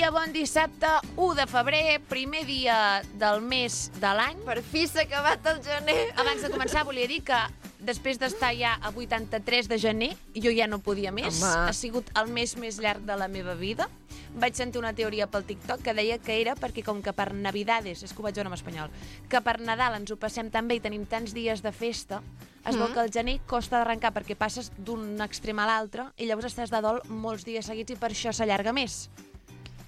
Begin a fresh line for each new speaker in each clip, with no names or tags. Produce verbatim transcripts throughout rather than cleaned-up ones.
dia, bon dissabte, u de febrer, primer dia del mes de l'any.
Per fi s'ha acabat el gener.
Abans de començar, volia dir que després d'estar ja a vuitanta-tres de gener, jo ja no podia més.
Home.
Ha sigut el mes més llarg de la meva vida. Vaig sentir una teoria pel TikTok que deia que era perquè com que per Navidades, és que ho vaig veure en espanyol, que per Nadal ens ho passem tan bé i tenim tants dies de festa, es veu
Mm.
que el gener costa d'arrencar perquè passes d'un extrem a l'altre i llavors estàs de dol molts dies seguits i per això s'allarga més.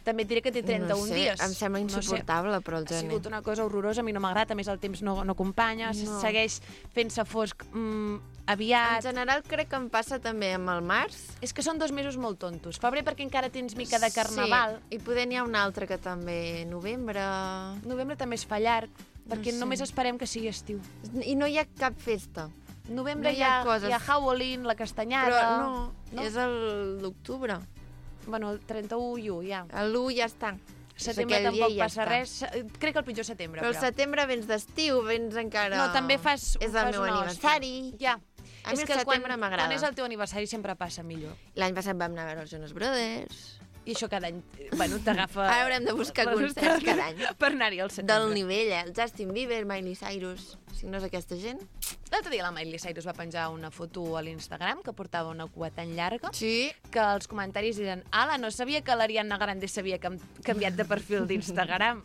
També et diré que té trenta-un
no sé,
dies.
Em sembla insuportable, no sé, però el
Ha
gener.
sigut una cosa horrorosa, a mi no m'agrada, a més el temps no, no acompanya,
No.
segueix fent-se fosc mm,
En
aviat.
general crec que em passa també amb el març.
És que són dos mesos molt tontos. Febrer perquè encara tens mica de carnaval.
Sí, i poder n'hi ha un altre que també, novembre...
Novembre també es fa llarg, perquè
sé.
només esperem que sigui estiu.
I no hi ha cap festa.
Novembre
No
hi
hi
ha,
ha coses.
hi ha Halloween, la castanyada...
Però no,
no?
és el- l'octubre.
Bueno, el trenta-u i u, ja.
L'u ja està.
Setembre
aquell dia
tampoc
ja
passa
està.
res. Crec que el pitjor setembre,
Però
però.
al setembre vens d'estiu, vens encara...
No, també fas...
És
fas
el meu
una
aniversari.
hòstia. Ja.
A
És
mi el
que quan,
setembre m'agrada.
quan és el teu aniversari sempre passa millor.
L'any passat vam anar a veure els Jonas Brothers.
I això cada any, bueno, t'agafa...
Ara haurem de buscar
les
concerts
hores
cada any.
Per anar-hi al setembre.
Del nivell, eh? El Justin Bieber, Miley Cyrus... Si no és aquesta gent...
L'altre dia la Miley Cyrus va penjar una foto a l'Instagram que portava una cua tan llarga
Sí.
que els comentaris eren «Ala, no sabia que l'Ariana Grande s'havia cam canviat de perfil d'Instagram».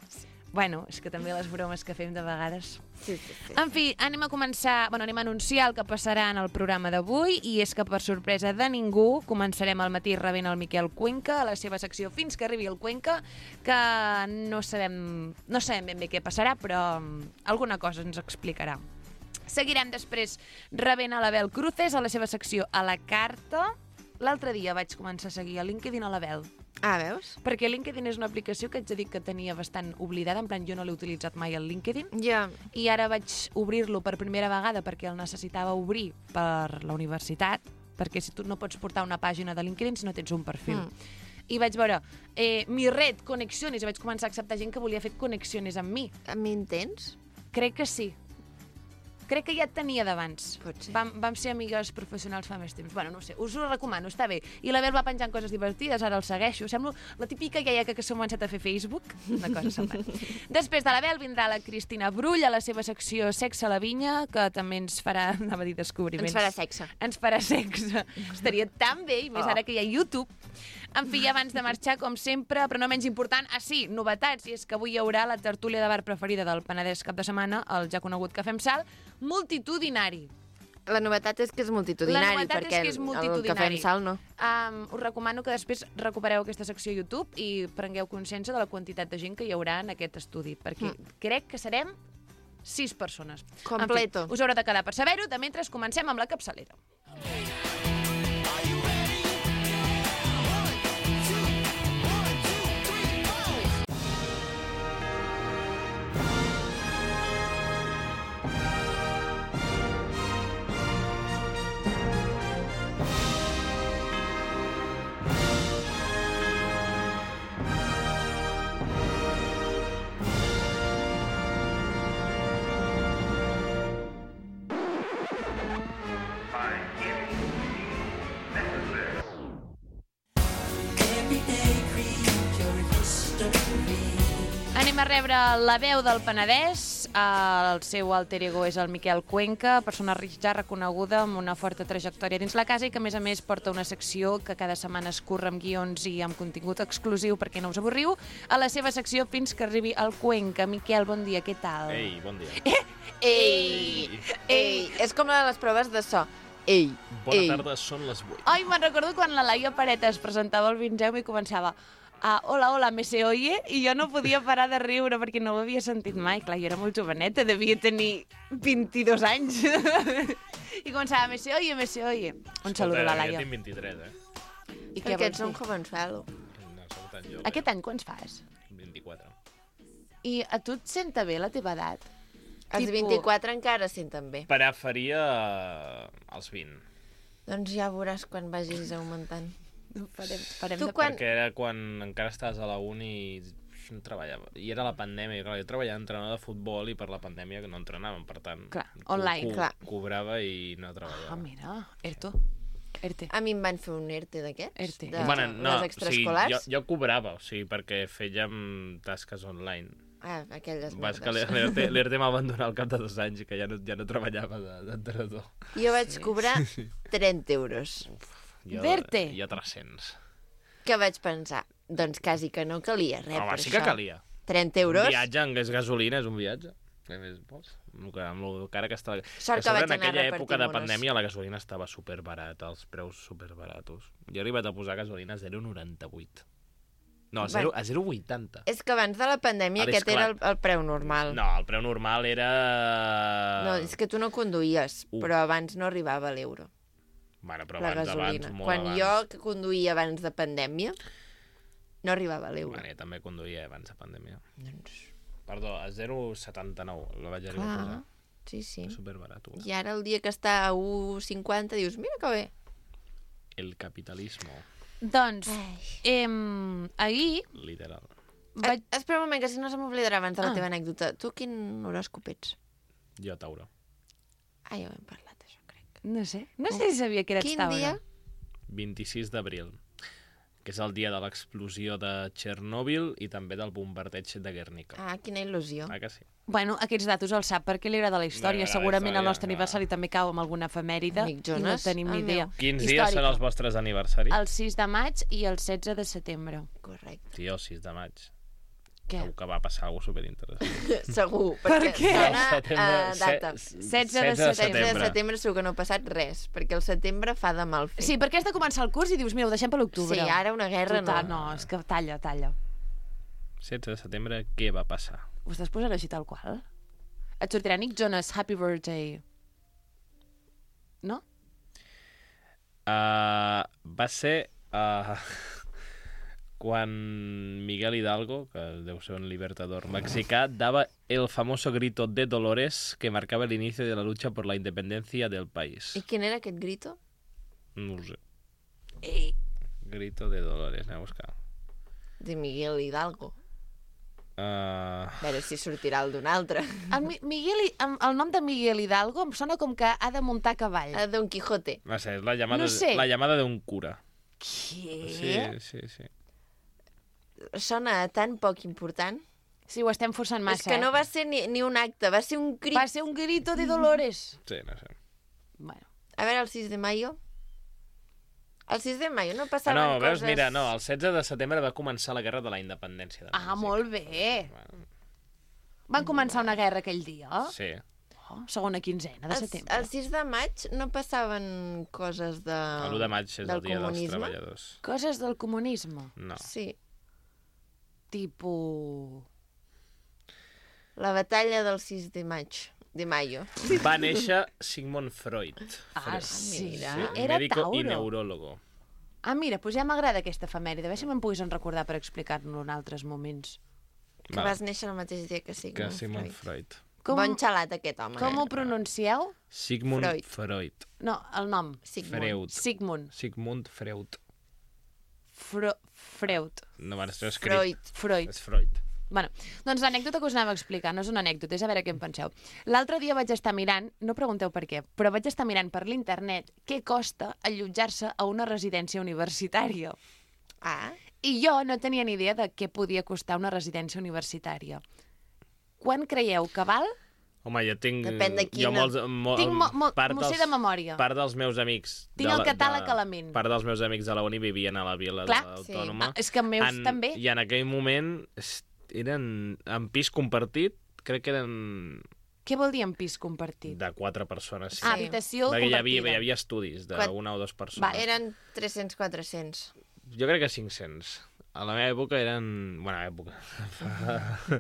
Bueno, és que també les bromes que fem de vegades.
Sí, sí, sí.
En fi, anem a començar, bueno, anem a anunciar el que passarà en el programa d'avui i és que per sorpresa de ningú començarem al matí rebent el Miquel Cuenca a la seva secció Fins que arribi el Cuenca, que no sabem, no sabem ben bé què passarà, però um, alguna cosa ens explicarà. Seguirem després rebent a l'Abel Cruces a la seva secció A la carta. L'altre dia vaig començar a seguir a LinkedIn a l'Abel,
Ah, veus?
perquè LinkedIn és una aplicació que haig de dir que tenia bastant oblidada, en plan jo no l'he utilitzat mai al LinkedIn,
Ja.
i ara vaig obrir-lo per primera vegada perquè el necessitava obrir per la universitat, perquè si tu no pots portar una pàgina de LinkedIn si no tens un perfil.
Mm.
I vaig veure, eh, mi red, conexiones, i vaig començar a acceptar gent que volia fer conexiones amb mi.
A mi en tens?
Crec que sí. Crec que ja et tenia d'abans.
Pot ser.
Vam, vam ser amigues professionals fa més temps. Bueno, no ho sé, us ho recomano, està bé. I l'Abel va penjant coses divertides, ara el segueixo. Semblo la típica iaia que, que s'ha començat a fer Facebook. Una cosa semblant. Després de l'Abel vindrà la Cristina Brull a la seva secció Sexe a la vinya, que també ens farà, anava a dir descobriments.
Ens farà sexe.
Ens farà sexe. Estaria tan bé, i més
Oh.
ara que hi ha YouTube. En fi, abans de marxar, com sempre, però no menys important, ah sí, novetats, i és que avui hi haurà la tertúlia de bar preferida del Penedès cap de setmana, el ja conegut Cafè amb Sal, multitudinari.
La novetat és que és multitudinari,
La novetat és
perquè
que és
el-
multitudinari.
el cafè amb sal no.
Um, us recomano que després recupereu aquesta secció a YouTube i prengueu consciència de la quantitat de gent que hi haurà en aquest estudi, perquè
Mm.
crec que serem sis persones.
Completo.
En fi, us haurà de quedar per saber-ho. De mentre comencem amb la capçalera. Anem a rebre la veu del Penedès. El seu alter ego és el Miquel Cuenca, persona ja reconeguda amb una forta trajectòria dins la casa i que, a més a més, porta una secció que cada setmana es curra amb guions i amb contingut exclusiu perquè no us avorriu, a la seva secció Fins que arribi el Cuenca. Miquel, bon dia, què tal?
Ei, bon dia.
Ei! Ei! És com la de les proves de so. Ei!
Bona
ei.
tarda, són les vuit.
Ai, me'n recordo quan la Laia Pareta es presentava al Vingem i començava a hola, hola, me se oye? I jo no podia parar de riure perquè no ho havia sentit mai. Clar, jo era molt joveneta, devia tenir vint-i-dos anys. I començava, me se oye, me se oye. Un saludo a la Laia.
Jo tinc vint-i-tres, eh?
I què
Perquè
vols
ets un
dir?
jovenzuelo.
No, soc tan jove.
Aquest any quants fas?
vint-i-quatre.
I a tu et senta bé la teva edat?
Els
Tipo-
vint-i-quatre encara senten bé.
Preferia eh, els vint.
Doncs ja veuràs quan vagis augmentant.
Farem, farem
Tu
de...
quan-
Perquè era quan encara estaves a la uni i no treballava. I era la pandèmia, i clar, jo treballava entrenador de futbol i per la pandèmia que no entrenàvem, per tant...
Clar,
co-
online.
co-
Clar.
Cobrava i no treballava.
Ah, mira, Erto. ERTE.
A mi em van fer un ERTE d'aquests,
ERTE.
de
Bueno, no,
les extraescolars.
o sigui, jo, jo cobrava, o sigui, perquè fèiem tasques online.
Ah, aquelles
Vas que
merdes.
l'ERTE l'ERTE m'ha abandonat al cap de dos anys, que ja no, ja no treballava de- d'entrenador.
Jo vaig cobrar trenta euros.
Jo,
D'ERTE?
Jo tres-cents.
Que vaig pensar? Doncs quasi que no calia res
Home,
per
sí
això.
que calia.
trenta
Un
euros?
viatge en gas gasolina és un viatge. Què més vols? Amb lo que, amb lo cara que està...
Sort que
a sobre,
vaig
en
anar
aquella època
repartint
de
unes.
pandèmia la gasolina estava superbarata, els preus superbaratos. Jo he arribat a posar gasolina a zero coma noranta-vuit. No, a zero
Bueno.
a zero coma vuitanta.
És que abans de la pandèmia
Ara, és
aquest era el,
clar.
el preu normal.
No, el preu normal era...
No, és que tu no conduïes,
Uh.
però abans no arribava a l'euro,
Bueno, però
la
abans,
gasolina.
abans, molt
Quan
abans.
jo que conduïa abans de pandèmia, no arribava a l'euro.
Bueno, jo també conduïa abans de pandèmia.
Doncs,
Perdó, a zero coma setanta-nou la vaig arribar a
clar,
posar.
sí, sí.
Superbarat.
I ara el dia que està a un coma cinquanta dius, mira que bé.
El capitalismo,
Doncs,
Ai.
eh, ahir
literal.
vaig...
Eh, espera un moment, que si no se m'oblidarà abans de la
Ah.
teva anècdota. Tu quin horòscop ets?
Jo, Tauro.
Ah, ja ho hem parlat, això, crec.
No sé, no sé si sabia que eres
Quin
Tauro.
dia?
vint-i-sis d'abril, que és el dia de l'explosió de Txernòbil i també del bombardeig de Guernica.
Ah, quina il·lusió.
Ah, que sí?
Bueno, aquests datos els sap perquè li agrada la història.
Li agrada la
Segurament el
història,
nostre
clar.
aniversari també cau amb alguna efemèride
Amic
i no
Jonas,
tenim ni
el
idea.
meu.
Quins dies
Històrica.
són els vostres aniversaris?
El sis de maig i el setze de setembre.
Correcte.
Tio, sis de maig.
Què?
Segur que va passar alguna cosa superinteressant.
Segur,
Per
perquè
què?
sona
Setembre-
a data.
se-
setze de
setze de setembre segur que no ha passat res, perquè el setembre fa de mal fer.
Sí, perquè has de començar el curs i dius, mira, ho deixem per l'octubre.
Sí, ara una guerra
Total,
no.
no, és que talla, talla.
setze de setembre, què va passar?
Ho estàs posant així tal qual? Et sortirà Nick Jonas, Happy Birthday. No?
Uh, va ser uh, quan Miguel Hidalgo, que deu ser un libertador mexicà, daba el famoso grito de Dolores que marcaba el inicio de la lucha por la independencia del país.
I quin era aquest grito?
No ho sé.
Ei.
Grito de Dolores, anem a buscar.
De Miguel Hidalgo.
Uh,
A veure si sortirà el d'un altre.
El, Mi- Miguel, Hi- em- el nom de Miguel Hidalgo em sona com que ha de muntar a cavall.
A Don Quijote.
no sé, és la llamada,
No sé.
la llamada de un cura.
Què?
Sí, sí, sí.
Sona tan poc important.
Sí, ho estem forçant massa,
És que no
eh?
va ser ni, ni un acte, va ser un crit.
Va ser un grito de Dolores.
Sí, no sé.
Bueno.
A veure, el sis de maio. El sis de maio no
Ah,
passaven
no, veus,
coses...
mira, no, el setze de setembre va començar la guerra de la independència. De
Ah,
Mèxic.
molt bé.
Bueno,
Van començar una guerra aquell dia.
sí.
Oh, segona quinzena de
El,
setembre.
el sis de maig no passaven coses de...
L'u de maig és
del
el dia dels
comunisme?
treballadors.
Coses del comunisme.
No.
Sí.
Tipo...
La batalla del sis de maig. De maio.
Va néixer Sigmund Freud.
Ah,
Freud.
sí.
mira.
Sí,
Era
médico
Tauro.
i neuròlogo.
Ah, mira, doncs ja m'agrada aquesta efemèride. A veure si me'n poguessin recordar per explicar-lo en altres moments.
Que
Vale.
vas néixer el mateix dia que Sigmund,
Que Sigmund
Freud.
Freud.
Com,
Bon xalat, aquest home.
com
eh?
ho pronuncieu?
Sigmund
Freud.
Freud.
No, el nom.
Sigmund.
Freud.
Sigmund.
Sigmund Freud.
Fro Freud.
No, bueno, està escrit.
Freud.
Freud.
És Freud.
Bueno, doncs l'anècdota que us anava a explicar no és una anècdota, és a veure què en penseu. L'altre dia vaig estar mirant, no pregunteu per què, però vaig estar mirant per l'internet què costa allotjar-se a una residència universitària.
Ah,
I jo no tenia ni idea de què podia costar una residència universitària. Quan creieu que val?
Home, jo tinc...
Depèn de
Jo
quina.
molts, mo,
Tinc mo- mo-
part
m'ho sé
dels-
de memòria.
Part dels meus amics...
Tinc
de
el
la-
catàleg
de-
a la ment.
Part dels meus amics de la uni vivien a la vila
Clar,
sí.
autònoma.
Ah, és que meus
en,
també.
I en aquell moment es- eren en pis compartit, crec que eren
Què vol dir en pis compartit?
de quatre persones. Sí.
Ah,
Sí.
habitació
Perquè hi
compartida.
havia, hi havia estudis
Quat-
d'una o dues persones.
Vale.
eren tres-cents quatre-cents.
Jo crec que cinc-cents. A la meva època eren... Bueno, època...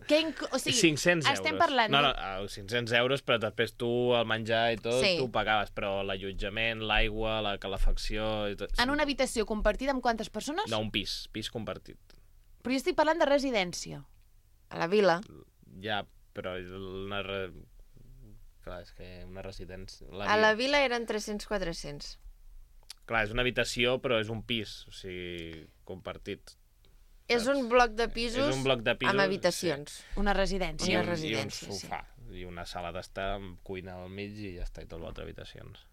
Què inc- o sigui,
cinc-cents
estem
euros.
parlant
No, no,
d'un-
eh, cinc-cents euros, però després tu, el menjar i tot,
Sí.
tu ho pagaves, però l'allotjament, l'aigua, la calefacció... I tot,
En una habitació compartida amb quantes persones?
No, un pis, pis compartit.
Però jo estic parlant de residència.
A la vila.
Ja, però una... Re... Clar, és que una residència... La
A la
vida-
vila eren tres-cents quatre-cents.
Clar, és una habitació, però és un pis, o sigui, compartit.
És un bloc de pisos,
És un bloc de pisos,
amb habitacions.
Una
I
residència.
Una
un,
residència,
i un
sí.
sofà, i una sala d'estar amb cuina al mig i ja està, i tot l'altre habitacions.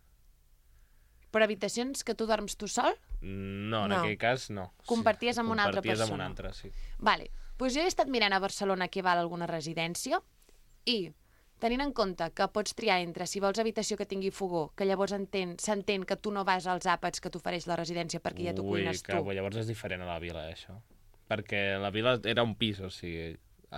Però habitacions que tu dorms tu sol?
No, en
No.
aquell cas no.
Comparties amb una altra
Comparties amb
persona.
una altra, sí.
Vale. Pues jo he estat mirant a Barcelona què val alguna residència i, tenint en compte que pots triar entre si vols habitació que tingui fogó, que llavors entén, s'entén que tu no vas als àpats que t'ofereix la residència perquè ja t'ho cuines
que,
tu.
Llavors és diferent a la vila, això. Perquè la vila era un pis, o sigui,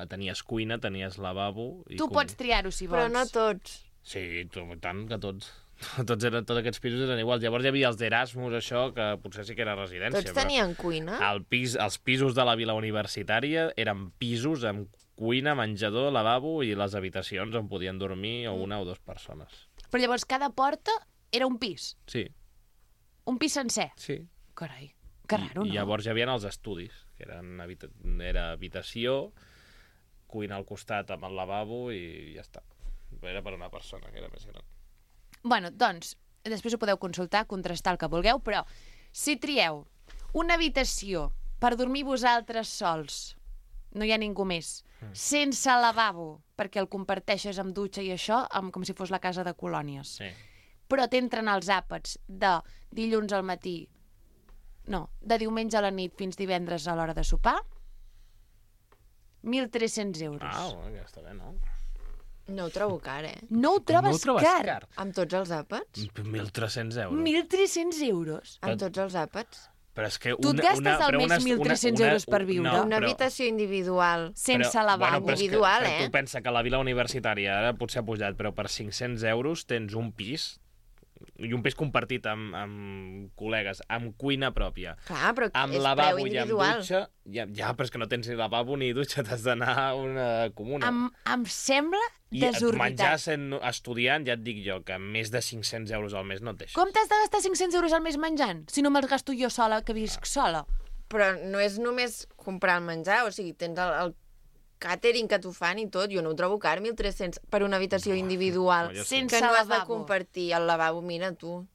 tenies cuina, tenies lavabo... I
Tu
cuina.
pots triar-ho si vols.
Però no tots.
Sí, tu, tant que tots. Tots, eren, tots aquests pisos eren iguals. Llavors hi havia els d'Erasmus, això, que potser sí que era residència.
Tots tenien cuina?
El pis, els pisos de la vila universitària eren pisos amb cuina, menjador, lavabo i les habitacions on podien dormir o una o dues persones.
Però llavors cada porta era un pis.
Sí,
Un pis sencer.
sí.
Carai, que raro,
I,
no?
I llavors hi havia els estudis, que eren habita era habitació, cuina al costat amb el lavabo i ja està. Era per una persona, que era més gran.
Bueno, doncs, després ho podeu consultar, contrastar el que vulgueu, però si trieu una habitació per dormir vosaltres sols, no hi ha ningú més, mm. sense lavabo, perquè el comparteixes amb dutxa i això, amb, com si fos la casa de colònies,
Sí.
però t'entren els àpats de dilluns al matí, no, de diumenge a la nit fins divendres a l'hora de sopar, mil tres-cents euros.
Ah, bueno, ja està bé, no?
No ho trobo car, eh?
No ho trobes,
no ho trobes
car?
car?
Amb tots els àpats?
mil tres-cents euros.
mil tres-cents euros?
Amb tots els àpats?
Però és que
Tu et
una,
gastes
una,
al
però
mes
una,
mil tres-cents
una,
euros per viure?
No,
Una
però,
habitació individual.
Sense
però,
lavabo.
però és que-
Individual,
però
eh?
Tu pensa que la vila universitària ara potser ha pujat, però per cinc-cents euros tens un pis, i un pis compartit amb, amb col·legues, amb cuina pròpia,
Clar, però
amb
és preu
lavabo i amb
individual.
dutxa. Ja, ja, però és que no tens ni lavabo ni dutxa, t'has d'anar a una comuna.
Em, em sembla
I menjar
desorbitat.
sent estudiant, ja et dic jo, que més de cinc-cents euros al mes no et deixes.
Com t'has de gastar cinc-cents euros al mes menjant? Si no me'ls gasto jo sola, que visc sola.
Però no és només comprar el menjar, o sigui, tens el, el catering que t'ho fan i tot. Jo no ho trobo car, mil tres-cents per una habitació individual.
no, jo sí.
Sense
Que no has de
lavabo.
compartir el lavabo, mira tu.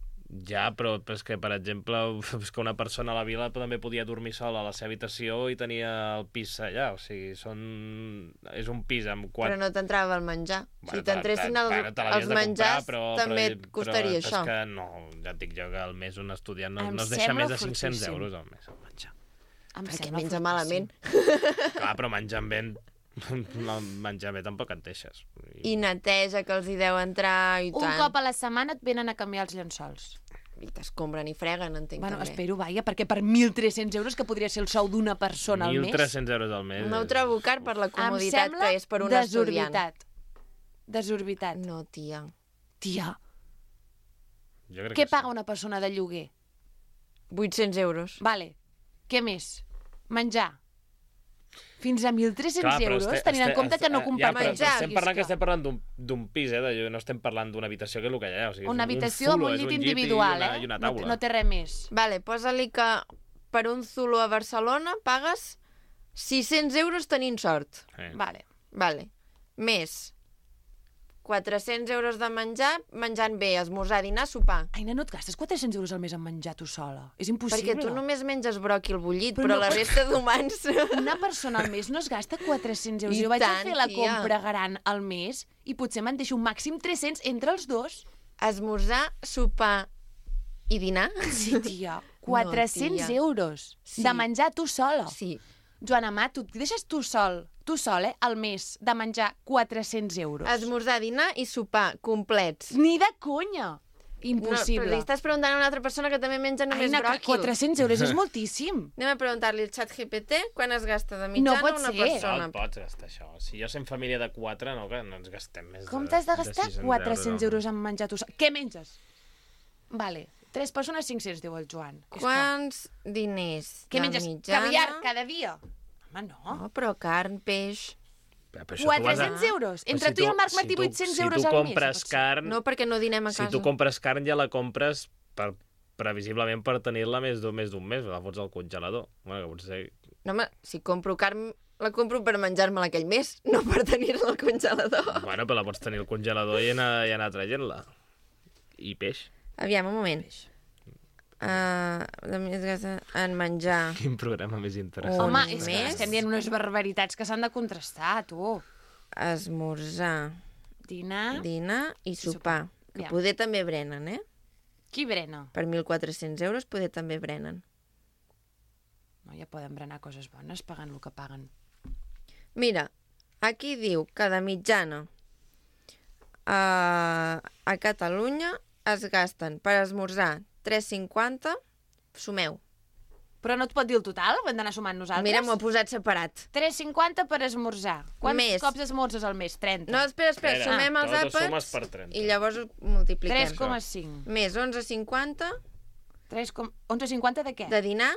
Ja, però és que, per exemple, és que una persona a la vila també podia dormir sola a la seva habitació i tenia el pis allà. O sigui, són... és un pis amb quatre...
Però no t'entrava el menjar.
Bueno,
si t'entressin el,
bueno, te l'havies
els
de comprar,
menjars,
però,
també
però,
et costaria
però,
això.
És que no, ja et dic jo que al mes un estudiant no,
Em
no es deixa
sembla
més de cinc-cents
fortíssim.
euros al mes al menjar.
Em
Perquè
sembla
menja
fortíssim.
malament.
Clar, però menjant bé, menjar bé tampoc et deixes.
I neteja que els hi deu entrar i
Un
tant.
cop a la setmana et venen a canviar els llençols.
I t'escombren i freguen, entenc
Bueno,
també.
espero, vaja, perquè per mil tres-cents euros, que podria ser el sou d'una persona al mes...
mil tres-cents euros al mes.
No ho trobo car per la
Em
comoditat
sembla
que és per un estudiant.
desorbitat. Desorbitat.
No, tia.
Tia,
Jo crec
què
que
paga una persona de lloguer?
vuit-cents euros.
Vale. Què més? Menjar. Fins a mil tres-cents
Clar, però
euros,
este-
tenint en
este-
compte que no
este-
comprar
ja, però
menjar.
Estem parlant
és
que estem parlant d'un- d'un pis, eh? De, no estem parlant d'una habitació, que és el que hi ha. O sigui, és
Una
un
habitació amb
zulo,
un
és
llit
i
individual,
una,
eh?
I una
No, té-
taula.
no té res més.
Vale, posa-li que per un zulo a Barcelona pagues sis-cents euros tenint sort.
Eh.
Vale.
Vale. Més quatre-cents euros de menjar, menjant bé, esmorzar, dinar, sopar.
Aina, no et gastes quatre-cents euros al mes en menjar tu sola. És impossible.
Perquè tu només menges bròquil bullit,
Però
però,
no
la
pots-
resta d'humans...
Una persona al mes no es gasta quatre-cents euros.
I
Jo vaig
tant,
a fer la
tia.
compra gran al mes i potser me'n deixo un màxim tres-cents entre els dos.
Esmorzar, sopar i dinar?
Sí, tia. quatre-cents
tia.
euros
Sí.
de menjar tu sola.
Sí.
Joana Ma, tu et deixes tu sol, tu sol, eh, al mes, de menjar quatre-cents euros.
Esmorzar, dinar i sopar, complets.
Ni de conya!
No,
Impossible.
però li estàs preguntant a una altra persona que també menja només
Aina, que
bròquil.
quatre-cents euros és moltíssim.
Anem a preguntar-li al xat G P T quan es gasta de
No
mitjana
pot
una
ser.
No
persona.
et pots gastar això. Si jo som família de quatre, no, que no ens gastem més
Com
de
t'has de gastar
sis-cents
quatre-cents
al
euros en menjar tu sol? Què menges? Vale. Tres persones, cinc-cents, diu el Joan. És clar.
Quants diners
Què
de
menges?
mitjana?
Caviar cada dia? Home, no.
No, però carn, peix...
Però això tu has de-
quatre-cents euros.
Però
Entre
si
tu i el Marc Martí,
tu-
vuit-cents
si
euros
tu
al mes.
compres
pot ser.
carn,
No, perquè no dinem a
si
casa.
tu compres carn ja la compres per, previsiblement per tenir-la més d'un més d'un mes, la fots al congelador. Bueno, que potser...
No, home, si compro carn, la compro per menjar-me-la aquell mes, no per tenir-la al congelador.
Bueno, però la pots tenir al congelador i anar, i anar traient-la. I peix.
Aviam, un moment. Uh, de més gasta en menjar.
Quin programa més interessant.
Un
Home, és que
mes?
estem dient unes barbaritats que s'han de contrastar, tu.
Esmorzar,
Dinar...
dinar i sopar. Que
Ja.
poder també brenen, eh?
Qui brena?
Per mil quatre-cents euros poder també brenen.
No, ja poden brenar coses bones pagant el que paguen.
Mira, aquí diu que de mitjana a, a Catalunya es gasten per esmorzar tres cinquanta, sumeu.
Però no et pot dir el total? Ho hem d'anar sumant nosaltres?
Mira, m'ho he posat separat.
tres cinquanta per esmorzar. Quants
Més.
cops esmorzes al mes? trenta.
No, espera, espera,
Espera,
sumem els
tot ho sumes
àpats
per trenta.
i llavors ho multipliquem.
tres coma cinc.
Més onze cinquanta
tres com... onze cinquanta de què?
de dinar,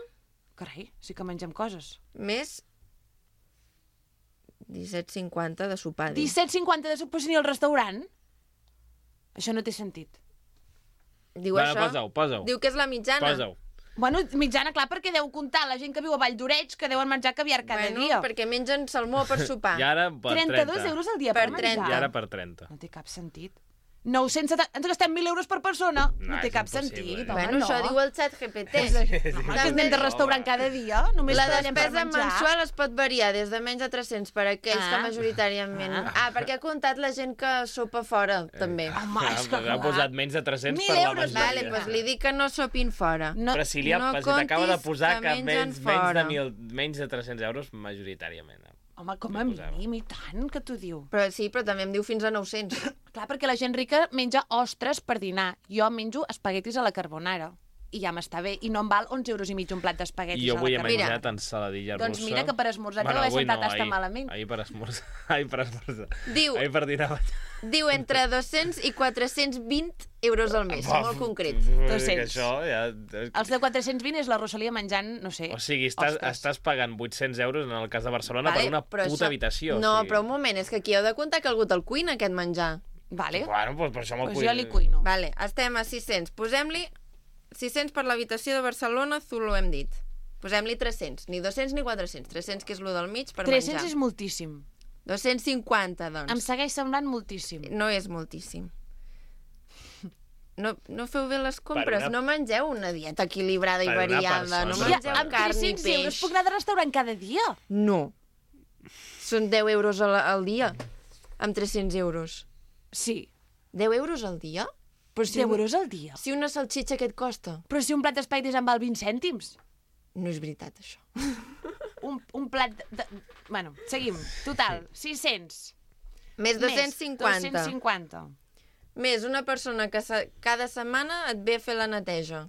Carai, sí que mengem coses.
més disset cinquanta de sopar. diu.
disset cinquanta de sopar ni al restaurant? Això no té sentit.
Diu
Bueno,
això.
posa-ho, posa-ho.
Diu que és la mitjana.
Posa-ho.
Bueno, mitjana, clar, perquè deu comptar la gent que viu a Vall d'Oreig que deuen menjar caviar cada
bueno,
dia.
perquè mengen salmó per sopar.
I ara per
trenta-dos
trenta.
euros al dia per,
Per
menjar.
trenta.
I ara per trenta.
No té cap sentit. nou-cents setanta... Ens gastem mil euros per persona. No,
No,
té
és
cap
impossible.
sentit, home,
Bueno,
no.
això diu el xat G P T.
Home, que anem de restaurant cada dia, només
La
treballem per
despesa
menjar.
mensual es pot variar des de menys de tres-cents per aquells
Ah.
que majoritàriament... Ah. perquè ha comptat la gent que sopa fora, també.
Home, és que
Ha
clar.
posat menys de tres-cents
Mil
per la
euros,
majoria.
Vale, doncs li dic que no sopin fora.
No,
Però si li ha,
no
si t'acaba de
comptis
posar
que
que,
mengen
menys, menys,
fora.
de mil, menys de tres-cents euros majoritàriament.
home, com a
Li posava.
mínim, i tant, que t'ho diu.
Però sí, però també em diu fins a nou-cents.
Clar, perquè la gent rica menja ostres per dinar. Jo menjo espaguetis a la carbonara. I ja m'està bé. I no em val onze euros i mig un plat d'espaguetis
I jo
a la
avui he
carbonara.
menjat ensaladilla russa.
Doncs mira que per esmorzar bueno, t'ho he
avui
sentat
no,
hasta
ahir,
malament.
Ahir per esmorzar. Ahir per esmorzar.
Diu-
Ahir per dinar.
Diu entre dos-cents i quatre-cents vint euros al mes, molt concret.
dos-cents.
Això ja...
Els de quatre-cents vint és la Rosalia menjant, no sé...
O sigui, estàs,
ostres.
estàs pagant vuit-cents euros en el cas de Barcelona
Vale,
per una
però
puta
això-
habitació.
No,
o sigui...
però un moment, és que aquí heu de comptar que ha hagut el cuina, aquest menjar.
Vale,
Bueno, doncs per això me'l
doncs jo li cuino.
Vale, estem a sis-cents. Posem-li sis-cents per l'habitació de Barcelona, Zulu hem dit. Posem-li tres-cents, ni dos-cents ni quatre-cents. tres-cents, que és lo del mig, per
tres-cents
menjar.
és moltíssim.
dos-cents cinquanta, doncs.
Em segueix semblant moltíssim.
No és moltíssim. No, no feu bé les compres,
Per una-
no mengeu una dieta equilibrada i
Per una
variada, no
persona.
Ja,
mengeu
amb
carn ni
tres-cents euros
peix.
puc anar de restaurant cada dia?
No. Són deu euros al, al dia, amb tres-cents euros.
Sí,
deu euros al dia? Però si,
deu
un-
euros al dia.
si una salxitxa què et costa?
Però si un plat d'espaguetis em val vint cèntims.
No és veritat, això.
Un, un plat de, de... Bueno, seguim. Total, sis-cents.
Més dos-cents cinquanta.
Més dos-cents cinquanta.
Més una persona que se, cada setmana et ve a fer la neteja.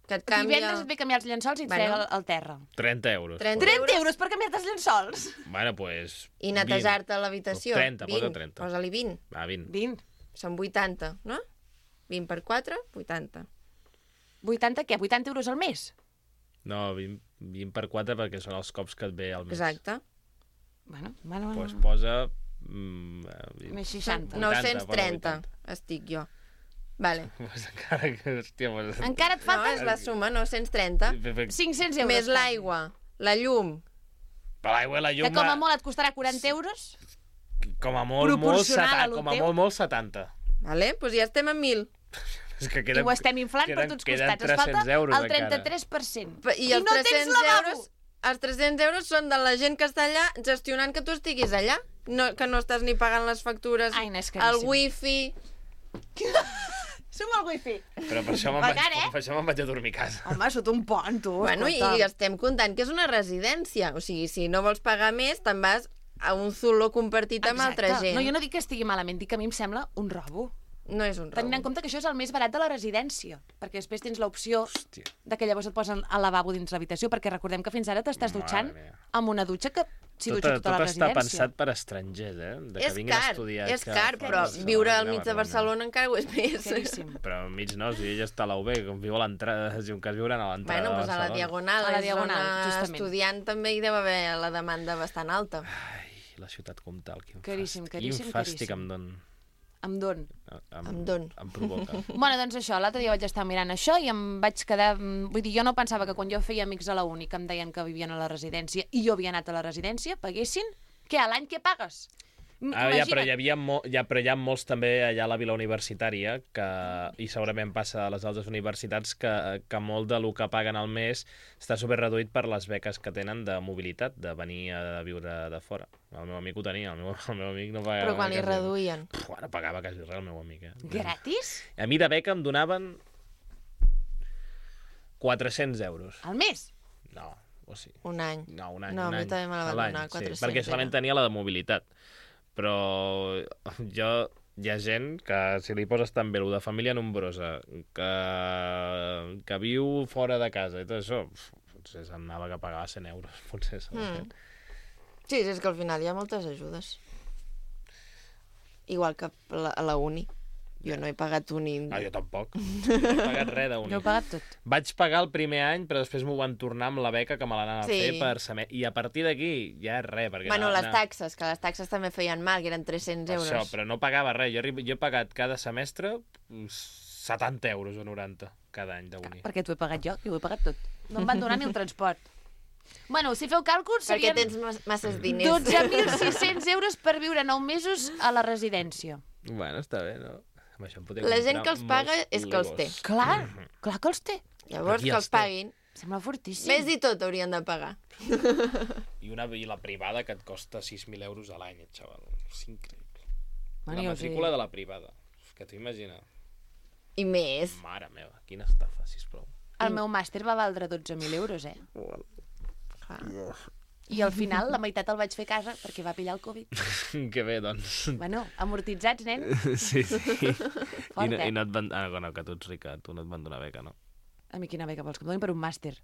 Que et canvia...
Divendres et ve a canviar els llençols i et
Bueno.
frega al, al terra.
trenta euros.
trenta
Pues.
trenta euros per canviar-te els llençols?
Bueno, pues...
I netejar-te l'habitació.
trenta, posa
vint.
trenta.
Posa-li vint.
Va, vint.
vint.
Són vuitanta, no? vint per quatre, vuitanta.
vuitanta què? vuitanta euros al mes?
No, vint, vint per quatre perquè són els cops que et ve al mes.
Exacte.
Bueno, bueno, bueno.
Pues posa... Mm, eh, vint.
Més seixanta.
No.
nou-cents trenta,
vuitanta.
estic jo. Vale.
Pues encara que... Hòstia, pues...
Encara et
No,
falta
és la suma, nou-cents trenta.
cinc-cents euros.
Més l'aigua, la llum.
Però l'aigua i la llum...
Que com a molt et costarà quaranta euros?
Com a molt, molt,
proporcional a
setanta,
lo
com a
teu.
molt, molt, setanta.
Vale? Doncs pues ja estem a mil.
És que
I ho estem inflant per tots costats. Es falta
euros
el
encara.
trenta-tres per cent.
I, els
no tens
tres-cents
lavabo!
euros, els tres-cents euros són de la gent que està allà gestionant que tu estiguis allà. No, que no estàs ni pagant les factures,
Ai, no, és
el
caríssim.
wifi...
Som al wifi.
Però per això me'n vaig,
Pagar, eh?
per això me'n vaig a dormir a casa.
Home, sota un pont, tu.
Bueno, i
escolta.
estem comptant que és una residència. O sigui, si no vols pagar més, te'n vas a un zulo compartit amb altra
Exacte.
gent.
No, jo no dic que estigui malament, dic que a mi em sembla un robo.
No és un robo.
Tenint en compte que això és el més barat de la residència, perquè després tens l'opció
Hòstia.
de que llavors et posen al lavabo dins l'habitació, perquè recordem que fins ara t'estàs
Mare
dutxant
meva.
amb una dutxa que s'hi
Tot,
dutxa tota
tot
la
està
residència.
pensat per estrangers, eh? De que
És
vinguin a
car,
estudiar.
és
que
car,
fora
però
Barcelona,
viure al
vine a
mig de Barcelona encara ho és més.
Caríssim.
Però al mig no, si ella està a la U B, com viu a l'entrada, si un cas viuran a l'entrada
Bueno,
de
doncs a la
Barcelona.
Diagonal,
A la
és
Diagonal,
zona
justament.
estudiant també hi deu haver la demanda bastant alta.
Ai, la ciutat comtal, quin
Caríssim,
fàstic,
caríssim,
quin fàstic
caríssim.
em don.
Em don.
Em,
Em don.
Em provoca.
Bueno, doncs això, l'altre dia vaig estar mirant això i em vaig quedar... mm, Vull dir, jo no pensava que quan jo feia amics a la uni que em deien que vivien a la residència i jo havia anat a la residència, paguessin? Què, a l'any què pagues? M-
Ah, ja, però
imagina't.
hi havia mo ja, però hi ha molts també allà a la vila universitària que, i segurament passa a les altres universitats que, que molt de lo que paguen al mes està super reduït per les beques que tenen de mobilitat, de venir a viure de fora. El meu amic ho tenia, el meu, el meu amic no pagava
Però quan li
quasi-
reduïen.
Puf, ara pagava quasi res el meu amic, eh?
Gratis?
A mi de beca em donaven quatre-cents euros.
Al mes?
No, o sigui...
Un any.
No, un any.
No,
un
a mi
any.
també me la van
A l'any,
donar, quatre-cents.
Sí, perquè solament
era.
tenia la de mobilitat. Però jo... Hi ha gent que, si li poses també el de família nombrosa, que, que viu fora de casa i tot això, potser s'anava que pagava cent euros, potser. Mm.
Sí, és que al final hi ha moltes ajudes. Igual que a la uni. Jo no he pagat uni...
Ah, jo tampoc. No he pagat res d'uni.
No he pagat tot.
Vaig pagar el primer any, però després m'ho van tornar amb la beca que me l'anaven
Sí.
a fer per semestre. I a partir d'aquí ja és res. Perquè
Bueno,
anava-
les taxes, que les taxes també feien mal, que eren tres-cents euros.
Això, però no pagava res. Jo, arri- jo he pagat cada semestre setanta euros o noranta cada any d'uni.
Perquè t'ho he pagat jo, que ho he pagat tot. No em van donar ni el transport. Bueno, si feu càlculs,
Perquè
serien
tens mas- masses diners.
dotze mil sis-cents euros per viure nou mesos a la residència.
Bueno, està bé, no? Amb això em podria
La gent
comprar
que els paga
molts
és que els té.
Legos.
Clar, clar que els té.
Llavors,
Aquí
que
els
els
té.
paguin.
Sembla fortíssim.
Més i tot haurien de pagar.
I, una, I la privada que et costa sis mil euros a l'any, xaval. És increïble.
Bueno,
La
jo us
matrícula
dic.
de la privada. Que t'ho imagina.
I més.
Mare meva, quina estafa, sisplau.
El meu màster va valdre dotze mil euros, eh?
Clar.
I al final la meitat el vaig fer a casa perquè va pillar el Covid.
Que bé, doncs.
Bueno, amortitzats, nen.
Sí, sí. I,
Fort,
no,
eh?
I no et van... Ah, no, que tu ets rica, tu no et van donar beca, no?
A mi quina beca vols que em donin per un màster?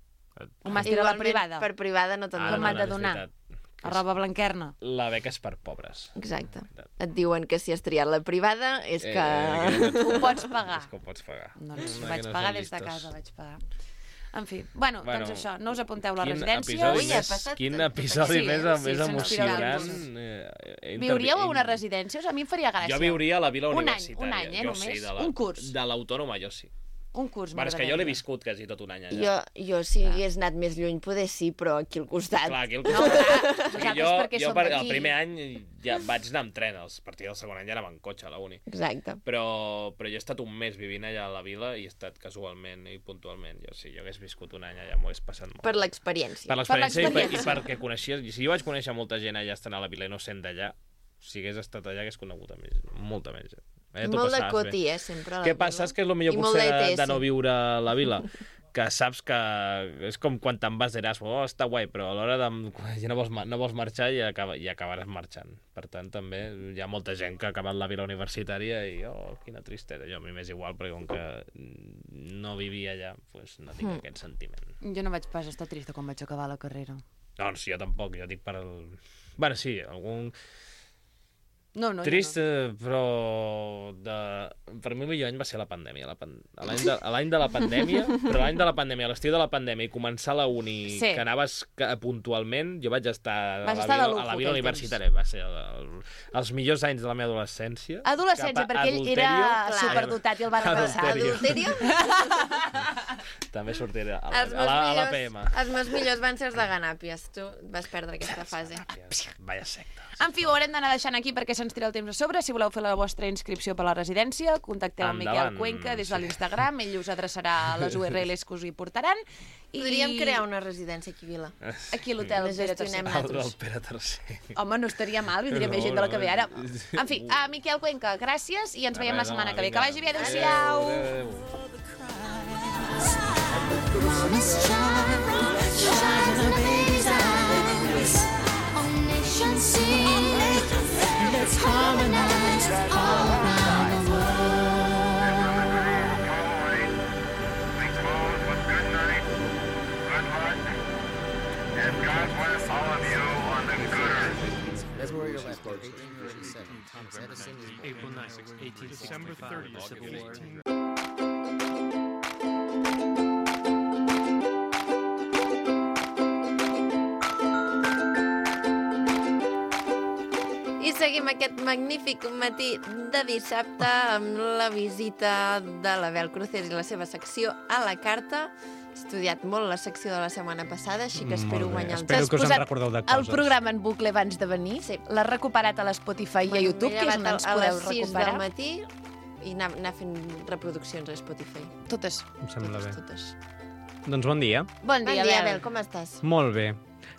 Et-
Un màster a la
Igualment,
privada.
per privada no te'n
Ah,
Com
no,
m'han
no,
de
és
donar?
veritat.
A roba blanquerna.
La beca és per pobres.
Exacte. Et diuen que si has triat la privada és que...
Eh, que no
Ho pots pagar.
És que ho pots pagar.
Doncs
No,
vaig
que no
pagar
són
des de
listos.
casa, vaig pagar. En fi, bueno,
Bueno,
doncs això, no us apunteu a la
Quin
residència.
episodi
Ui, ha
més,
passat
quin
tot
episodi
aquí.
més,
Sí,
més
sí, se'ns
emocionant.
tira
eh, he
Viuríeu a
intervi-
una residència? O sigui, a mi em faria gràcia.
Jo viuria a la vila
Un any,
universitària.
un any, eh,
jo
només?
Sí, de la,
Un curs.
De l'autònoma, jo sí.
Un curs
Bueno, és que jo l'he
m'agradaria.
viscut quasi tot un any allà.
Jo, jo si hagués anat més lluny, poder sí, però aquí al costat.
Clar, aquí el...
No, clar,
O sigui,
nosaltres
jo,
perquè
jo
som
per,
d'aquí.
el primer any ja vaig anar amb tren, a partir del segon any ja anava en cotxe a la uni.
Exacte.
Però, però jo he estat un mes vivint allà a la vila i he estat casualment i puntualment. Jo, si jo hagués viscut un any allà m'ho hagués passat molt.
Per l'experiència.
Per l'experiència i, per, i
l'experiència.
perquè coneixies... Si jo vaig conèixer molta gent allà estant a la vila i no sent d'allà, si hagués estat allà hagués conegut a més, molta més gent. Eh, t'ho
Molt de
passaves
coti,
bé.
eh, sempre. a la
Què
vila.
passa? Saps que és el millor
I molt
potser de,
d'E T S.
de no viure a la vila? Que saps que és com quan te'n vas d'Erasmus, oh, està guai, però a l'hora de... Ja no vols, ma- no vols marxar i, acaba, i acabaràs marxant. Per tant, també hi ha molta gent que ha acabat la vida universitària i, oh, quina tristesa. Jo a mi m'és igual, perquè com que no vivia allà, pues, no tinc
Mm.
aquest sentiment.
Jo no vaig pas estar trista quan vaig acabar la carrera.
No, no, sí, jo tampoc, jo dic per el... Bueno, sí, algun...
No, no,
Trist,
jo
eh, però de... per mi el millor any va ser la pandèmia. La pan... a l'any de, a l'any de la pandèmia, però l'any de la pandèmia, a l'estiu de la pandèmia i començar la uni,
Sí.
que anaves ca- puntualment, jo vaig estar,
Vas
a, la
estar de
vida,
lujo
a la
aquell
vida
temps.
universitària. Va ser el, el, els millors anys de la meva adolescència.
no. Adolescència,
Cap a
perquè ell era
adulterio.
superdotat i el va repassar.
Adulterio.
Adulterio?
També sortiré a la,
Els
a
meus,
la, a la
millors,
P M.
els meus millors van ser els de Ganàpies. Tu vas perdre aquesta fase.
Vaya secta.
En fi, ho haurem d'anar deixant aquí perquè se'ns tira el temps a sobre. Si voleu fer la vostra inscripció per la residència, contacteu amb Miquel
Endavant.
Cuenca des de
Sí.
l'Instagram. Ell us adreçarà les U R Ls que us hi portaran. I
Podríem crear una residència aquí a Vila.
aquí a l'hotel
La
Pere
gestionem
tercer.
El, el
nosaltres.
Pere tercer.
Home, no estaria mal, vindria
No,
més gent de la que
no,
ve ara.
sí.
En fi, a Miquel Cuenca, gràcies i ens veiem la
Res,
setmana
home,
que ve. Que
vinga.
vagi bé, adéu-siau!
Adéu.
Promise child, shine in a baby's eyes. All nations sing, let's harmonize all around the world.
And God bless all of you on the good earth.
That's where you're left. eighteen forty-seven. Thomas Edison is
April ninth, eighteen December thirtieth, Civil War.
I seguim aquest magnífic matí de dissabte amb la visita de l'Abel Cruces i la seva secció a la carta. He estudiat molt la secció de la setmana passada, així que espero
Molt bé.
guanyar el
Espero
T'has
que us en
posat
recordeu de
el
coses.
programa en bucle abans de venir.
Sí.
L'has recuperat a l'Spotify i a YouTube, que és on ens
a
podeu
les sis
recuperar.
del matí i anar, anar fent reproduccions a Spotify.
Totes.
Em sembla bé.
Totes, totes.
Doncs bon dia.
Bon
Bon
dia,
dia,
Abel.
Abel, com estàs?
Molt bé.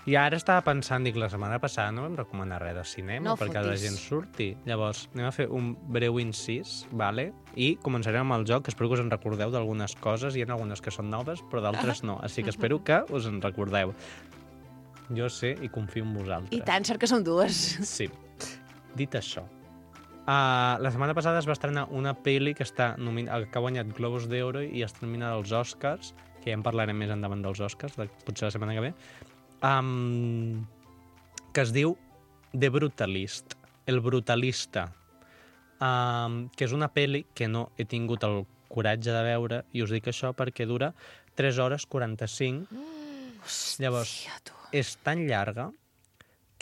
I ara estava pensant, dic, la setmana passada no vam recomanar res de cinema
No
perquè la
fotis.
gent surti. Llavors, anem a fer un breu incís, vale? I començarem amb el joc, que espero que us en recordeu d'algunes coses. Hi ha algunes que són noves, però d'altres no. Així que espero que us en recordeu. Jo sé i confio en vosaltres.
I tant, sort que som dues.
Sí. Dit això, uh, la setmana passada es va estrenar una pel·li que, està nomin... que ha guanyat Globus d'Oro i està nominada als Oscars, que ja en parlarem més endavant dels Oscars, de, potser la setmana que ve, um, que es diu The Brutalist, El Brutalista, um, que és una pel·li que no he tingut el coratge de veure, i us dic això perquè dura tres hores quaranta-cinc. Llavors, és tan llarga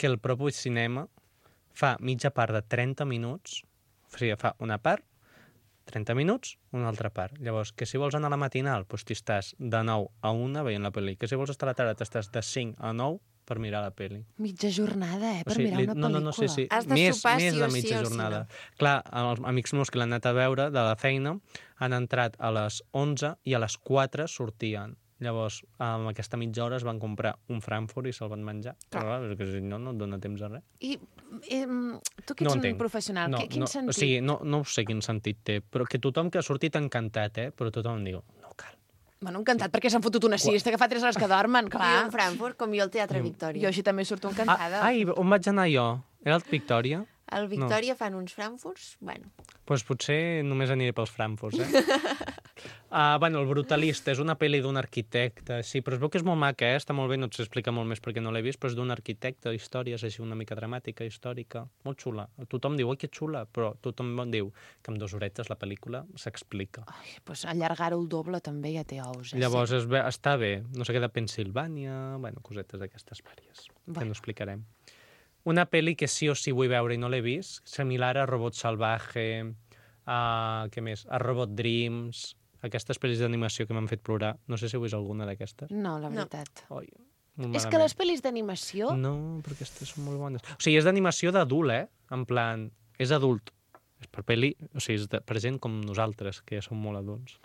que el propi cinema fa mitja part de trenta minuts, o sigui, fa una part, trenta minuts, una altra part. Llavors, que si vols anar a la matinal, doncs t'hi estàs de nou a una veient la pel·li. Que si vols estar a la tarda, t'estàs de cinc a nou per mirar la pel·li.
Mitja jornada, eh, per
O sigui,
mirar
li-
una
no,
pel·lícula.
no, no, sí, sí.
Has de
més,
sopar
més
sí
de
o sí
mitja
o sí
jornada.
no.
Clar, els amics meus que l'han anat a veure de la feina han entrat a les onze i a les quatre sortien. Llavors, amb aquesta mitja hora es van comprar un Frankfurt i se'l van menjar. Clar. Però, clar, perquè si no, no et dona temps a res.
I eh, tu que ets
No
un
entenc.
professional,
No,
que, quin
no,
sentit?
O sigui, no, no sé quin sentit té, però que tothom que ha sortit encantat, eh? Però tothom diu, no cal.
Bueno, encantat, perquè s'han fotut una siesta que fa tres hores que dormen,
I
clar.
un Frankfurt, com jo al Teatre
Jo
Victòria.
així també surto
Ah,
encantada.
ai, on vaig anar jo? Era el Victòria?
Al Victòria fan uns Frankfurts, bueno.
Doncs pues potser només aniré pels Frankfurts, eh? uh, bueno, El Brutalista és una pel·li d'un arquitecte, sí, però es veu que és molt maca, eh? Està molt bé, no et sé explicar molt més perquè no l'he vist, però és d'un arquitecte, històries així una mica dramàtica, històrica, molt xula. Tothom diu, oi, que xula, però tothom diu que amb dues horetes la pel·lícula s'explica.
Ai, doncs allargar-ho el doble també ja té ous. Eh?
Llavors, es ve, està bé, no sé què, de Pensilvània, bueno, cosetes d'aquestes vàries, que
Bueno.
no explicarem. Una pel·li que sí o sí vull veure i no l'he vist, similar a Robot Salvaje, a, què més? A Robot Dreams, aquestes pel·lis d'animació que m'han fet plorar. No sé si heu vist alguna d'aquestes.
No, la veritat.
Oi, molt
És que
malament.
les pel·lis d'animació...
No, però aquestes són molt bones. O sigui, és d'animació d'adult, eh? En plan, és adult. És per pel·li, o sigui, és de, per gent com nosaltres, que ja som molt adults.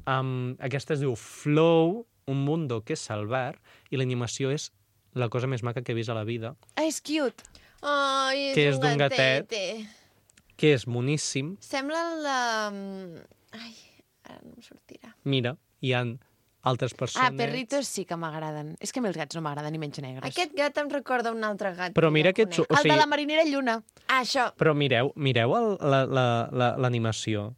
Um, aquesta es diu Flow, un mundo que salvar, i l'animació és la cosa més maca que he vist a la vida,
Ah, és cute.
Ai, és
Que és
un
d'un gatet.
gatete.
que és moníssim.
Sembla la... Ai, ara no em sortirà.
Mira, hi ha altres persones...
Ah, perritos sí que m'agraden. És que a mi els gats no m'agraden ni menys negres.
Aquest gat em recorda un altre gat.
Però
que
mira
jo
que...
conec.
xu- O
El
sigui,
de la marinera Lluna.
Ah, això.
però mireu, mireu el- la- la- la- l'animació.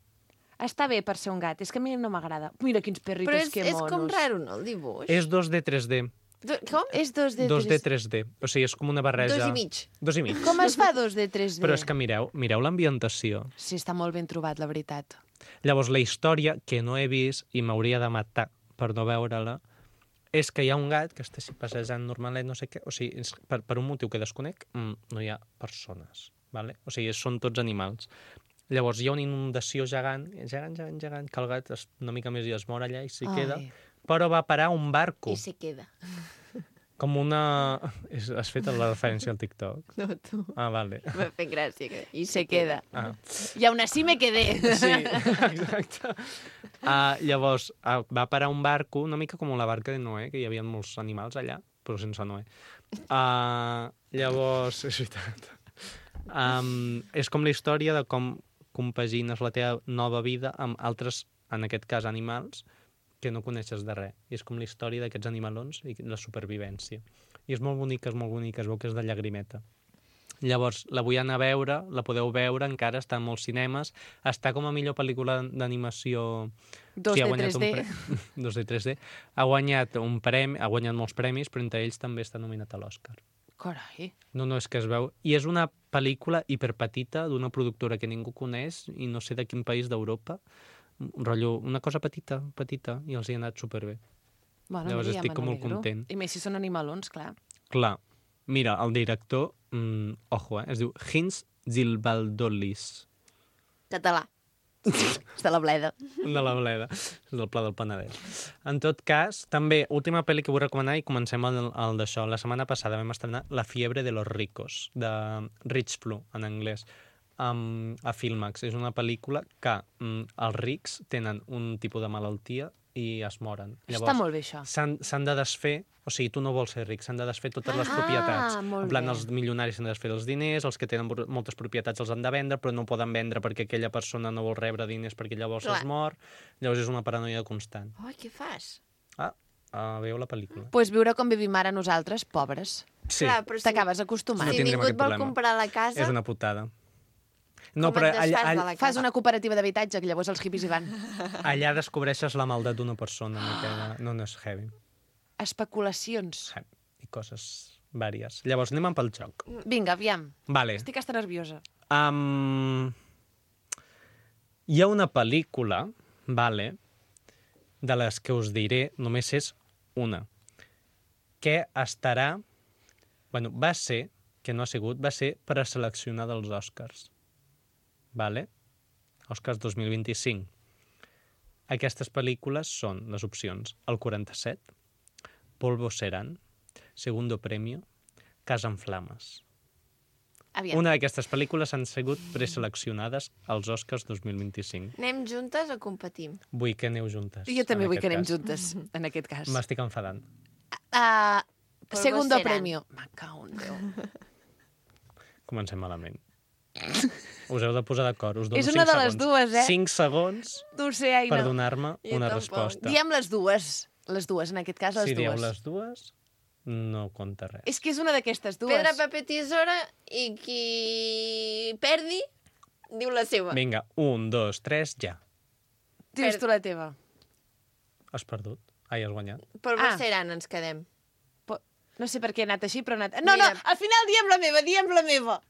Està bé per ser un gat, és que a mi no m'agrada. Mira quins perritos,
Però és,
que
és
monos.
com raro, no, el dibuix?
És dos D tres D.
Do- Com?
És dos D
dos D
tres.
tres D. O sigui, és com una barreja...
Dos i mig.
Dos i mig.
Com es fa dos D tres D?
Però és que mireu, mireu l'ambientació.
Sí, està molt ben trobat, la veritat.
Llavors, la història, que no he vist i m'hauria de matar per no veure-la, és que hi ha un gat que està així passejant normalet, no sé què, o sigui, és, per, per un motiu que desconec, mm, no hi ha persones, vale? O sigui, són tots animals. Llavors, hi ha una inundació gegant, gegant, gegant, gegant, que el gat es, una mica més i es mor allà i s'hi
Ai.
queda, però va parar a un barco,
I se queda.
com una... És, has fet la referència al TikTok?
No, tu.
Ah, vale.
M'ha fet gràcia. Que... I
Se queda.
Ah.
I aún así me quedé.
Sí, exacte. Uh, llavors, uh, va parar un barco, una mica com la barca de Noé, que hi havia molts animals allà, però sense Noé. Uh, llavors, és veritat. Um, és com la història de com compagines la teva nova vida amb altres, en aquest cas, animals, que no coneixes de res. I és com la història d'aquests animalons i la supervivència. I és molt bonica, és molt bonica, es veu que és de llagrimeta. Llavors, la vull anar a veure, la podeu veure, encara està en molts cinemes, està com a millor pel·lícula d'animació...
dos
Sí, ha
D
guanyat
tres
un
D.
pre- dos D tres D. Ha guanyat un premi, ha guanyat molts premis, però entre ells també està nominat a l'Oscar.
Carai.
No, no, és que es veu... I és una pel·lícula hiperpetita d'una productora que ningú coneix i no sé de quin país d'Europa. Un rotllo, una cosa petita, petita, i els hi ha anat superbé.
Bueno,
Llavors
mira, ja
estic
me
com molt
n'alegro.
content.
I més si són animalons, clar.
Clar, mira, el director, mm, ojo, eh, es diu Hins Zilbaldolis,
Català. És de la bleda.
de la Bleda, és del Pla del Penedès. En tot cas, també, última pel·li que vull recomanar i comencem el, el d'això. La setmana passada vam estrenar La fiebre de los ricos, de Rich Flu, en anglès, um, a Filmax. És una pel·lícula que um, els rics tenen un tipus de malaltia i es moren.
Està molt bé, això.
S'han s'han de desfer, o sigui, tu no vols ser ric, s'han de desfer totes les
Ah,
propietats.
molt
En plan,
bé.
els milionaris s'han de desfer els diners, els que tenen br- moltes propietats els han de vendre, però no poden vendre perquè aquella persona no vol rebre diners perquè llavors
Clar.
es mor. Llavors és una paranoia constant.
Ai, què fas?
Ah, uh, veieu la pel·lícula?
Doncs pues viure com vivim ara nosaltres, pobres.
Sí,
Clar, però si,
T'acabes acostumant.
No
si
tindrem
ningú et
aquest
vol
problema.
comprar la casa,
és una putada. No,
com
però
et desfas
allà,
de
allà,
la casa?
Fas una cooperativa d'habitatge, que llavors els hippies hi van.
allà descobreixes la maldat d'una persona. No, que no, no és heavy.
Especulacions.
I coses vàries. Llavors, anem pel joc.
Vinga, aviam.
Vale.
Estic hasta nerviosa.
Um, hi ha una pel·lícula, vale, de les que us diré, només és una, que estarà... Bueno, va ser, que no ha sigut, va ser preseleccionada als Oscars. Vale? Oscars dos mil vint-i-cinc. Aquestes pel·lícules són les opcions El quaranta-set, Polvo Serán, Segundo Premio, Casa en Flames.
Aviam.
Una d'aquestes pel·lícules han sigut preseleccionades als Oscars dos mil vint-i-cinc.
anem juntes o competim?
Vull que aneu juntes.
Jo també
en
vull que
aquest
anem
cas.
juntes, en aquest cas.
M'estic enfadant.
Uh,
Polvo
segundo
Serán.
premio. Me cago en Déu.
Comencem malament. Us heu de posar d'acord. Us dono
És una
cinc
de les
segons.
dues, eh?
cinc segons
No ho sé, Aina.
per donar-me
Jo
una
tampoc.
resposta.
Diem les dues. Les dues, en aquest cas, les
si dieu
dues.
les dues, no compta res.
És que és una d'aquestes dues.
Pedra, paper, tisora, i qui perdi, diu la seva.
Vinga, un, dos, tres, ja.
Dius tu la teva.
Has perdut. Ai, has guanyat.
Per
Ah.
Seran ens quedem.
Po- No sé per què he anat així, però he anat... No,
Mira.
no, al final diem la meva, diem la meva.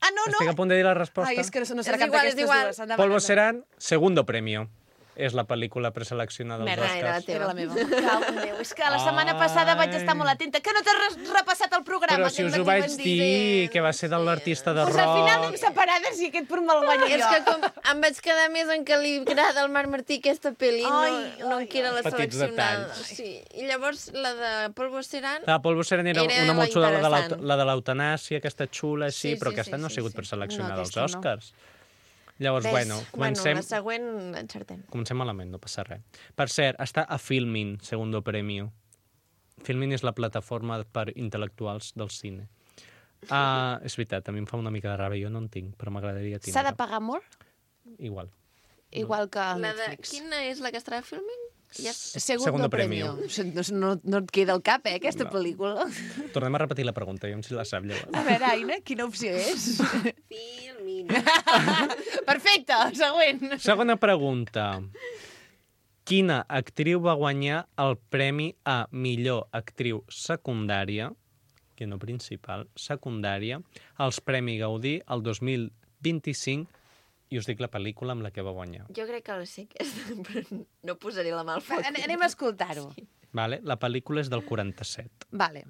Ah, no, no.
Estic a punt de dir la resposta.
Ai, és que no, no serà
És
cap
igual, és
d'aquestes
igual.
dues. Endavant,
Polvo
endavant.
Serán, Segundo Premio. És la pel·lícula preseleccionada als
Merda,
era la
Oscars.
teva.
Era la meva. Cau, Déu, és que la setmana
Ai.
passada vaig estar molt atenta. Que no t'has res- repassat el programa?
Però si
aquest
us ho
matí
vaig
van
dir, que va ser de l'artista de
Pues al final
rock.
anem separades i aquest punt me'l guanyo
És
jo.
que com em vaig quedar més en que li agrada al Marc Martí aquesta pel·li,
Ai,
no, no
ai,
en que era la
Petits
seleccionada.
detalls.
Sí. I llavors la de Polvo Seran...
La Polvo Serán era,
Era
una
la
molt xula, la de l'aut-
interessant.
la de l'eutanàsia, aquesta xula, sí,
Sí,
però
sí,
aquesta
sí,
no ha
sí,
sigut
sí.
preseleccionada
No,
als
aquesta no.
Oscars. Llavors,
Ves,
bueno, comencem,
Bueno, la següent encertem.
comencem malament, no passa res. Per cert, està a Filmin, Segundo Premio. Filmin és la plataforma per intel·lectuals del cine. Uh, és veritat, a mi em fa una mica de ràbia, jo no en tinc, però m'agradaria tindre.
S'ha de pagar molt?
Igual.
Igual que el
La de...
Netflix.
Quina és la que estarà filming? Ja...
Segundo,
Segundo
premio.
premio.
No, no, no et queda al cap, eh, aquesta
No.
pel·lícula.
Tornem a repetir la pregunta, jo si la sap llavors.
A veure, Aina, quina opció és?
Filming.
Perfecte, següent.
Segona pregunta. Quina actriu va guanyar el premi a millor actriu secundària, que no principal, secundària, als Premi Gaudí el dos mil vint-i-cinc, i us dic la pel·lícula amb la que va guanyar.
Jo crec que la sé aquesta, però no posaré la mà al foc.
An- Anem a escoltar-ho.
Vale? La pel·lícula és del quaranta-set.
Vale.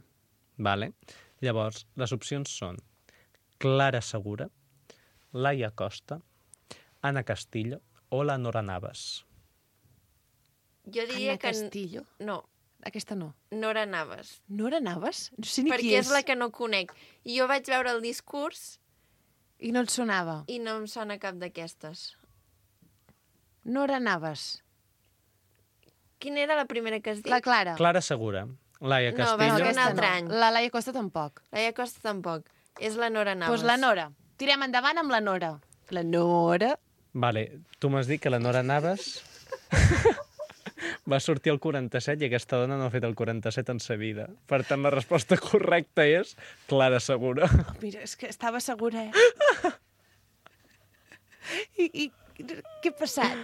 Vale? Llavors, les opcions són Clara Segura, Laia Costa, Ana Castillo o la Nora Navas.
Jo diria
Anna
que...
Castillo.
No,
Aquesta no.
Nora Navas.
Nora Navas? No sé ni
Perquè
qui
és la que no conec. I jo vaig veure el discurs
I no et sonava.
i no em sona cap d'aquestes.
Nora Navas.
Quina era la primera que has dit?
La Clara.
Clara Segura, Laia
No,
Castillo...
va ser un
aquesta
altre
no.
any.
La Laia Costa tampoc.
Laia Costa tampoc. És la Nora
Doncs
Navas.
pues la Nora. Tirem endavant amb la Nora. La Nora...
Vale, tu m'has dit que la Nora Navas va sortir al quaranta-set i aquesta dona no ha fet el quaranta-set en sa vida. Per tant, la resposta correcta és Clara Segura.
Oh, mira, és que estava segura, eh? I, i què ha passat?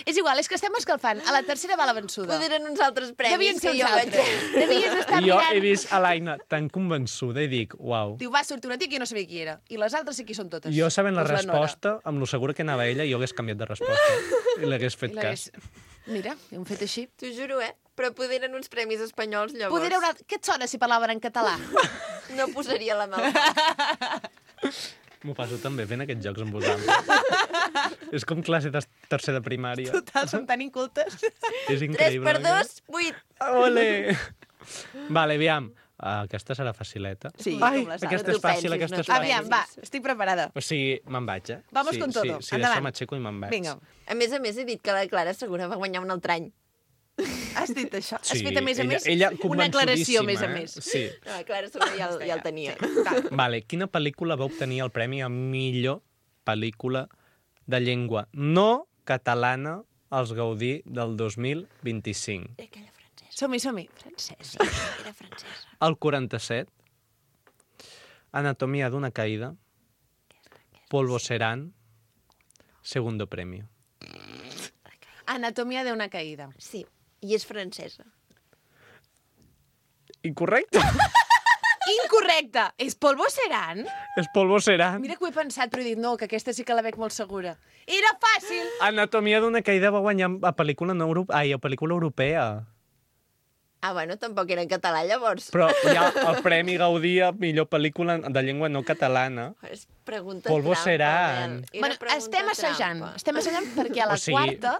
És igual, és que estem escalfant. A la tercera va la vençuda.
Poder eren uns altres premis
Devien ser
que
uns
jo vaig...
altres. Devies estar
I jo
mirant...
he vist a l'Aina tan convençuda i dic, uau.
Diu, va sortir una tia que jo no sabia qui era. I les altres sí qui són totes.
Jo sabent la
Doncs Nora.
resposta, amb lo segura que anava ella, jo hagués canviat de resposta i l'hagués
I
fet
l'hagués-
cas.
Mira, hem fet així.
T'ho juro, eh? Però poder eren uns premis espanyols, llavors.
Poder haurà... Què et sona si parlaven en català?
No posaria la mà al foc.
M'ho passo també fent aquests jocs amb vosaltres. És com classe de tercer de primària.
Total, som tan incultes.
És
tres
increïble.
per
no?
dos, vuit.
Ole! Vale, aviam. Uh, aquesta serà facileta.
Sí,
Ai,
com la Sara,
aquesta
tu
és fàcil,
pensis,
aquesta
no
és
t'ho
fàcil.
Aviam, va, estic preparada.
O sigui, me'n vaig, eh?
Vamos
sí,
con todo.
Sí, sí
Endavant.
d'això m'aixeco i me'n vaig.
Vinga.
A més a més, he dit que la Clara Segura va guanyar un altre any.
Has dit això? Has
Sí,
fet, a més a
ella-
més,
ella
una aclaració, a més a
convençudíssima, eh?
més.
Sí.
No, Clara Soler ja, el- ja el tenia.
Sí, clar.
Vale, quina pel·lícula va obtenir el premi a millor pel·lícula de llengua no catalana als Gaudí del dos mil vint-i-cinc?
Era aquella francesa.
Som-hi, som-hi.
Francesa. Era francesa.
El quaranta-set, Anatomia d'una caïda, Polvo Serán, segundo premio.
Anatomia d'una caïda.
Sí, i és francesa.
Incorrecte.
Incorrecte! És Polvo Serán?
És Polvo Serán.
Mira que ho he pensat, però he dit, no, que aquesta sí que la veig molt segura. Era fàcil!
Anatomia d'una caïda va guanyar a pel·lícula, no euro... Ai, a pel·lícula europea.
Ah, bueno, tampoc era en català, llavors.
Però hi ha el Premi Gaudí a millor pel·lícula de llengua no catalana.
És pregunta
Polvo
trampa,
Serán.
Mel. Era
Bueno,
pregunta
estem assajant.
trampa.
Estem assajant perquè a la
O sigui,
quarta...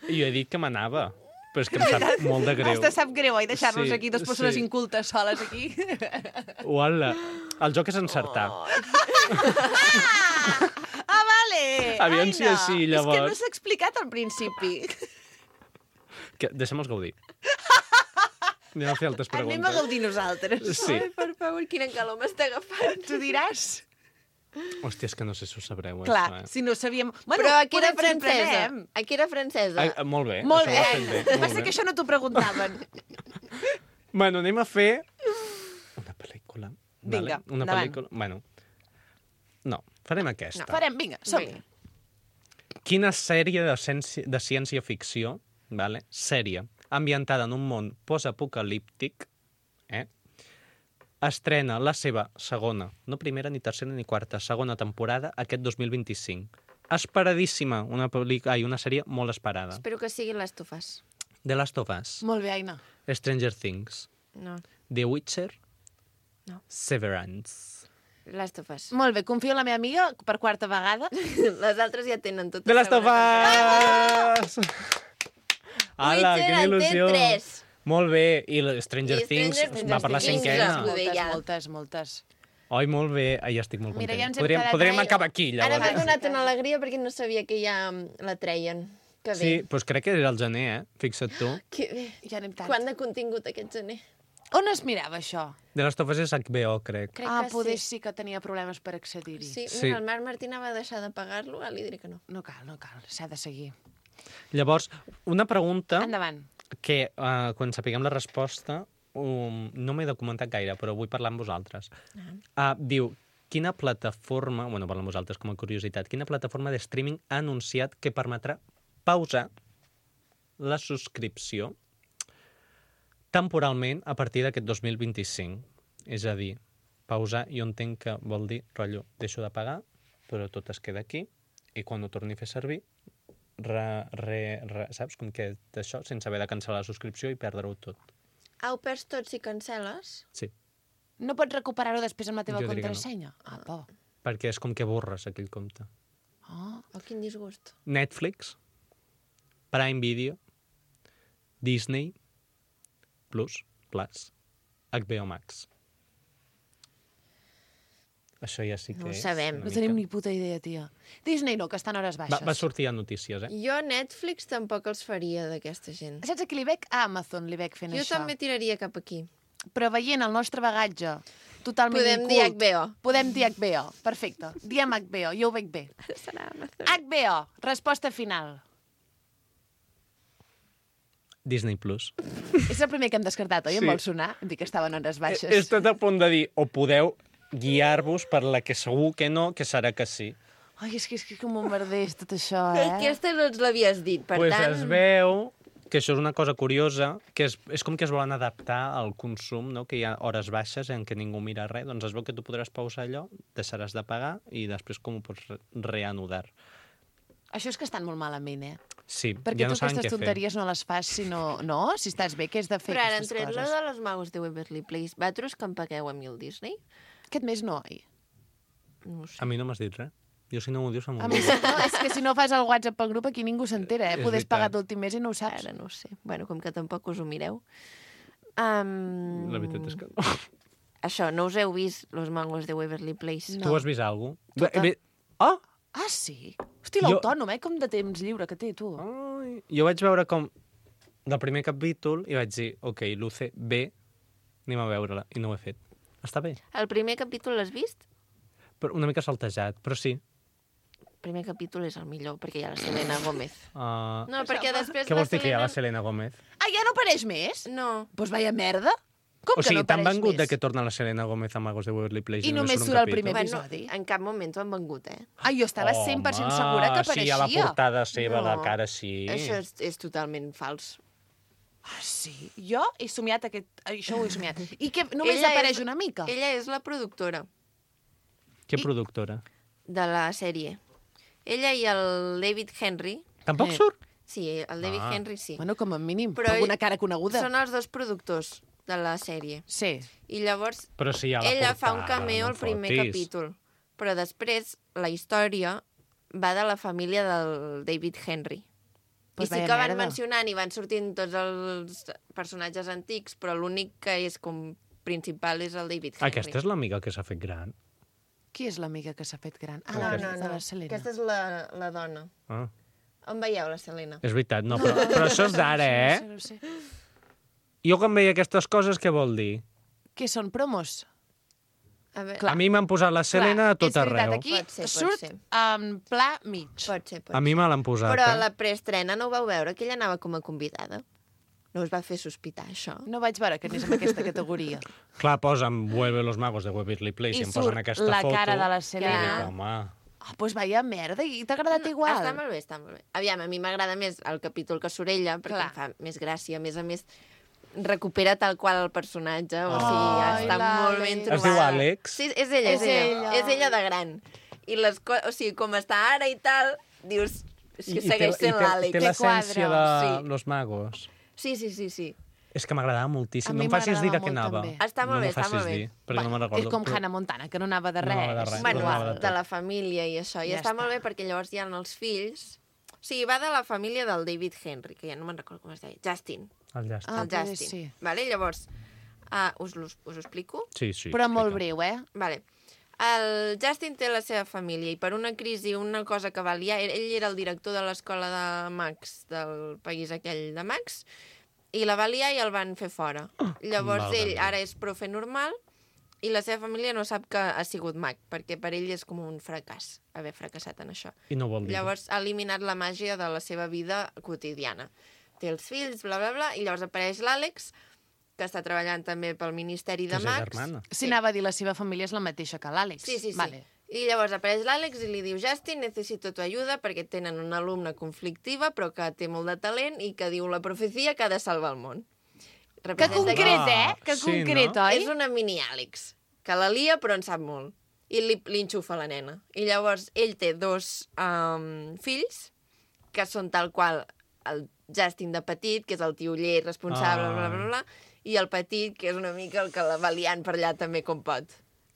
Jo he dit que m'anava, però és que em sap molt de greu.
Hasta sap greu, oi? Deixar-nos
Sí,
aquí dues persones
sí.
incultes soles aquí.
Uala. El joc és encertar.
Oh,
Ah, vale!
Aviam
Ai,
si
no.
així,
És que
llavors.
no s'ha explicat al principi.
Que, deixem-nos gaudir. Anem a fer altres
Anem a
preguntes.
gaudir nosaltres.
Sí.
Ai, per favor, quina calor m'està agafant.
Tu diràs?
Hòstia, és que no sé si ho sabreu,
Clar,
això, eh?
si no sabíem... Bueno,
Però aquí era
potser ens
francesa.
sorprenem.
Aquí era francesa.
Ai, eh, molt bé.
Molt
això
bé.
ho has fet bé. Molt
Passa
bé.
que això no t'ho preguntaven.
Bueno, anem a fer una pel·lícula.
Vinga,
vale? Una
endavant.
pel·lícula... Bueno, no, farem aquesta.
No, farem, vinga, som-hi.
Quina sèrie de, ciència, de ciència-ficció, vale? sèrie, ambientada en un món postapocalíptic, eh? estrena la seva segona, no primera, ni tercera, ni quarta, segona temporada aquest dos mil vint-i-cinc. Esperadíssima, una, pel·lícula, ai, una sèrie molt esperada.
Espero que sigui les tofes.
The Last of Us,
Molt bé, Aina.
Stranger Things,
No,
The Witcher,
No.
Severance.
les tofes.
Molt bé, confio en la meva amiga per quarta vegada.
Les altres ja tenen tot.
The Last of Us! Ala,
Witcher
quina
en té
il·lusió!
tres.
Molt bé, i la Stranger
I
Things
Stranger
va per la
Things,
cinquena.
Vull dir,
Moltes,
ja.
moltes, moltes.
Oi, molt bé. Ai, estic molt
Mira,
content.
ja ens hem
podríem
quedat
podríem
ahí.
acabar aquí,
Ara m'ha
llavors.
donat una alegria perquè no sabia que ja mm, la treien. Que bé.
Sí, doncs crec que era el gener, eh? Fixa't tu.
Que bé.
Ja anem tard.
Quant de contingut aquest gener?
On es mirava això?
De les tofes és H B O, crec.
Crec
ah,
que
poder
sí.
sí que tenia problemes per accedir-hi.
Sí,
Sí.
mira, el Marc Martina va deixar de pagar-lo, ara li diré que no.
No cal, no cal, s'ha de seguir.
Llavors, una pregunta
Endavant.
que uh, quan sapiguem la resposta um, no m'he documentat gaire, però vull parlar amb vosaltres. Uh, diu, quina plataforma, bueno, parlar amb vosaltres com a curiositat, quina plataforma de streaming ha anunciat que permetrà pausar la subscripció temporalment a partir d'aquest dos mil vint-i-cinc? És a dir, pausar jo entenc que vol dir, rotllo, deixo de pagar, però tot es queda aquí, i quan ho torni a fer servir, re, re, re, saps? Com que d'això, sense haver de cancel·lar la subscripció i perdre-ho tot.
Ah, ho perds tot si cancel·les?
Sí,
No pots recuperar-ho després amb la teva
Jo diria que no.
contrasenya? Ah, por.
perquè és com que borres aquell compte.
Oh.
Oh, quin disgust.
Netflix, Prime Video, Disney, Plus, Plus, H B O Max. Això ja sí que
No ho
és
sabem.
una
No
mica-
tenim ni puta idea, tia. Disney no, que està en hores
Va,
baixes.
va sortir a notícies, eh?
Jo Netflix tampoc els faria d'aquesta gent.
Saps a qui li veig? A Amazon li veig fent
Jo
això.
també tiraria cap aquí.
Però veient el nostre bagatge totalment
Podem dir
incult...
H B O.
Podem dir H B O. Perfecte. Diem H B O, jo ho veig bé.
Serà Amazon.
H B O, resposta final.
Disney Plus.
És el primer que hem descartat, oi?
Sí.
Em vol sonar? Em dic que estaven en hores baixes.
He estat a punt de dir, o podeu guiar-vos per la que segur que no, que serà que sí.
Ai, és que és que com bombarders tot això, eh?
Aquesta no ens l'havies dit, per
pues
tant...
es veu que això és una cosa curiosa, que és, és com que es volen adaptar al consum, no? Que hi ha hores baixes en què ningú mira res, doncs es veu que tu podràs pausar allò, deixaràs de pagar i després com ho pots re reanudar.
Això és que estan molt malament, eh?
Sí,
Perquè
ja no
tu
saben
aquestes
què fer.
tonteries no les fas si no... No? Si estàs bé, què has de fer
Però ara han
aquestes
tret la
coses?
de les magos de Waverly Place. Vosaltres que em pagueu a mi el Disney?
Aquest mes no, oi?
No ho sé.
A mi no m'has dit res. Jo si no m'ho dius, em
A mi sí, no, és que si no fas el WhatsApp pel grup aquí ningú s'entera, eh?
És
Podes
veritat.
pagar l'últim mes i no ho saps.
Ara no ho sé. Bueno, com que tampoc us ho mireu. Um...
La veritat és que no.
Això, no us heu vist Los Mangos de Waverly Place?
Tu has vist alguna
Tota.
cosa? Oh!
Ah, sí? Hosti,
Jo-
l'autònom, eh? Com de temps lliure que té, tu.
Ai, jo vaig veure com del primer capítol i vaig dir, ok, Luce, bé, anem a veure-la, i no ho he fet. Està bé,
El primer capítol l'has vist?
però una mica saltejat, però sí.
El primer capítol és el millor, perquè hi ha la Selena Gómez.
Uh,
No, perquè després
què
la
vols dir que hi ha la
Selena...
Selena Gómez?
Ah, ja no apareix més?
No.
Doncs pues vaya merda. Com
O sigui,
que no
t'han
apareix
vengut
més?
de que torna la Selena Gómez a Magos de Waverly Place
I només
surt un
surt el
capítol?
primer
Bueno,
episodi.
en cap moment t'ho han vengut, eh?
Ah, jo estava cent per cent segura que apareixia.
sí, a la portada seva,
No.
la cara sí.
Això és, és totalment fals.
Ah, sí? Jo he somiat aquest... Això ho he somiat. I que només
Ella
apareix
és-
una mica?
Ella és la productora
Què
I-
productora?
de la sèrie. Ella i el David Henry...
Tampoc
Eh.
surt?
Sí, el David
Ah.
Henry sí.
Bueno, com a mínim,
Però
però
ell-
una cara coneguda.
Són els dos productors de la sèrie.
Sí.
I llavors
Però sí, a la
ella fa un
portada,
cameo
no
al primer
fotis.
capítol. Però després la història va de la família del David Henry.
Pues
I sí
vaya
que van
merda.
mencionant i van sortint tots els personatges antics, però l'únic que és com principal és el David Henry.
Aquesta és l'amiga que s'ha fet gran.
Qui és l'amiga que s'ha fet gran? Ah,
No,
la
no,
de
no.
la Selena.
Aquesta és la, la dona.
Ah,
On veieu la Selena?
és veritat, no, però, però això és d'ara, eh?
No sé, no sé.
Jo quan veia aquestes coses, què vol dir?
Què són, promos?
A veure,
Clar.
A mi m'han posat la Selena a tot
és veritat,
arreu.
aquí
Pot ser, pot
surt
ser.
en pla mig.
pot ser, pot
A mi
ser.
me l'han posat,
Però a
eh?
la preestrena no ho vau veure, que ella anava com a convidada. No us va fer sospitar, això?
No vaig veure que anés en aquesta categoria.
Clar, posen Vuelve los magos de Waverly Place i,
I
em posen
surt
aquesta
la
foto.
cara de la
I
Selena.
dic, home,
Ah, doncs vaya merda, i t'ha agradat igual?
Està molt bé, està molt bé. Aviam, a mi m'agrada més el capítol que surt ella, perquè
Clar.
em fa més gràcia. A més a més, recupera tal qual el personatge. O
Oh.
sigui,
Ai,
està molt ben
l'Àlex.
trobada.
Es diu Àlex?
Sí, és ella, és,
És
ella.
ella.
És ella de gran. I les co o sigui, com està ara i tal, dius... És que
I- i
segueix
té,
sent
i té,
l'Àlex.
té l'essència de
quadre. Sí.
Los Magos.
Sí, sí, sí, sí.
És que m'agradava moltíssim.
A
No
mi
em facis dir de
m'agradava
què
molt,
anava.
també.
Està molt
no
bé,
m'ho
està
facis
molt bé.
dir, perquè no me'n recordo.
És com
però-
Hannah Montana, que no anava de
No
res.
anava de res.
Bueno,
no anava de
de
tot.
la família i això. I
Ja
està
està.
molt bé perquè llavors hi ha els fills... O sigui, va de la família del David Henry, que ja no me'n recordo com es deia. Justin.
El llast.
Ah,
el
poder
Justin.
sí.
Vale? Llavors, uh, us, us, us ho explico?
Sí, sí.
Però molt
explica.
breu, eh?
Vale. El Justin té la seva família i per una crisi, una cosa que va liar... Ell ell era el director de l'escola de Max, del país aquell de Max, i la va liar i el van fer fora. Llavors
Valga'm
ell
Déu.
ara és profe normal i la seva família no sap que ha sigut mag, perquè per ell és com un fracàs haver fracassat en això.
I no vol dir.
Llavors ha eliminat la màgia de la seva vida quotidiana. Té els fills, bla, bla, bla, i llavors apareix l'Àlex, que està treballant també pel Ministeri de
Que és
Max.
germana.
Si anava a dir la seva família és la mateixa que l'Àlex.
Sí, sí, sí.
Vale.
I llavors apareix l'Àlex i li diu Justin, necessito tu ajuda perquè tenen una alumna conflictiva però que té molt de talent i que diu la profecia que ha de salvar el món.
Que
Representa
concret,
Ah,
eh? Que
sí,
concret,
no?
oi?
És una mini-Àlex, que la lia però en sap molt. I li, li enxufa la nena. I llavors ell té dos um, fills que són tal qual el Justin de petit, que és el tioller responsable,
Ah.
bla, bla, bla, i el petit, que és una mica el que la va liant per allà també com pot.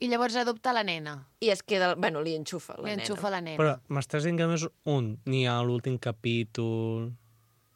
I llavors adopta la nena.
I es queda... Bueno, li enxufa la
Li
nena.
enxufa la nena.
Però m'estàs dient que només un, ni a l'últim capítol...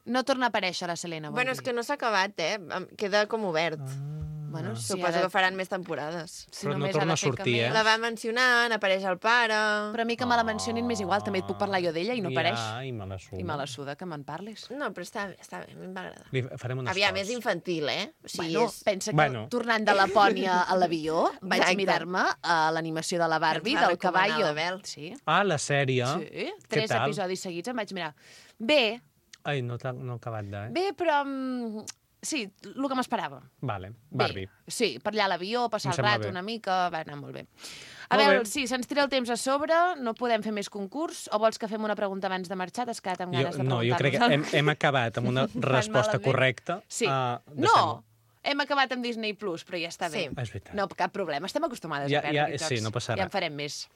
No torna a aparèixer la Selena. vol
Bueno,
dir.
és que no s'ha acabat, eh? Em- Queda com obert.
Ah.
Bueno, si
Suposo
ara-
que faran més temporades.
si
Però no
només
torna
ha de
a
fer
sortir,
cameo.
eh?
La va mencionant, apareix el pare...
Però a mi que me la mencionin m'és igual, també et puc parlar jo d'ella i no apareix.
Ja, i me la suda.
I me la suda que me'n parlis.
No, però està bé, està bé, a mi em va agradar.
Li farem un
Aviam,
esforç.
és infantil, eh? O sigui,
Bueno,
és...
pensa que
Bueno.
tornant de Lapònia a l'avió vaig
Exacte.
mirar-me a l'animació de la Barbie,
Que ens va
del
recomanar
caballo.
l'Abel.
Sí,
Ah, la sèrie.
sí.
Què
Tres
tal?
episodis seguits em vaig mirar. Bé,
Ai, no, t'ha- no he acabat de... Eh?
bé, però... mm, sí, el que m'esperava.
Vale,
Bé,
Barbie.
sí, per allà a l'avió, passar
Em
el
sembla
rato
bé.
una mica, va anar molt bé. A
Molt
veure,
bé.
sí, se'ns tira el temps a sobre, no podem fer més concurs, o vols que fem una pregunta abans de marxar? T'has quedat amb
Jo,
ganes de
no, jo crec que
preguntar-nos?
hem, hem acabat amb una resposta
malament.
correcta.
Sí.
Uh,
No, hem acabat amb Disney Plus, però ja està bé.
Sí.
És veritat.
No, cap problema, estem acostumades
Ja-
a perdre
ja-
aquests
sí,
jocs.
no passa
Ja
res.
en farem més.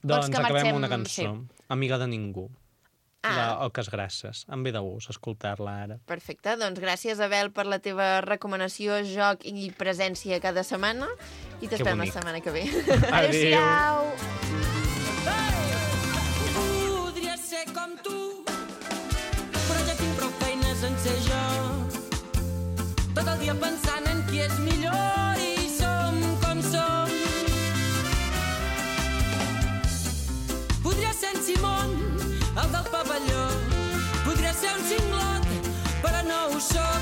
Doncs
que
acabem
marxem-
amb una cançó. Amiga de ningú.
Ah.
De Oques Grasses. Em ve de gust escoltar-la ara.
Perfecte, doncs gràcies, Abel, per la teva recomanació, joc i presència cada setmana. I t'esperem la
bonic.
setmana que ve.
Adéu-siau!
Podria ser com tu, però ja tinc prou feines en ser jo. Tot el dia pensant en qui és millor i som com som. Podria ser en Simón, el del pavelló. Podria ser un cinglot, però no ho soc.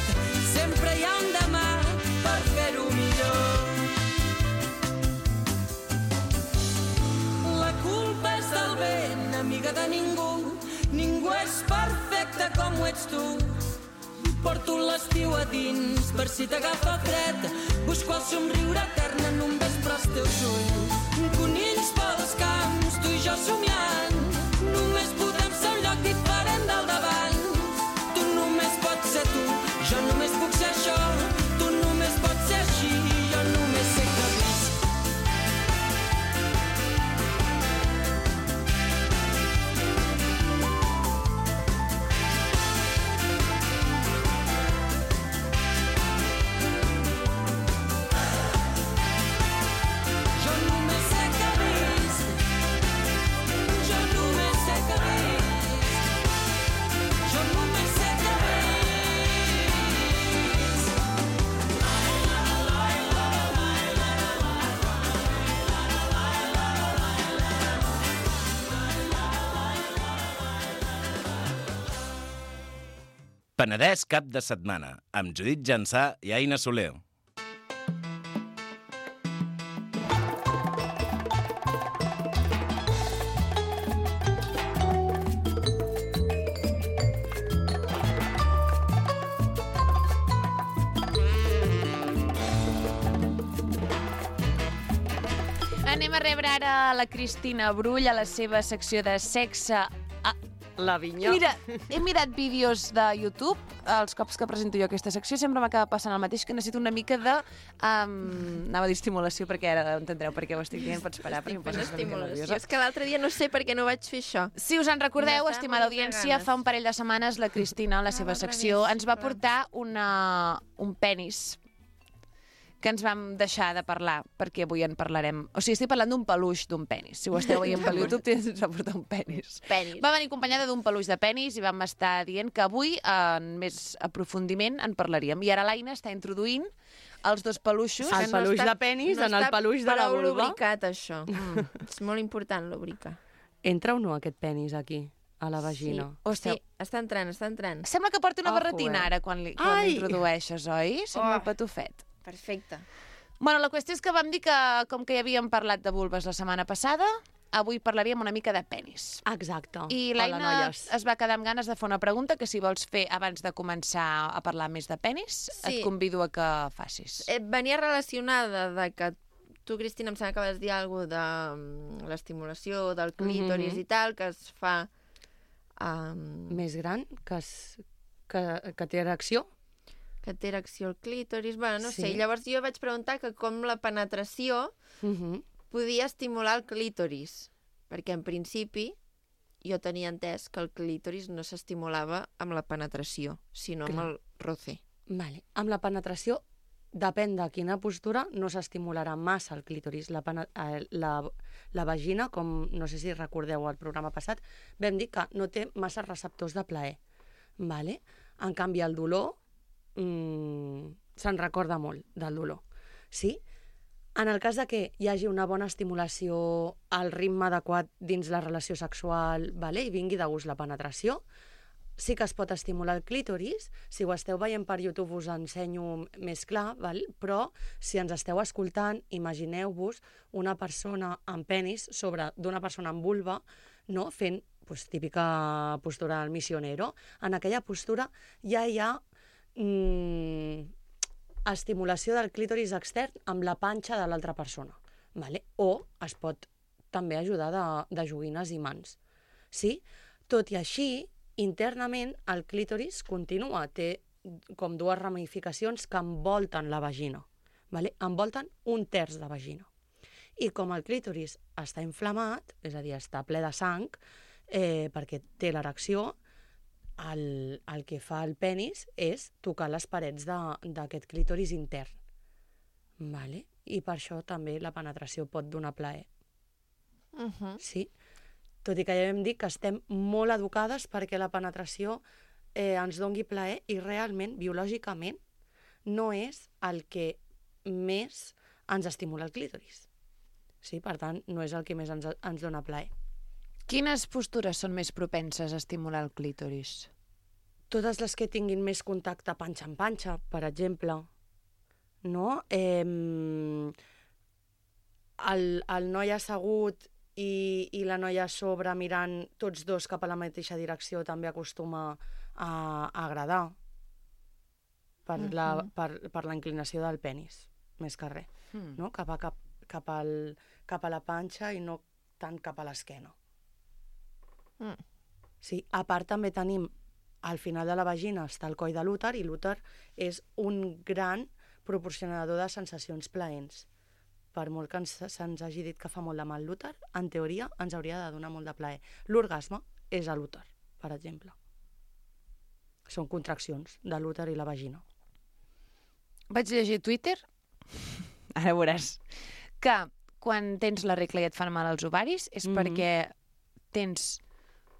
de ningú, ningú és perfecte com ho ets tu. Porto l'estiu a dins per si t'agafa fred. Busco el somriure etern en un vespre als teus ulls. Conills pels camps, tu i jo somiant. Només podem ser un lloc diferent del d'abans. Tu només pots ser tu, jo només puc ser això. Tu només pots ser així, jo només sé que visc. Jo només sé que visc. Jo només sé que visc. Jo només sé que visc.
Penedès cap de setmana, amb Judit Jansà i Aina Soler.
Anem a rebre ara la Cristina Brull a la seva secció de sexe. Ah,
L'Avinyó.
mira, he mirat vídeos de YouTube, els cops que presento jo aquesta secció, sempre m'acaba passant el mateix, que necessito una mica de... Um, anava a dir estimulació, perquè ara entendreu per què ho estic dient, pots parar, perquè em poses una mica
Estimulació.
nerviosa.
És que l'altre dia no sé per què no vaig fer això.
Si us en recordeu,
M'estava
estimada
morint de
audiència,
ganes.
fa un parell de setmanes la Cristina, a la seva
l'altre
secció,
dia,
ens va
però-
portar una, un penis que ens vam deixar de parlar, perquè avui en parlarem. O sigui, estic parlant d'un peluix d'un penis. Si ho esteu veient per YouTube, ens va portar un penis.
Penis.
Va venir acompanyada d'un peluix de penis i vam estar dient que avui, en més aprofundiment, en parlaríem. I ara l'Aina està introduint els dos peluixos.
El
Que no
peluix
està-
de penis
no
en el
està
peluix de la
prou
vulva.
lubricat, això. Mm. És molt important, lubricar.
Entra o no aquest penis aquí, a la vagina?
Sí, sí, està entrant, està entrant.
Sembla que porti una
Ojo,
barretina
eh?
ara quan li- quan
Ai!
l'introdueixes, oi? Sembla
Oh.
un patufet.
Perfecte.
Bueno, la qüestió és que vam dir que, com que ja havíem parlat de vulves la setmana passada, avui parlaríem una mica de penis.
Exacte.
I
Hola,
l'Aina
noies.
es va quedar amb ganes de fer una pregunta que si vols fer abans de començar a parlar més de penis,
Sí.
et convido a que facis.
Eh, venia relacionada de que tu, Cristina, em sembla que vas dir alguna cosa de mm, l'estimulació del clítoris
Mhm.
i tal, que es fa... Um,
Més gran, que, es, que, que té erecció.
que té erecció al clítoris, bueno, no
Sí.
sé. I llavors jo vaig preguntar que com la penetració
Uh -huh.
podia estimular el clítoris, perquè en principi jo tenia entès que el clítoris no s'estimulava amb la penetració, sinó amb
Clar.
el roce.
Vale. Amb la penetració, depèn de quina postura, no s'estimularà massa el clítoris. La, pena- eh, la, la vagina, com no sé si recordeu el programa passat, vam dir que no té massa receptors de plaer. Vale? En canvi, el dolor mm, se'n recorda molt del dolor. Sí? En el cas de que hi hagi una bona estimulació, el ritme adequat dins la relació sexual, vale? I vingui de gust la penetració, sí que es pot estimular el clítoris. Si ho esteu veient per YouTube us ensenyo més clar, val? Però si ens esteu escoltant, imagineu-vos una persona amb penis sobre d'una persona amb vulva, no? Fent pues, típica postura del missionero. En aquella postura ja hi ha mm, estimulació del clítoris extern amb la panxa de l'altra persona. Vale? O es pot també ajudar de, de joguines i mans. Sí? Tot i així, internament, el clítoris continua, té com dues ramificacions que envolten la vagina. Vale? Envolten un terç de vagina. I com el clítoris està inflamat, és a dir, està ple de sang, eh, perquè té l'erecció, el, el que fa el penis és tocar les parets d'aquest clítoris intern. Vale? I per això també la penetració pot donar plaer.
Uh -huh.
Sí? Tot i que ja hem dit que estem molt educades perquè la penetració eh, ens dongui plaer i realment, biològicament, no és el que més ens estimula el clítoris. Sí? Per tant, no és el que més ens, ens dona plaer.
Quines postures són més propenses a estimular el clítoris?
Totes les que tinguin més contacte panxa en panxa, per exemple, no? Eh, el, el noi assegut i, i la noia a sobre mirant tots dos cap a la mateixa direcció també acostuma a, a agradar per, uh-huh. la, per, per la inclinació del penis, més que res, uh-huh. no? cap, a, cap, cap, al, cap a la panxa i no tant cap a l'esquena. Mm. Sí, a part també tenim al final de la vagina està el coll de l'úter i l'úter és un gran proporcionador de sensacions plaents. Per molt que ens, se'ns hagi dit que fa molt de mal l'úter, en teoria ens hauria de donar molt de plaer. L'orgasme és a l'úter, per exemple. Són contraccions de l'úter i la vagina.
Vaig llegir Twitter, ara veuràs, que quan tens la regla i et fan mal els ovaris és mm-hmm. perquè tens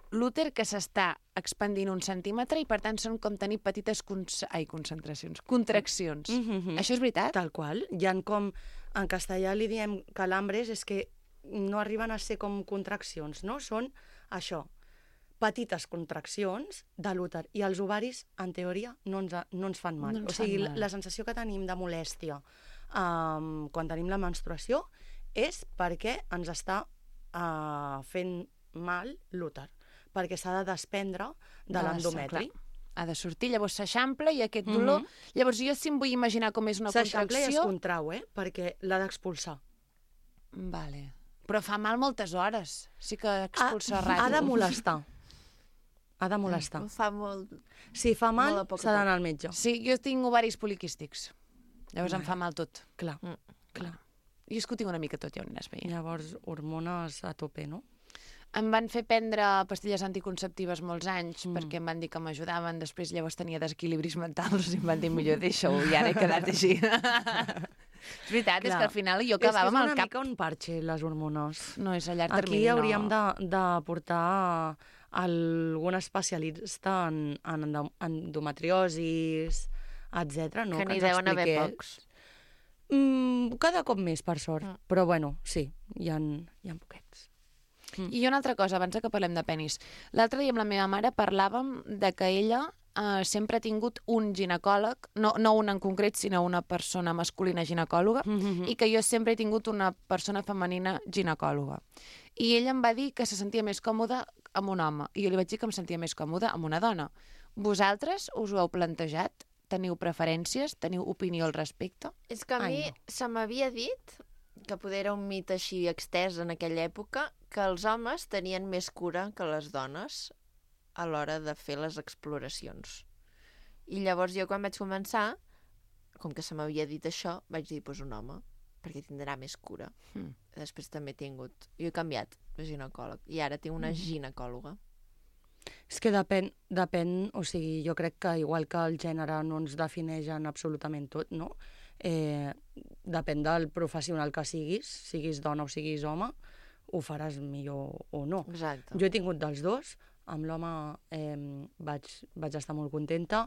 l'úter que s'està expandint un centímetre i per tant són com tenir petites cons... Ai, concentracions, contraccions. Mm-hmm. Això és veritat?
Tal qual. Hi ha com, en castellà li diem calambres, és que no arriben a ser com contraccions, no? Són això, petites contraccions de l'úter. I els ovaris, en teoria, no ens, no ens fan mal.
No ens
o sigui,
fan mal.
La sensació que tenim de molèstia um, quan tenim la menstruació és perquè ens està uh, fent mal l'úter, perquè s'ha de desprendre de l'endometri.
Ha de sortir, llavors s'eixampla i aquest dolor... Mm-hmm. Llavors jo si em vull imaginar com és una contracció...
S'eixampla i es contrau, eh? Perquè l'ha d'expulsar.
Vale. Però fa mal moltes hores. Sí que expulsa
ha,
ràpid.
Ha de molestar. Ha de molestar.
Mm, fa molt...
Si fa mal, s'ha d'anar al metge.
Sí, jo tinc ovaris poliquístics. Llavors
Vale.
em fa mal tot.
Clar,
mm.
clar.
Jo és que ho tinc una mica tot, ja ho aniràs veient.
Llavors, hormones a tope, no?
Em van fer prendre pastilles anticonceptives molts anys mm. perquè em van dir que m'ajudaven. Després llavors tenia desequilibris mentals i em van dir millor deixa-ho i ara he quedat així. És veritat, clar. És que al final jo quedava amb el cap...
És que és una mica un parche, les hormones.
No, és a llarg termini,
Aquí hauríem
no.
de, de portar algun especialista en, en endometriosis, etcètera. No?
Que n'hi
ens
deuen haver
expliqués.
pocs.
Mm, cada cop més, per sort.
Mm.
Però bueno, sí, hi ha, hi ha poquets.
Mm. I una altra cosa, abans que parlem de penis. L'altre dia amb la meva mare parlàvem de que ella eh, sempre ha tingut un ginecòleg, no, no un en concret, sinó una persona masculina ginecòloga, mm-hmm. i que jo sempre he tingut una persona femenina ginecòloga. I ella em va dir que se sentia més còmoda amb un home, i jo li vaig dir que em sentia més còmoda amb una dona. Vosaltres us ho heu plantejat? Teniu preferències? Teniu opinió al respecte?
És que a mi
Ai, no.
se m'havia dit, que poder era un mit així extès en aquella època, que els homes tenien més cura que les dones a l'hora de fer les exploracions. I llavors jo quan vaig començar, com que se m'havia dit això, vaig dir, doncs un home, perquè tindrà més cura.
Mm.
Després també he tingut... Jo he canviat de ginecòleg i ara tinc una mm. ginecòloga.
És que depèn, depèn, o sigui, jo crec que igual que el gènere no ens defineix en absolutament tot, no? Eh, depèn del professional que siguis, siguis dona o siguis home, ho faràs millor o no.
Exacte.
Jo he tingut dels dos, amb l'home eh, vaig, vaig estar molt contenta,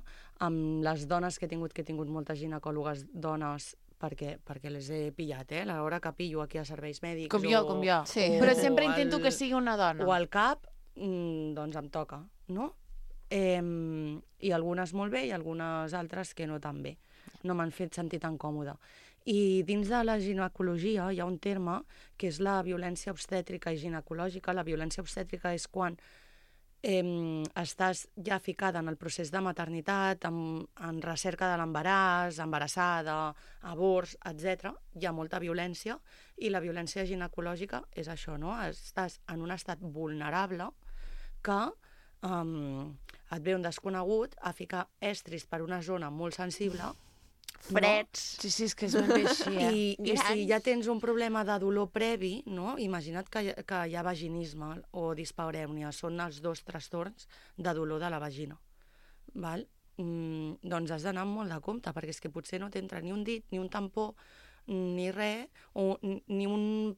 amb les dones que he tingut, que he tingut moltes ginecòlogues dones, perquè, perquè les he pillat, eh? A l'hora que pillo aquí a serveis mèdics...
Com jo,
o,
com jo.
Sí.
Però sempre intento
al,
que sigui una dona.
O al cap, mm, doncs em toca, no? Eh, I algunes molt bé i algunes altres que no tan bé. No m'han fet sentir tan còmoda. I dins de la ginecologia hi ha un terme que és la violència obstètrica i ginecològica. La violència obstètrica és quan eh, estàs ja ficada en el procés de maternitat, en, en recerca de l'embaràs, embarassada, avorts, etcètera. Hi ha molta violència i la violència ginecològica és això, no? Estàs en un estat vulnerable que um, et ve un desconegut a ficar estris per una zona molt sensible,
Freds.
Sí, sí, és que és ben bé així, eh?
I, i si ja tens un problema de dolor previ, no? Imagina't que, hi- que hi ha vaginisme o disparèunia, són els dos trastorns de dolor de la vagina. Val? Mm, doncs has d'anar amb molt de compte, perquè és que potser no t'entra ni un dit, ni un tampó, ni res, o n- ni un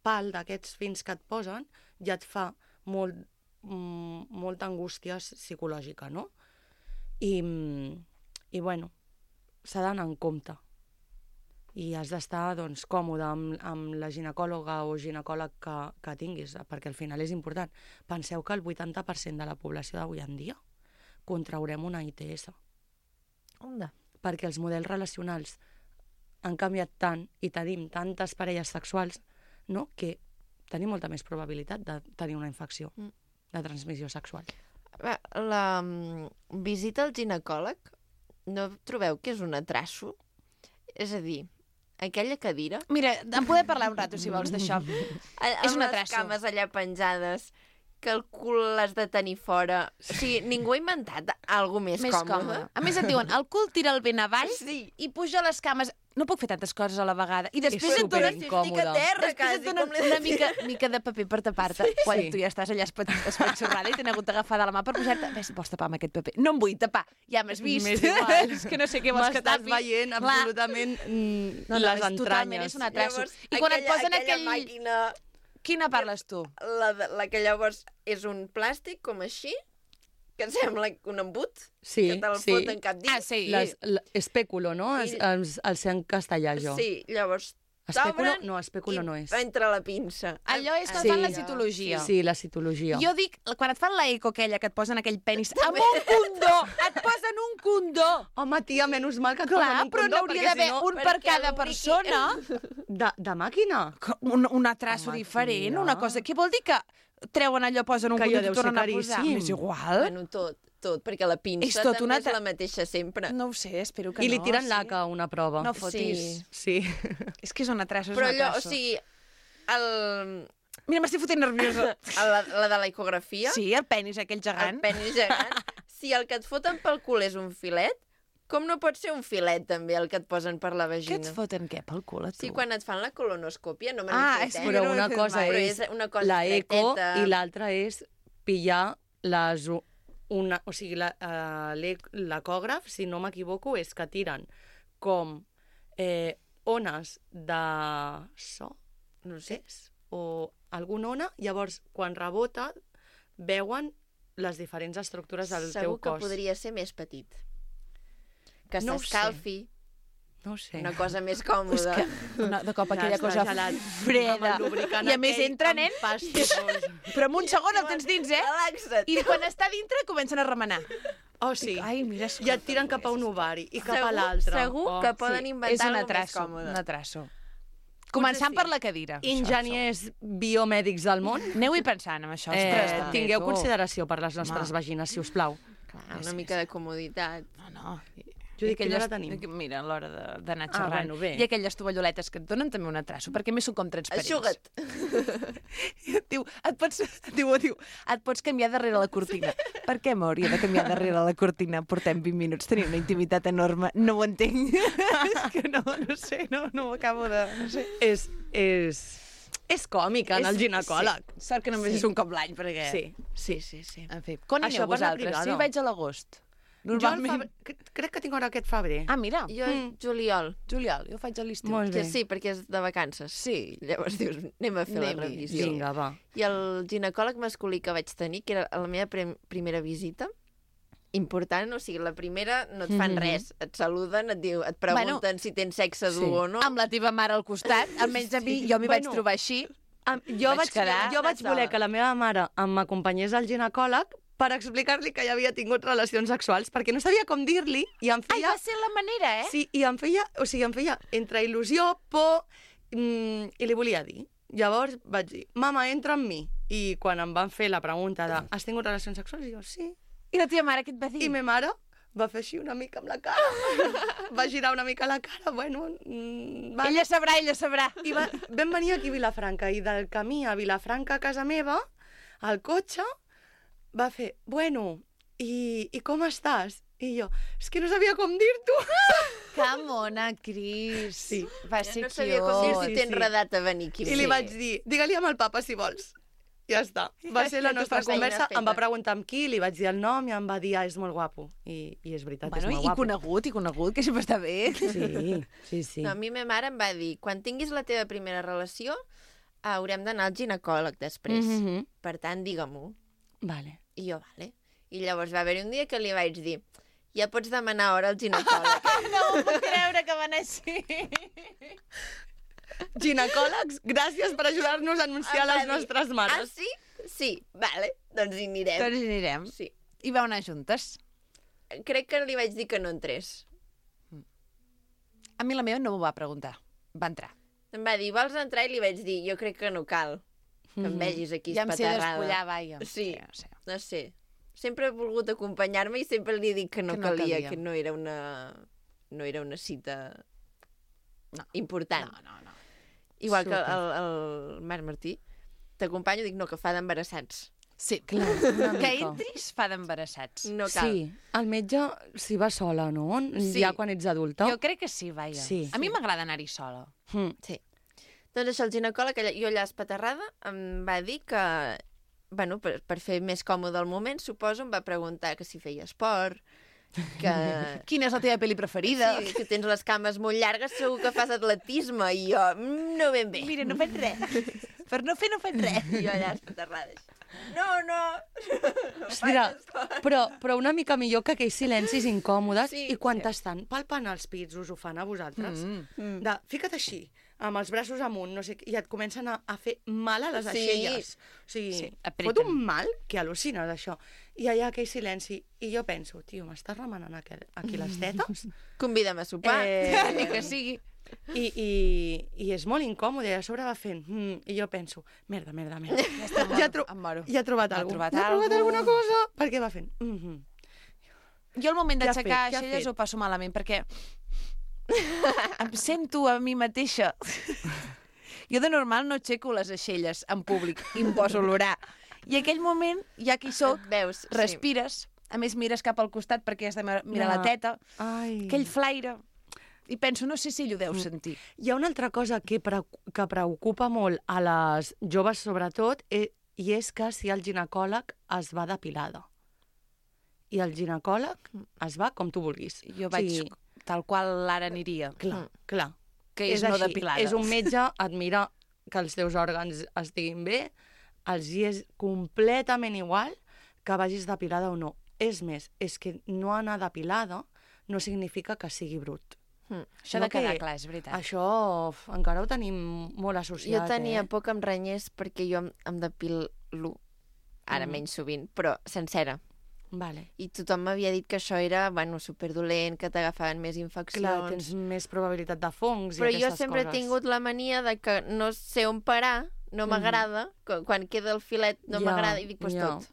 pal d'aquests fins que et posen, ja et fa molt, mm, molta angústia psicològica, no? I, mm, i bueno, s'ha d'anar en compte. I has d'estar doncs, còmode amb, amb la ginecòloga o ginecòleg que, que tinguis, perquè al final és important. Penseu que el vuitanta per cent de la població d'avui en dia contraurem una I T S.
Onda.
Perquè els models relacionals han canviat tant i tenim tantes parelles sexuals, no?, que tenir molta més probabilitat de tenir una infecció de transmissió sexual.
La um, visita al ginecòleg, no trobeu que és un atraso? És a dir, aquella cadira...
Mira, en podem parlar un rato, si vols, d'això. És un
les
atraso.
cames allà penjades, que el cul l'has de tenir fora. O sigui, ningú ha inventat alguna més,
Més
còmode.
còmode. A més et diuen, el cul tira el vent avall
Sí.
i puja les cames. No puc fer tantes coses a la vegada. I després
És
et donen,
superincòmode.
a terra,
després
quasi,
et donen
com l'he
una
de dir.
mica, mica de paper per tapar-te. Sí, quan
sí.
tu ja estàs allà espat- espatxorrada i t'han hagut d'agafar de la mà per posar-te... Ves, vols tapar amb aquest paper? No em vull tapar. Ja m'has vist.
M'és igual.
És que no sé què vols que
M'estàs
tapi.
veient
Clar.
absolutament mm,
No, no,
les
és totalment,
entranyes.
és un atraso.
Llavors,
I quan et
aquella-
posen
aquella
aquell...
màquina,
Quina parles tu?
la, de- la que llavors és un plàstic com així, que sembla un embut,
Sí,
que te'l
sí.
foten cap dins.
Ah, sí.
Les, l- espèculo, no?
I-
Es, els, el sé en castellà, jo.
Sí, llavors
Espèculo?
t'obren
No, espèculo
i
no és.
entra la pinça.
Allò és quan
Sí.
fan la citologia.
Sí, la citologia.
Jo dic, quan et fan la eco aquella que et posen aquell penis amb un condó, et posen un condó.
Home, tia, menys mal que et
Clar,
posen un
però
condó,
n'hauria
perquè
d'haver
si no...
un per
perquè
cada
lubriqui.
persona.
De, de màquina?
Un, un atraso
Home,
diferent,
tia.
una cosa... Què vol dir que treuen allò, posen un
Que
condó
allò
i
deu
t'ho tornen a
ser
posar?
caríssim.
M'és igual.
Bueno, tot, tot, perquè la pinça
És tot
també
una
és
tra-
la mateixa sempre.
No ho sé, espero que
I li
no.
tiren
sí.
laca a una prova.
No fotis.
Sí.
És que és un atraso, és
Però
un
allò, o
atraso.
sigui, el,
Mira, m'estic fotent nerviosa.
la, la de la ecografia,
Sí, el penis aquell
el
gegant.
penis gegant, si el que et foten pel cul és un filet, com no pot ser un filet també el que et posen per la
Què
vagina?
et foten, què, pel cul, a tu?
Sí, quan et fan la colonoscòpia, no me
Ah,
n'he
és
fet,
que
eh?
Però
no ho he
una
fet
cosa
mai.
Però
és
és una cosa
la eco
estreteta.
i l'altra és pillar les... u- Una, o sigui, la, uh, l'ecògraf, si no m'equivoco, és que tiren com eh, ones de so, no sé, o alguna ona, llavors, quan rebota, veuen les diferents estructures del
Segur
teu
que
cos.
podria ser més petit. Que
No ho sé.
s'escalfi,
No ho sé.
una cosa més
És
còmoda.
que no, de cop
Ja
aquella
està
cosa
gelat.
freda.
Amb el lubricant
I a més
aquell
entra,
amb
nen,
pastís.
però en un segon el tens dins, eh?
Relaxa't.
I quan està dintre comencen a remenar.
Oh, sí.
Ai, mira,
I et tiren cap a un ovari i cap a
Segur-
l'altre.
Segur
Oh,
que poden
Sí, és
inventar
un
alguna més
atraso,
còmode.
un atraso. Començant
sí.
per la cadira.
Enginyers biomèdics del món,
Aneu-hi pensant amb això.
eh,
ostres, també,
tingueu
tu.
consideració per les nostres
Home.
vagines, si us plau.
Clar, una mica de comoditat.
No, no.
Jo dic, quina
aquelles-
hora tenim?
Mira, a l'hora de- d'anar
Ah,
xerrant.
bueno, bé.
I aquelles tovalloletes que et donen també un atraso, perquè a més són com transparents.
Aixuga't.
I et diu, et pots, et diu, et diu, et pots canviar darrere la cortina. Per què m'hauria de canviar darrere la cortina? Portem vint minuts, tenim una intimitat enorme. No ho entenc. És que no, no sé, no, no ho acabo de... No sé.
És, és, és còmic en el ginecòleg.
Sí. Sort que només
Sí.
és un cop l'any, perquè...
Sí, sí, sí. sí.
En fi, quan
Això
aneu
per la
vosaltres?
privada.
Sí, vaig a l'agost.
Jo al
Normalment...
febrer, cre- crec que tinc hora aquest febrer.
Ah, mira,
Jo,
Mm.
juliol.
juliol, jo ho faig a l'estiu.
Molt
Que
bé.
sí, perquè és de vacances.
Sí.
Llavors dius, anem a fer la
Anem-hi,
revisió.
Vinga, va.
I el ginecòleg masculí que vaig tenir, que era la meva prim primera visita, important, o sigui, la primera no et fan
Mhm.
res, et saluden, et, diu, et pregunten
Bueno,
si tens sexe dur
sí.
o no.
Amb la teva mare al costat, almenys a mi, jo m'hi vaig
Bueno.
trobar així.
Am- Jo
Vaig
vaig,
quedar
jo vaig
sola.
voler que la meva mare m'acompanyés al ginecòleg per explicar-li que ja havia tingut relacions sexuals, perquè no sabia com dir-li i em
Ai,
feia...
va ser la manera, eh?
Sí, i em feia, o sigui, em feia entre il·lusió, por, mm, i li volia dir. Llavors vaig dir, mama, entra amb mi. I quan em van fer la pregunta de, has tingut relacions sexuals? I jo, sí.
I la teva mare què et va dir?
I ma mare va fer així una mica amb la cara. Va girar una mica la cara, bueno... Mm, vale.
Ella sabrà, ella sabrà.
I va, vam venir aquí a Vilafranca, i del camí a Vilafranca, a casa meva, al cotxe, va fer, bueno, i, i com estàs? I jo, és que no sabia com dir-t'ho.
Que mona, Cris.
Sí.
Va ser
no sabia com dir
cute.
si
Sí,
t'he
sí.
enredat a venir aquí.
I li vaig dir, digue-li amb el papa si vols. Ja està. Va ser la
Ja tu
nostra
fas feina
conversa,
feta.
em va preguntar amb qui, li vaig dir el nom i em va dir, ah, és molt guapo. I, i és veritat,
Bueno,
és molt
i
guapo.
conegut, i conegut, que sempre està bé.
Sí, sí, sí.
No, a mi ma mare em va dir, quan tinguis la teva primera relació, haurem d'anar al ginecòleg després.
Mm -hmm.
Per tant, digue-m'ho.
Vale.
I jo, vale. I llavors va haver-hi un dia que li vaig dir, ja pots demanar hora al ginecòleg.
No ho puc creure que va anar així.
Ginecòlegs, gràcies per ajudar-nos a anunciar
Em va
les
dir,
nostres mares.
Ah, sí? Sí, vale, doncs hi anirem.
Doncs hi anirem.
Sí.
I vau anar juntes.
Crec que li vaig dir que no entrés.
A mi la meva no m'ho va preguntar. Va entrar.
Em va dir, vols entrar? I li vaig dir, jo crec que no cal. que em
Mhm.
vegis aquí
Ja em sé
espaterrada.
despullar, vaja.
Sí,
Sí, sí.
no sé. Sempre he volgut acompanyar-me i sempre li dic que no,
Que no
calia,
calia.
que no era una, no era una cita
No.
important.
No, no, no.
Igual que
Súper.
el, el Marc Martí. T'acompanyo i dic, no, que fa d'embarassats.
Sí,
Clar, una
que
mica.
entris fa d'embarassats.
No cal.
Sí, el metge s'hi va sola, no?
Sí.
Ja quan ets adulta.
Jo crec que sí, vaja.
Sí.
A mi m'agrada anar-hi sola.
Mm.
Sí. Doncs això, el ginecòleg, allà- jo allà espaterrada, em va dir que, bueno, per, per fer més còmode el moment, suposo, em va preguntar que si feia esport, que...
Quina és la teva pel·li preferida?
Sí, que tens les cames molt llargues, segur que fas atletisme, i jo, mm, no ben bé.
Mira, no faig res. Per no fer, no faig res.
I jo allà espaterrada. No, no, no
Mira, però, però una mica millor que aquells silencis incòmodes
Sí,
i quan
sí.
t'estan palpant els pits, us ho fan a vosaltres?
Mm.
De, fica't així, amb els braços amunt, no sé, què, i et comencen a, a fer mal a les
Sí.
aixelles. O sigui,
Sí,
sí,
apreten.
fot un mal que al·lucines, això. I allà aquell silenci, i jo penso, tio, m'estàs remenant aquí, aquí les tetes?
Convida'm a sopar.
Eh,
Ni que sigui.
I, i, I és molt incòmode, i a sobre va fent, mm, i jo penso, merda, merda, merda.
Ja, està,
Ja, tro
em moro.
ja ha trobat
Ja ha
alguna
trobat
cosa. Ja ha trobat
algú.
alguna cosa. Perquè va fent, mm -hmm.
Jo al moment
Què ha
d'aixecar
fet? Què ha
aixelles
fet?
ho passo malament, perquè em sento a mi mateixa. Jo de normal no aixeco les aixelles en públic i em poso a olorar. I aquell moment, ja que hi soc,
Veus?
respires, a més mires cap al costat perquè has de mirar
Ja.
la teta,
Ai.
aquell flaire, i penso, no sé si ell ho deu sentir.
Hi ha una altra cosa que, pre que preocupa molt a les joves, sobretot, eh, i és que si el ginecòleg es va depilada. I el ginecòleg es va com tu vulguis.
Jo vaig
Sí,
tal qual l'ara aniria.
clar, clar.
Que és, no
així.
depilada.
És un metge, et mira que els teus òrgans estiguin bé, els hi és completament igual que vagis depilada o no. És més, és que no anar depilada no significa que sigui brut.
Mm.
Això
No
de quedar
que-
clar, és veritat.
Això f, encara ho tenim molt associat,
Jo tenia
eh?
por que em renyés perquè jo em, em depilo, ara
Mm.
menys sovint, però sencera.
Vale.
I tothom m'havia dit que això era, bueno, superdolent, que t'agafaven més infeccions.
Clar, tens més probabilitat de fongs
Però
i
jo
aquestes
sempre
coses.
he tingut la mania de que no sé on parar, no m'agrada, quan, quan queda el filet no
Ja,
m'agrada, i dic, pues
ja.
tot.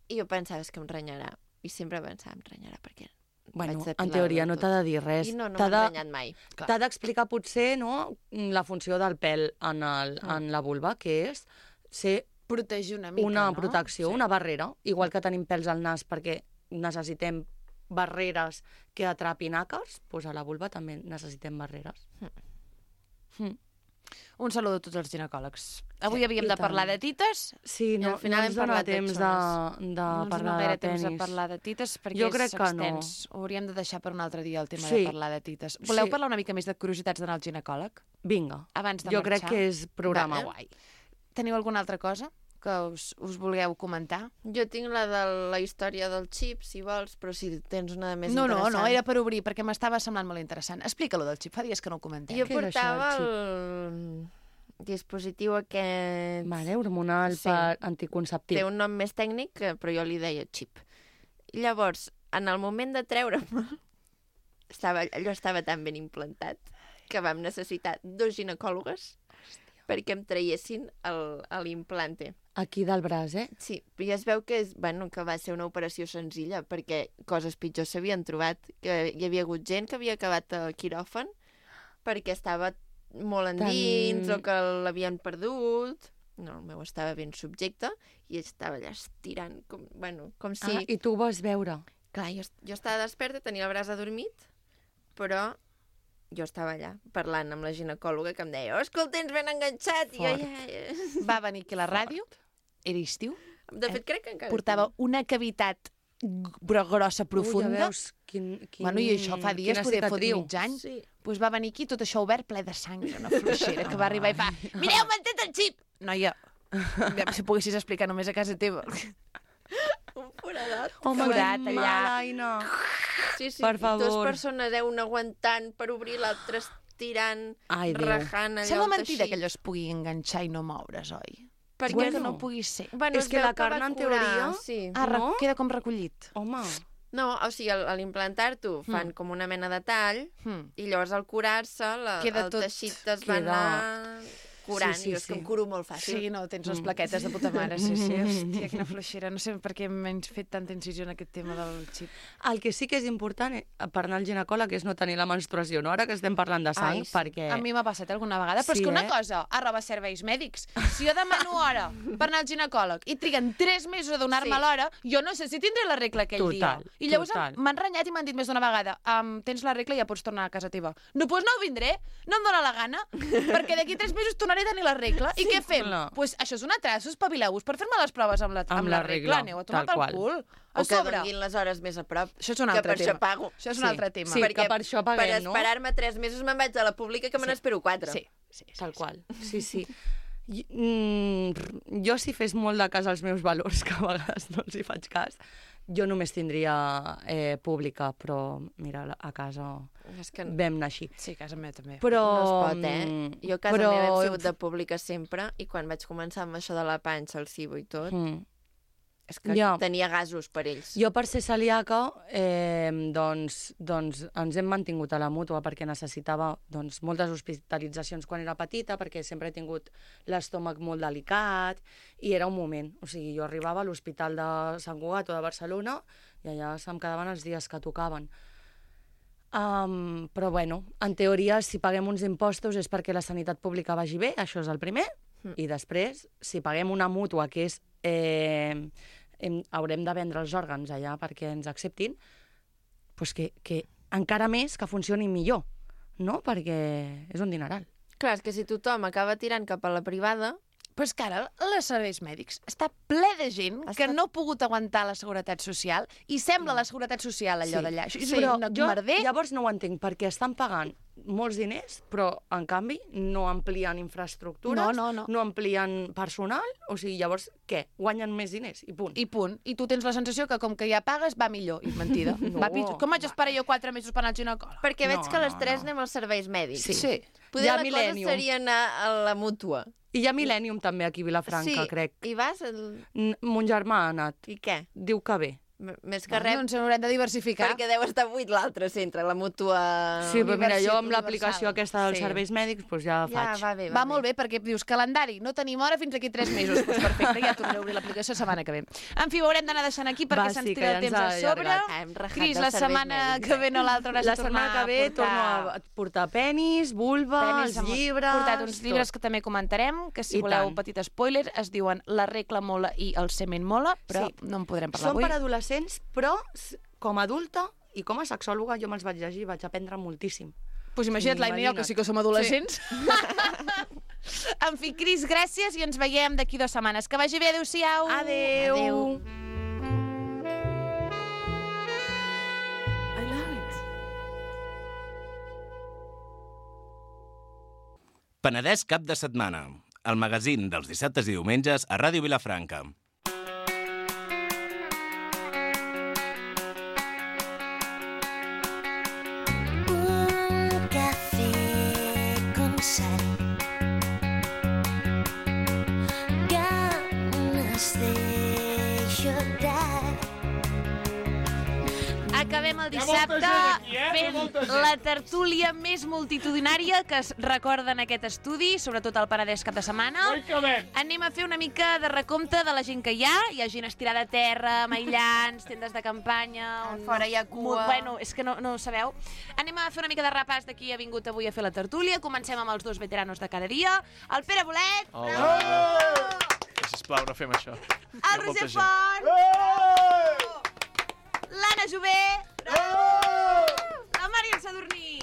I jo pensava, és que em renyarà. I sempre pensava, em renyarà, perquè
Bueno,
vaig
en
depilada
teoria
del
no
tot.
t'ha de dir res.
I no, no
T'ha
m'ha
de-
renyat mai.
T'ha d'explicar potser, no?, la funció del pèl en, el, en la vulva, que és ser
Protegir una mica,
una
no?
protecció,
Sí.
una barrera, igual que tenim pèls al nas perquè necessitem barreres que atrapin àcars, doncs a la vulva també necessitem barreres. Mm.
Un saludo a tots els ginecòlegs. Avui havíem
I
de
tant.
parlar de tites.
Sí,
I
no,
al final
no
hem
ens dona
parlat de
temps de,
xones.
de
no ens
parlar
dona
de
gaire temps
tenis.
de parlar de tites perquè
Jo
és
crec que no.
extens. Ho hauríem de deixar per un altre dia el tema
Sí.
de parlar de tites. Voleu
Sí.
parlar una mica més de curiositats d'anar al ginecòleg?
Vinga,
Abans de
jo
marxar?
crec que és programa
Vale.
guai.
Teniu alguna altra cosa que us, us vulgueu comentar?
Jo tinc la de la història del xip, si vols, però si tens una de més
no, no,
interessant.
no, era per obrir, perquè m'estava semblant molt interessant. Explica-lo del xip, fa dies que no ho comentem.
Jo
Què era això,
portava
el
el dispositiu aquest...
Vale, hormonal
Sí.
per anticonceptiu.
Té un nom més tècnic, que- però jo li deia xip. I llavors, en el moment de treure'm, estava, allò estava tan ben implantat que vam necessitar dos ginecòlogues perquè em traiessin el- l'implante.
Aquí del braç, eh?
Sí, i es veu que, és, bueno, que va ser una operació senzilla, perquè coses pitjors s'havien trobat, que hi havia hagut gent que havia acabat al quiròfan perquè estava molt endins
Tan-
o que l'havien perdut. No, el meu estava ben subjecte i estava allà estirant, com, bueno, com si...
Ah, i tu ho vas veure.
Clar, jo, jo estava desperta, tenia el braç adormit, però jo estava allà parlant amb la ginecòloga que em deia, oh, és que el tens ben enganxat. I jo
Fort.
ja, ja...
Va venir aquí a la ràdio, era estiu,
De fet, crec que encara...
portava una cavitat g- grossa,
Ui,
profunda.
ja veus, quin, quin,
Bueno, i això fa dies,
quina
poder fot
cicatriu.
mig any.
Sí.
Pues va venir aquí tot això obert, ple de sang, una fluixera, que va arribar i fa mireu, m'han tret el xip! Noia, ja, si poguessis explicar només a casa teva.
Un foradat.
Home,
Forat
que
allà.
mala, Aina.
Sí, sí,
Per favor.
Dos persones, eh, un aguantant per obrir, l'altre estirant,
Ai, Déu.
rajant allò
Sembla
el
mentida
teixit.
que allò es pugui enganxar i no moure's, oi?
Perquè
Bueno,
Bueno.
que no pugui ser.
Bueno,
És
es
que
veu
la
va
carn, en
curar,
teoria,
Sí.
Ah,
No?
no? Queda com recollit.
Home,
No, o sigui, al, a l'implantar-t'ho fan
Mm.
com una mena de tall
Hmm.
i llavors al curar-se la,
Queda
el
tot-
teixit es va
queda-
anar curant,
Sí, sí,
i jo és que
sí.
em curo molt fàcil.
Sí, no, tens les plaquetes de puta mare, sí, sí. Hòstia, quina fluixera. No sé per què m'he fet tanta incisió en aquest tema del xip.
El que sí que és important eh, per anar al ginecòleg és no tenir la menstruació, no? Ara que estem parlant de sang,
Ai, sí.
perquè...
A mi m'ha passat alguna vegada, però
Sí,
és que una
eh?
cosa, arroba serveis mèdics, si jo demano hora per anar al ginecòleg i triguen tres mesos a donar-me
Sí.
l'hora, jo no sé si tindré la regla aquell
Total,
dia. I llavors
total.
m'han renyat i m'han dit més d'una vegada, um, tens la regla i ja pots tornar a casa teva. No, doncs no vindré, no em dóna la gana, perquè d'aquí tres mesos tornaré a tenir la regla. I què fem?
clar.
Pues això és una traça, espavileu-vos per fer-me les proves amb la, amb
Amb
la
la
regla.
regla,
Aneu a tomar
tal
pel
qual.
cul. A
O que
sobre.
donguin les hores més a prop.
Això és un
que
altre
per
tema.
això pago.
Això és un
Sí.
altre tema.
Sí, que per això paguem,
per
no?
esperar-me tres mesos me'n vaig a la pública que me n'espero quatre.
Sí, sí, sí.
Tal qual. Sí, sí. I, mm, jo si fes molt de cas als meus valors, que a vegades no els hi faig cas, jo només tindria eh, pública, però mira, a casa
És que
vam anar així.
Sí, a casa meva també.
Però...
no es pot, eh? Jo a casa
però...
meva hem sigut de pública sempre i quan vaig començar amb això de la panxa, el cibo i tot,
Mm.
és que
Ja.
tenia gasos per ells.
Jo, per ser celíaca, eh, doncs, doncs ens hem mantingut a la mútua perquè necessitava doncs, moltes hospitalitzacions quan era petita, perquè sempre he tingut l'estómac molt delicat, i era un moment. O sigui, jo arribava a l'Hospital de Sant Cugat o de Barcelona i allà se'm quedaven els dies que tocaven. Um, però, bueno, en teoria, si paguem uns impostos és perquè la sanitat pública vagi bé, això és el primer, mm. i després, si paguem una mútua, que és... Eh, hem, haurem de vendre els òrgans allà perquè ens acceptin, doncs que, que encara més que funcionin millor, no? Perquè és un dineral.
Clar, és que si tothom acaba tirant cap a la privada...
Però és que ara els serveis mèdics està ple de gent
Està-
que no ha pogut aguantar la seguretat social i sembla la seguretat social allò d'allà. Això és
Però
un
jo
merder.
llavors no ho entenc, perquè estan pagant molts diners, però en canvi no amplien infraestructures,
No, no, no.
no amplien personal, o sigui, llavors què? Guanyen més diners i punt.
I punt. I tu tens la sensació que com que ja pagues va millor. I mentida.
No.
Va pitjor. Com vaig esperar jo quatre mesos per anar al ginecòleg?
Perquè veig
No,
que les
no,
tres
no.
anem als serveis mèdics.
Sí.
Sí.
Poder
Hi ha
la
Millennium.
cosa seria anar a la mútua.
I hi ha Millennium també aquí a Vilafranca,
sí.
crec.
I vas... El...
N- Mon germà ha anat.
I què?
Diu que bé.
M Més que
Que
res,
ens haurem de diversificar.
perquè deu estar buit l'altre centre, la mútua...
Sí, però mira, jo
universal.
amb l'aplicació aquesta dels
Sí.
serveis mèdics doncs ja
ja,
faig.
va bé,
Va molt bé, perquè dius calendari, no tenim hora fins aquí tres mesos. Doncs perfecte, ja tornaré a obrir l'aplicació la setmana que ve. En fi, ho haurem d'anar deixant aquí perquè
Va,
se'ns
sí, que
tira
ja
el
ens
temps
ha
a sobre.
allargat.
Ah, hem rajat
Cris,
dels
la
serveis
setmana
mèdics,
que ve no l'altra hauràs
La
de tornar
setmana que ve
a portar...
torno a portar penis, vulva,
Penis,
els
hem
llibres...
portat uns llibres
tot.
que també comentarem, que si
I
voleu
tant.
un petit spoiler, es diuen La regla mola i El semen mola, però
Sí.
no en podrem parlar
Són
avui.
per adolescents, però s- com a adulta i com a sexòloga jo me'ls vaig llegir i vaig aprendre moltíssim.
Pues imagina't, l'Aina i jo, que sí que som adolescents. Sí. En fi, Cris, gràcies i ens veiem d'aquí dues setmanes. Que vagi bé, adéu-siau.
Adeu!
Adéu.
Penedès cap de setmana. El magazín dels dissabtes i diumenges a Ràdio Vilafranca.
Un café con sal. Ganas de llorar.
Acabem el dissabte fent la tertúlia més multitudinària que es recorda en aquest estudi, sobretot al Penedès cap de setmana. Anem a fer una mica de recompte de la gent que hi ha. Hi ha gent estirada a terra, amb aïllants, tendes de campanya... On
fora hi ha cua.
Bueno, és que no, no ho sabeu. Anem a fer una mica de repàs de qui ha vingut avui a fer la tertúlia. Comencem amb els dos veteranos de cada dia. El Pere Bolet,
Hola. Sisplau, no fem això.
el Roser Font, l'Anna Jové, la Mària Sadurní.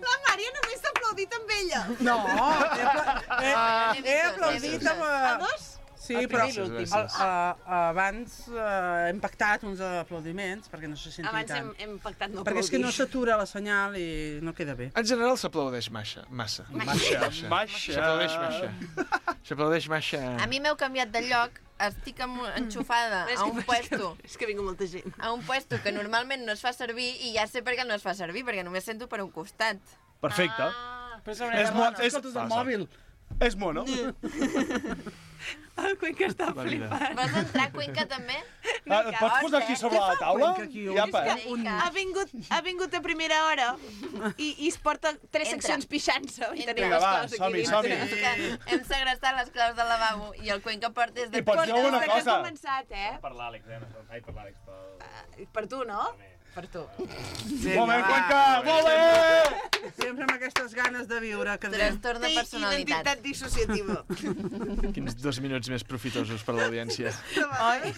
La Mària només s'ha aplaudit amb ella.
No, he, apla he, he aplaudit amb...
A dos?
Sí,
El
però
primer i l'últim.
el, a, abans uh, hem pactat uns aplaudiments perquè no se senti
Abans
tant.
hem, hem pactat no
perquè és que no
aplaudir.
s'atura la senyal i no queda bé.
En general s'aplaudeix massa. Massa.
Massa.
Massa. S'aplaudeix massa. S'aplaudeix massa.
A mi m'heu canviat de lloc, estic amb, enxufada
És
a
que-
un puesto,
És que vingut molta gent.
a un puesto que normalment no es fa servir i ja sé per què no es fa servir, perquè només sento per un costat.
Perfecte.
Ah.
Però és,
És
mo
mo- és-
escoltes el mòbil.
És mono.
El Cuenca està
La vida.
flipant.
Vols entrar, Cuenca, també?
Ah, et pots posar aquí sobre la taula? I apa.
Ha vingut, ha vingut a primera hora i, i es porta tres
Entra.
seccions pixant-se. I tenim
Vinga,
les
va,
claus aquí
som-hi,
dintre.
som-hi.
És que hem segrestat les claus del lavabo i el Cuenca porta és de...
I pots dir alguna
Des que
cosa?
ha començat, eh?
Per l'Àlex, eh? No, ai, per l'Àlex, pel...
Per tu, no? Per tu.
Molt bé, Cuenca, molt bé!
Sempre amb aquestes ganes de viure que
Trastorn de personalitat.
Identitat dissociativa.
Quins dos minuts més profitosos per l'audiència.
Oi?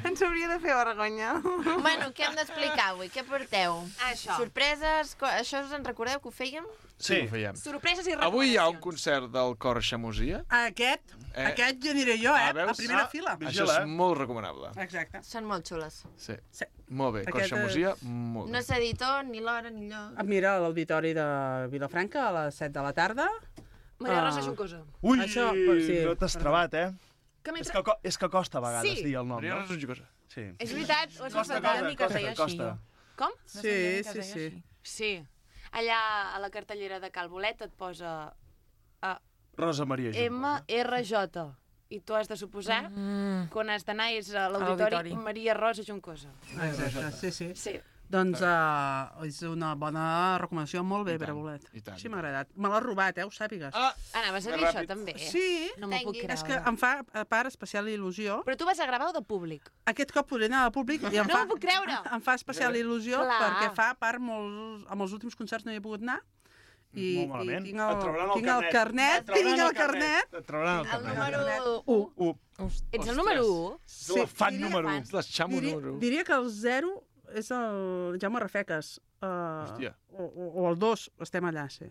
Ens hauria de fer vergonya.
Bueno, què hem d'explicar avui? Què porteu?
Això.
Sorpreses? Co- Això us en recordeu que ho fèiem?
Sí, ho fèiem.
Sorpreses i
Avui hi ha un
recomanacions.
concert del cor Xamosia.
Aquest,
Eh.
aquest ja aniré jo, eh?
Ah, veus?
A primera
Ah,
fila.
Això és molt recomanable.
Exacte.
Són molt xules.
Sí.
Sí.
Molt bé, cor
Aquest, eh,
Xamosia, molt
No
bé.
sé dir tot, ni l'hora, ni lloc.
Ah, Mira, a l'auditori de Vilafranca a les set de la tarda.
Maria
Ah.
Rosa Juncosa.
Ui,
Això, pues, sí.
no t'has trebat, eh?
Que
És
mentre...
que, co- és que costa a vegades
Sí.
dir el nom,
Maria
no?
Rosa Juncosa.
Sí.
És veritat, o és
Costa,
veritat?
costa, costa, costa.
Com?
Sí, sí, sí.
Sí. Allà a la cartellera de Cal Bolet et posa uh,
Rosa Maria Juncosa.
M R J. I tu has de suposar
Mm.
que on has d'anar és a l'auditori
l'auditori.
Maria Rosa Juncosa.
Exacte, sí, sí.
Sí.
Doncs uh, és una bona recomanació, molt bé,
I
per a
tant,
bolet.
i tant.
Sí, m'ha agradat. Me l'ha robat, eh, ho sàpigues.
Ah,
Anaves a
Que
dir això
ràpid.
també?
Sí,
No m'ho puc creure.
és que em fa, a part, especial il·lusió.
Però tu vas a gravar o de públic?
Aquest cop podré anar al públic i em
No
fa,
m'ho puc creure!
em fa especial il·lusió
Clar.
perquè fa, a part, molts, amb els últims concerts no hi he pogut anar. I,
Molt malament.
i tinc
Et
el,
trauran el
tinc el
carnet.
carnet,
Et trauran
tinc
el
el carnet.
Et trauran el
El
carnet.
número
U.
U.
Ets el número u?
És la fan
diria-
número u.
és la Xamo
Diria,
número u.
diria que el zero és el Jaume Rafeques. Uh,
Hòstia.
o, o, o el dos, estem allà, sí.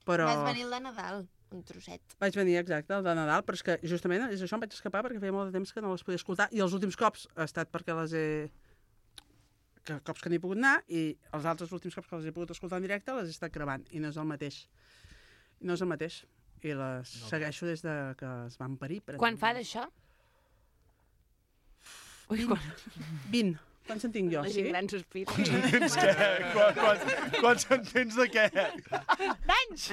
Però...
Vas venir el de Nadal, un trosset.
Vaig venir, exacte, el de Nadal, però és que justament és això, em vaig escapar perquè feia molt de temps que no les podia escoltar, i els últims cops ha estat perquè les he... que cops que n'he pogut anar, i els altres últims cops que les he pogut escoltar en directe les he estat gravant, i no és el mateix. I no és el mateix. I les no. segueixo des de que es van parir. Per
Quan fa d'això? Ui, quan...
vint. Quants en tinc jo?
La gent gran sospira.
Quants què? Quan- Quants, quants en tens de què?
D'anys!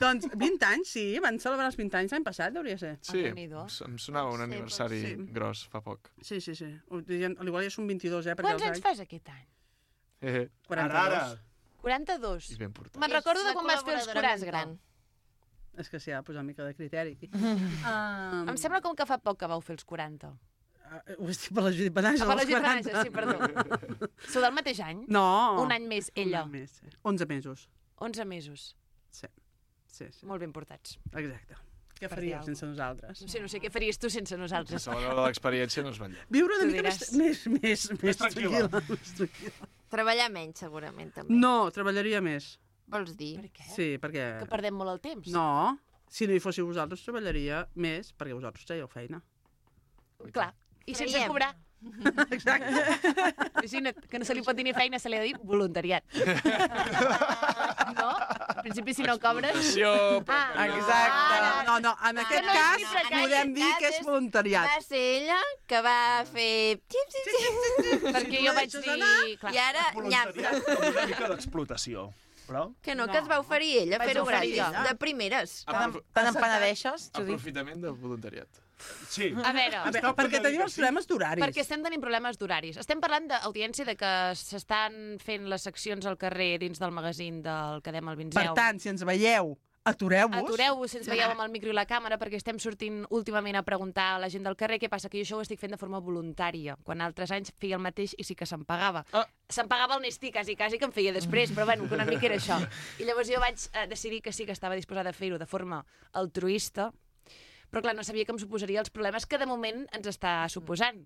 Doncs vint anys, sí. Van celebrar els vint anys l'any passat, hauria de ser.
Sí,
Déu-n'hi-do.
em sonava un aniversari
sí.
gros fa poc.
Sí, sí, sí. Ho dirien- Igual ja són vint-i-dos, eh? perquè
Quants
els
anys fas aquest any?
Eh,
quaranta-dos.
quaranta-dos.
I ben portat.
Me'n recordo
És
de
la
quan vas fer els
col·laboradora més
quaranta.
gran.
És que s'hi ha de posar una mica de criteri aquí. um,
Em sembla com que fa poc que vau fer els quaranta.
Uh, ho estic per la Judit Benàs,
Ah, per la
als
Judit
quaranta.
Benàs, sí, perdó. Sou del mateix any?
No.
Un any més, ella.
Un any més, sí. onze mesos.
onze mesos.
Sí. Sí, sí.
Molt ben portats.
Exacte. Què
Per
faries
dir
sense nosaltres?
No sé, no sé què faries tu sense nosaltres.
A l'hora de l'experiència no es va enllà.
Viure una
Tu
mica més,
diràs.
més, més, més
tranquil·la.
tranquil·la. Més tranquil·la.
Treballar menys, segurament, també.
No, treballaria més.
Vols dir?
Per què?
Sí, perquè...
Que perdem molt el temps.
No, si no hi fóssiu vosaltres, treballaria més, perquè vosaltres traieu feina.
Clar. I sense
Creiem.
cobrar.
Exacte.
Imagina't, que no se li pot dir ni feina, se li ha de dir voluntariat. No? Al principi, si no cobres...
Explotació,
Ah,
Exacte. No, no, en aquest
no,
cas
en aquest
podem dir
cas
que és
és-
voluntariat.
Va ser ella que va fer... Xip, xip, xip.
Perquè jo vaig
deixes
dir...
anar,
Clar.
I ara, nyap.
Voluntariat com una mica d'explotació. Però...
Que no, que es va oferir ella a
Vaig
fer-ho
oferir
gratis,
ella.
de primeres.
Aprof
Te'n empenedeixes, Judit?
aprofitament del voluntariat.
Sí.
A veure,
A veure, perquè tenim els problemes d'horaris.
perquè estem tenint problemes d'horaris. Estem parlant d'audiència de que s'estan fent les seccions al carrer dins del magazín del Cadem al Vinzeu.
Per tant, si ens veieu, atureu-vos.
Atureu-vos si ens veieu amb el micro i la càmera, perquè estem sortint últimament a preguntar a la gent del carrer què passa, que jo això ho estic fent de forma voluntària, quan altres anys feia el mateix i sí que se'm pagava.
Ah.
Se'm pagava el Nestí, quasi, quasi que em feia després, però bueno, que una mica era això. I llavors jo vaig eh, decidir que sí que estava disposada a fer-ho de forma altruista, però clar, no sabia que em suposaria els problemes que de moment ens està suposant.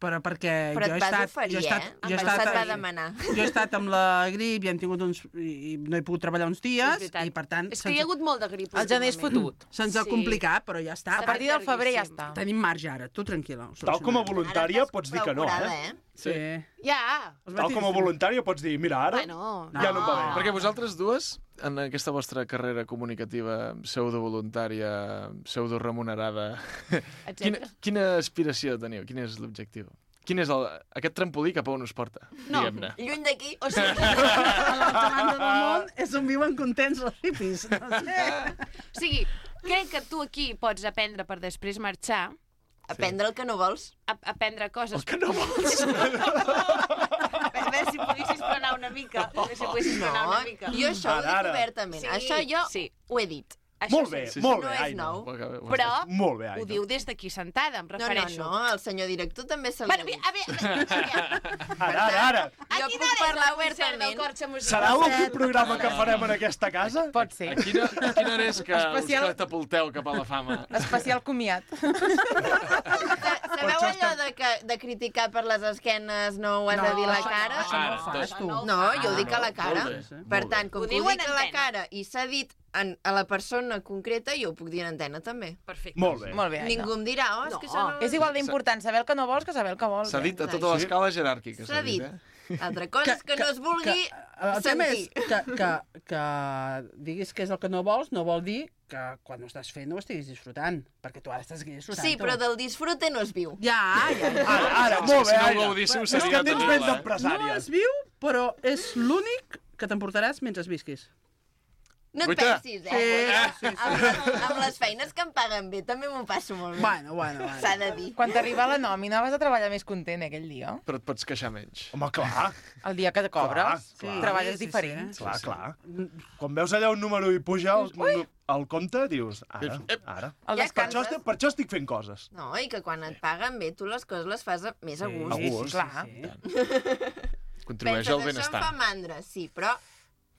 Però perquè
Però
jo
et
he
vas
estat...
oferir,
jo he estat,
eh?
Jo he
Em
estat,
se't va demanar.
Jo he estat amb la grip i hem tingut uns... I, i no he pogut treballar uns
És
dies
veritat.
i per tant...
És que hi ha hagut molt de grip.
El gener és
últimament.
fotut.
Se'ns ha
Sí.
complicat, però ja està.
A partir del febrer ja està.
Tenim marge ara, tu tranquil·la. ho
Tal com a
solucionarem.
voluntària pots dir que no,
Procurada,
eh?
eh?
Sí.
Ja!
Els
Tal com a
matins-
voluntària pots dir, mira, ara
Bueno,
ja no em va bé.
Perquè vosaltres dues, en aquesta vostra carrera comunicativa pseudo-voluntària, pseudo-remunerada, quina,
etcètera.
quina aspiració teniu? Quin és l'objectiu? Quin és el, aquest trampolí cap a on us porta,
No.
diguem-ne?
Lluny d'aquí.
O sigui,
A l'altra banda del món és on viuen contents els hippies. No sé.
o sigui, crec que tu aquí pots aprendre per després marxar
Aprendre el que no vols.
A aprendre coses.
El que no vols.
A veure si poguessis frenar una mica. A veure si poguessis frenar una mica.
Jo això ho
Ara,
dic
ara.
obertament.
Sí,
Això jo
sí.
ho he dit.
Això
Molt bé,
sí.
molt
No
bé,
és
Aina.
nou.
Però
Molt bé,
ho
Aina.
diu des d'aquí sentada, em
No, no,
refereixo.
no, el senyor director també se li
Bueno,
ha dit.
a veure,
Ara, ara, ara.
Jo puc parlar obertament.
Serà l'últim programa que farem en aquesta casa?
Pot ser.
A quina, a quina hora és que
Especial-
us catapulteu cap a la fama?
Especial comiat.
Sabeu allò de, que, de criticar per les esquenes no ho has
No,
de dir a la
això
cara?
no, això no ho fas, tu.
No, jo ho dic a la cara.
Molt bé,
Per
molt
tant,
Ho
com que ho
diuen
dic
en
a la
antena.
cara i s'ha dit en, a la persona concreta, jo ho puc dir en antena també.
Perfecte.
Molt bé.
Molt bé, Aina.
Ningú em dirà, oh, és que això no...
És igual d'important saber el que no vols que saber el que vols.
S'ha
eh?
dit a tota l'escala jeràrquica.
S'ha dit.
eh?
Altra cosa és que, no es vulgui
El tema és
sentir.
que, que, que diguis que és el que no vols, no vol dir que quan ho estàs fent no ho estiguis disfrutant, perquè tu ara estàs aquí disfrutant.
Sí, però del disfrute no es viu.
Ja, ja, ja.
Ara, ara,
És que
molt
si
bé,
no ho
Aina.
gaudíssiu,
És
seria
que tens
terrible,
ment
eh?
No
d'empresària.
es viu, però és l'únic que t'emportaràs mentre visquis.
No et
Guaita.
pensis,
Sí,
eh?
sí, sí.
Amb, les, amb les feines que em paguen bé també m'ho passo molt bé.
Bueno, bueno, bueno.
S'ha de dir.
Quan t'arriba la nòmina vas a treballar més content aquell dia.
Però et pots queixar menys.
Home, clar,
El dia que te cobres,
Clar, clar.
treballes
Sí, sí,
diferent.
sí.
clar, clar. Quan veus allà un número i puja el, el compte, dius, ara, ara.
El
Ja
Per això,
descanses.
estic, per això estic fent coses.
No, i que quan et paguen bé, tu les coses les fas a- més a
Sí,
gust.
A gust.
Clar.
Contribueix
Penses,
al
això em
benestar.
fa mandra, sí, però...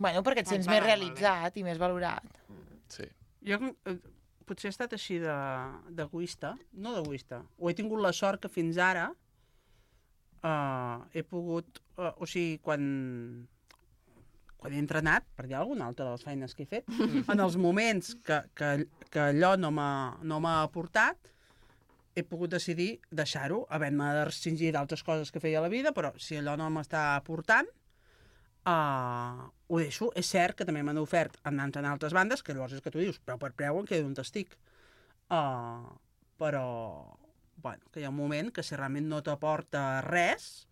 Bueno, perquè et
Quan
sents
paguen
més
molt bé.
realitzat i més valorat.
Sí.
Jo eh, potser he estat així de- d'egoista, no d'egoista. Ho he tingut la sort que fins ara uh, he pogut... Uh, o sigui, quan, quan he entrenat, per dir alguna altra de les feines que he fet, en els moments que, que, que allò no m'ha no m'ha aportat, he pogut decidir deixar-ho, havent-me de restringir d'altres coses que feia a la vida, però si allò no m'està aportant, Uh, ho deixo. És cert que també m'han ofert anar en altres bandes, que llavors és que tu dius, preu per preu em quedo on estic. Uh, però, bueno, que hi ha un moment que si realment no t'aporta res,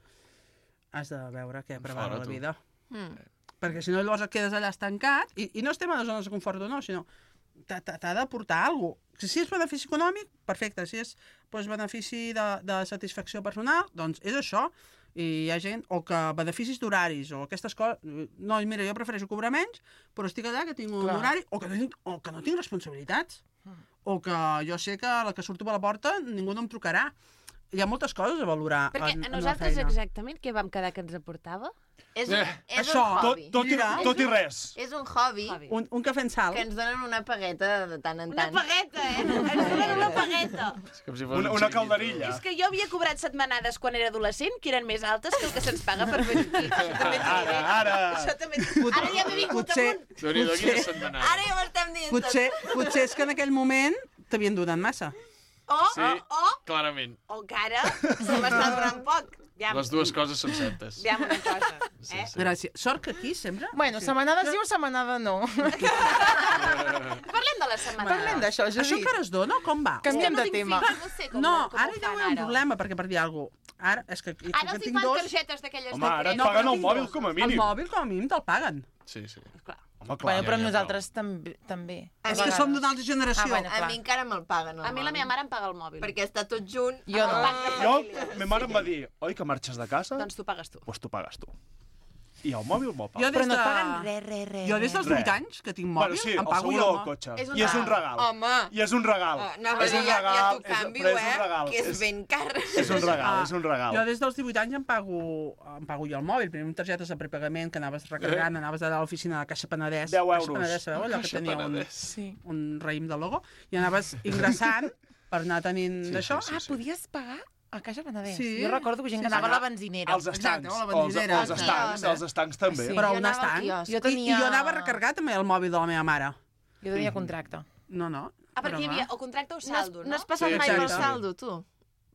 has de veure què prepara
Fora,
la
tu.
vida.
Mm.
Perquè si no llavors et quedes allà estancat, i, i no estem a les zones de confort o no, sinó t'ha t'ha- t'ha d'aportar alguna cosa. Si és benefici econòmic, perfecte. Si és doncs, benefici de, de satisfacció personal, doncs és això. I hi ha gent, o que beneficis d'horaris, o aquestes coses... No, mira, jo prefereixo cobrar menys, però estic allà que tinc un
Clar.
horari, o que, no tinc, o que no tinc responsabilitats. O que jo sé que a la que surto per la porta ningú no em trucarà. Hi ha moltes coses a valorar
Perquè
en,
a
en la
nosaltres
feina.
exactament què vam quedar que ens aportava?
És un,
Eh,
és
això,
un hobby.
Tot, tot, i,
Mira.
tot i res.
És un hobby,
Hobby.
Un, un cafè en sal.
que ens donen una pagueta de tant en
Una
tant.
pagueta, eh? Ens donen una pagueta.
És com si fos
Una,
un
una
xiringuito.
calderilla.
És que jo havia cobrat setmanades quan era adolescent que eren més altes que el que se'ns paga per venir aquí. Això també t'ho diré.
Ara, ara.
Això també t'ho- Ara ja m'he vingut
Potser,
amunt.
Déu-n'hi-do,
potser,
quina setmanada.
Ara ja ho estem dient
potser, potser és que en aquell moment t'havien donat massa.
O,
Sí,
o,
clarament.
o encara se m'està donant poc. Ja,
Les dues coses són certes.
ja una cosa. Eh?
Gràcies. Sort que aquí, sempre...
Bueno, setmanada sí o setmanada no.
Parlem de la setmana.
Parlem d'això,
Això
Judit.
encara es dona o com va?
Canviem
no
de
tinc
tema.
fills, no sé com,
No,
com
ara
ho
ja
fan
hi ha un
ara.
problema, perquè per dir alguna cosa... Ara, és que, com
Ara
que
els hi
tinc
fan
dos...
targetes d'aquelles
Home,
de
ara et
crèdit.
paguen
però
el
tinc
mòbil
dos.
com a
El
mínim.
mòbil com a mínim te'l paguen.
Sí, sí.
Clar.
Home, clar.
Bueno, però
ja, ja,
nosaltres també. també.
A
És
mi-
que som d'una altra
Ah,
generació.
bueno,
A
clar.
mi encara me'l paguen, el
A mi la
mòbil.
meva mare em paga el mòbil.
Perquè està tot junt.
Jo
amb
no.
el banc de
Jo,
família.
ma mare em va dir, oi que marxes de casa?
Doncs tu pagues tu.
Pues tu pagues tu. I el mòbil me'l
Jo
paga.
des
Però no
de...
et paguen res, res, res.
Jo des dels
Res.
vuit anys que tinc mòbil,
Bueno, sí,
em
el
pago
seguro
jo.
del cotxe.
És un
I és un
regal.
regal.
Home.
I és un regal.
Ah, no,
és
ja,
un
ja
regal.
t'ho
és-
canvio,
però és un
eh?
regal.
Que és ben car.
És un regal,
Ah,
és un regal.
Jo des dels divuit anys em pago, em pago jo el mòbil. Primer amb targetes de prepagament que anaves recarregant, anaves allà a l'oficina de Caixa Penedès.
deu
Caixa
euros.
Penedès, sabeu? Allò que
Caixa
tenia un,
Penedès.
Sí.
un raïm de logo. I anaves ingressant per anar tenint
Sí,
d'això.
sí,
Ah, podies pagar a Caixa Penedès.
Sí.
Jo recordo gent que
Sí,
anava
sí.
a la benzinera.
Els estancs.
Exacte, a la
Els,
benzinera.
els estancs, els estancs també.
Sí.
Però
Jo
un
anava al
estant.
quiosc.
Jo
I,
tenia...
I jo anava recarregat també el mòbil de la meva mare.
Jo tenia contracte.
No, no.
Ah, perquè
però
hi
va.
havia o contracte o
No has,
saldo,
no
no?
has passat
Sí,
mai pel
exacte.
saldo, tu?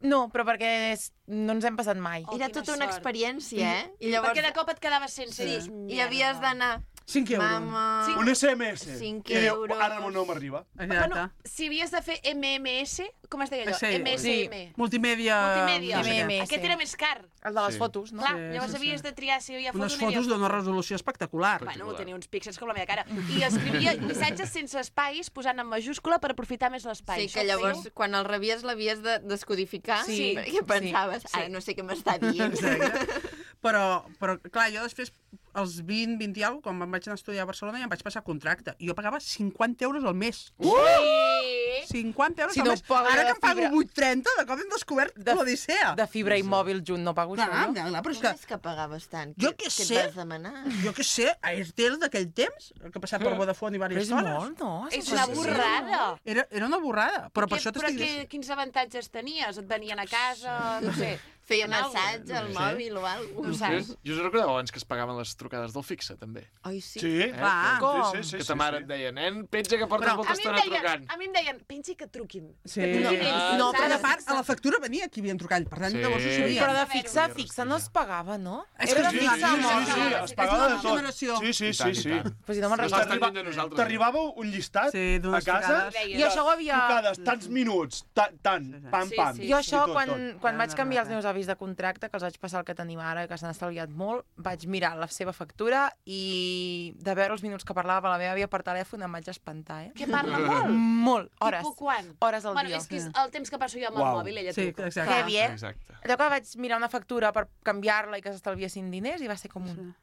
No, però perquè és... no ens hem passat mai.
Oh,
Era
quina
tota una
sort.
experiència, eh? I
Perquè de cop et quedaves sense.
Sí,
Dius,
i
"Mierda".
havies d'anar
cinc euros.
Mama...
Un esse eme esse.
cinc
I diu,
euros.
ara no m'arriba.
Bueno, si havies de fer eme eme esse, com es deia allò?
Sí,
eme esse eme.
Multimèdia...
Multimèdia.
no sé què.
M M S.
Aquest era més car.
El de les
Sí.
fotos, no?
Clar,
Sí,
llavors
sí, sí.
havies de triar si hi havia foto
Unes
o no hi havia
fotos d'una resolució espectacular.
Bueno, tenia uns píxels com la meva cara. I escrivia missatges sense espais, posant en majúscula per aprofitar més l'espai.
Sí, que llavors, quan el rebies, l'havies de descodificar,
Sí.
perquè pensaves,
Sí.
ara no sé què m'està dient.
Exacte. Però, però, clar, jo després, als vint, vint i alguna cosa, quan em vaig anar a estudiar a Barcelona, ja em vaig passar contracte. I jo pagava cinquanta euros al mes.
Ui!
cinquanta euros
Si
al
no
mes.
paga
Ara
de
que em pago
fibra.
vuit trenta, de cop hem descobert
De-
l'Odissea.
De fibra i mòbil junt no pago
Clar,
això, no?
clar, però és
Com
que...
és que pagaves tant?
Jo
Què-
què
què
sé.
et vas demanar?
Jo què sé, Airtel d'aquell temps, que ha passat per Vodafone i
Però
diverses
és
coses.
molt, no?
És
Sí,
una
sí, sí.
borrada.
Era, era una borrada, però per
Què-
això
però
t'estic
què,
dient...
quins avantatges tenies? Et venien a casa, no sé...
Feia
fent alguna cosa?
massatge al
Sí.
mòbil o alguna
No
cosa.
saps?
Jo, jo us recordeu abans que es pagaven les trucades del fixe, també.
Oi, sí?
Sí,
Eh?
Clar.
Com?
sí, sí, sí,
que
sí,
ta mare
sí.
et deia, nen, penja que portes
Però
molta
A mi, em
estona
deien,
trucant.
a mi em deien, pensi que truquin.
Sí.
Que truquin
No,
ells,
no, però
saps?
de part, a la factura venia qui havien trucat, per tant,
Sí.
llavors ho sabia.
Però de fixa, fixa no es pagava, no?
És
Era
que
de
sí,
fixa
sí,
amb
sí,
el-
sí,
sí, es pagava de tot.
generació.
Sí, sí,
I
sí,
tant, i
sí.
tant.
Pues si no me'n
No
recordo.
estàs lluny de nosaltres.
T'arribava un llistat
Sí,
a
d'unes
casa,
trucades.
I això ho havia...
trucades, tants minuts, ta- tant, pam,
Sí,
pam.
sí,
Jo
sí.
això,
tot,
quan,
tot.
quan
No,
vaig
no,
canviar
no,
els
no.
meus avis de contracte, que els vaig passar el que tenim ara, que s'han estalviat molt, vaig mirar la seva factura i de veure els minuts que parlava la meva àvia per telèfon em vaig espantar, eh?
Que parla molt.
Molt. Hores.
Tipo quan?
Hores al
Bueno,
dia.
és que és el temps que passo jo amb el
Uau.
mòbil, ella
Sí,
truca.
exacte.
Heavy, eh?
Exacte.
Allò que vaig mirar una factura per canviar-la i que s'estalviessin diners i va ser com un...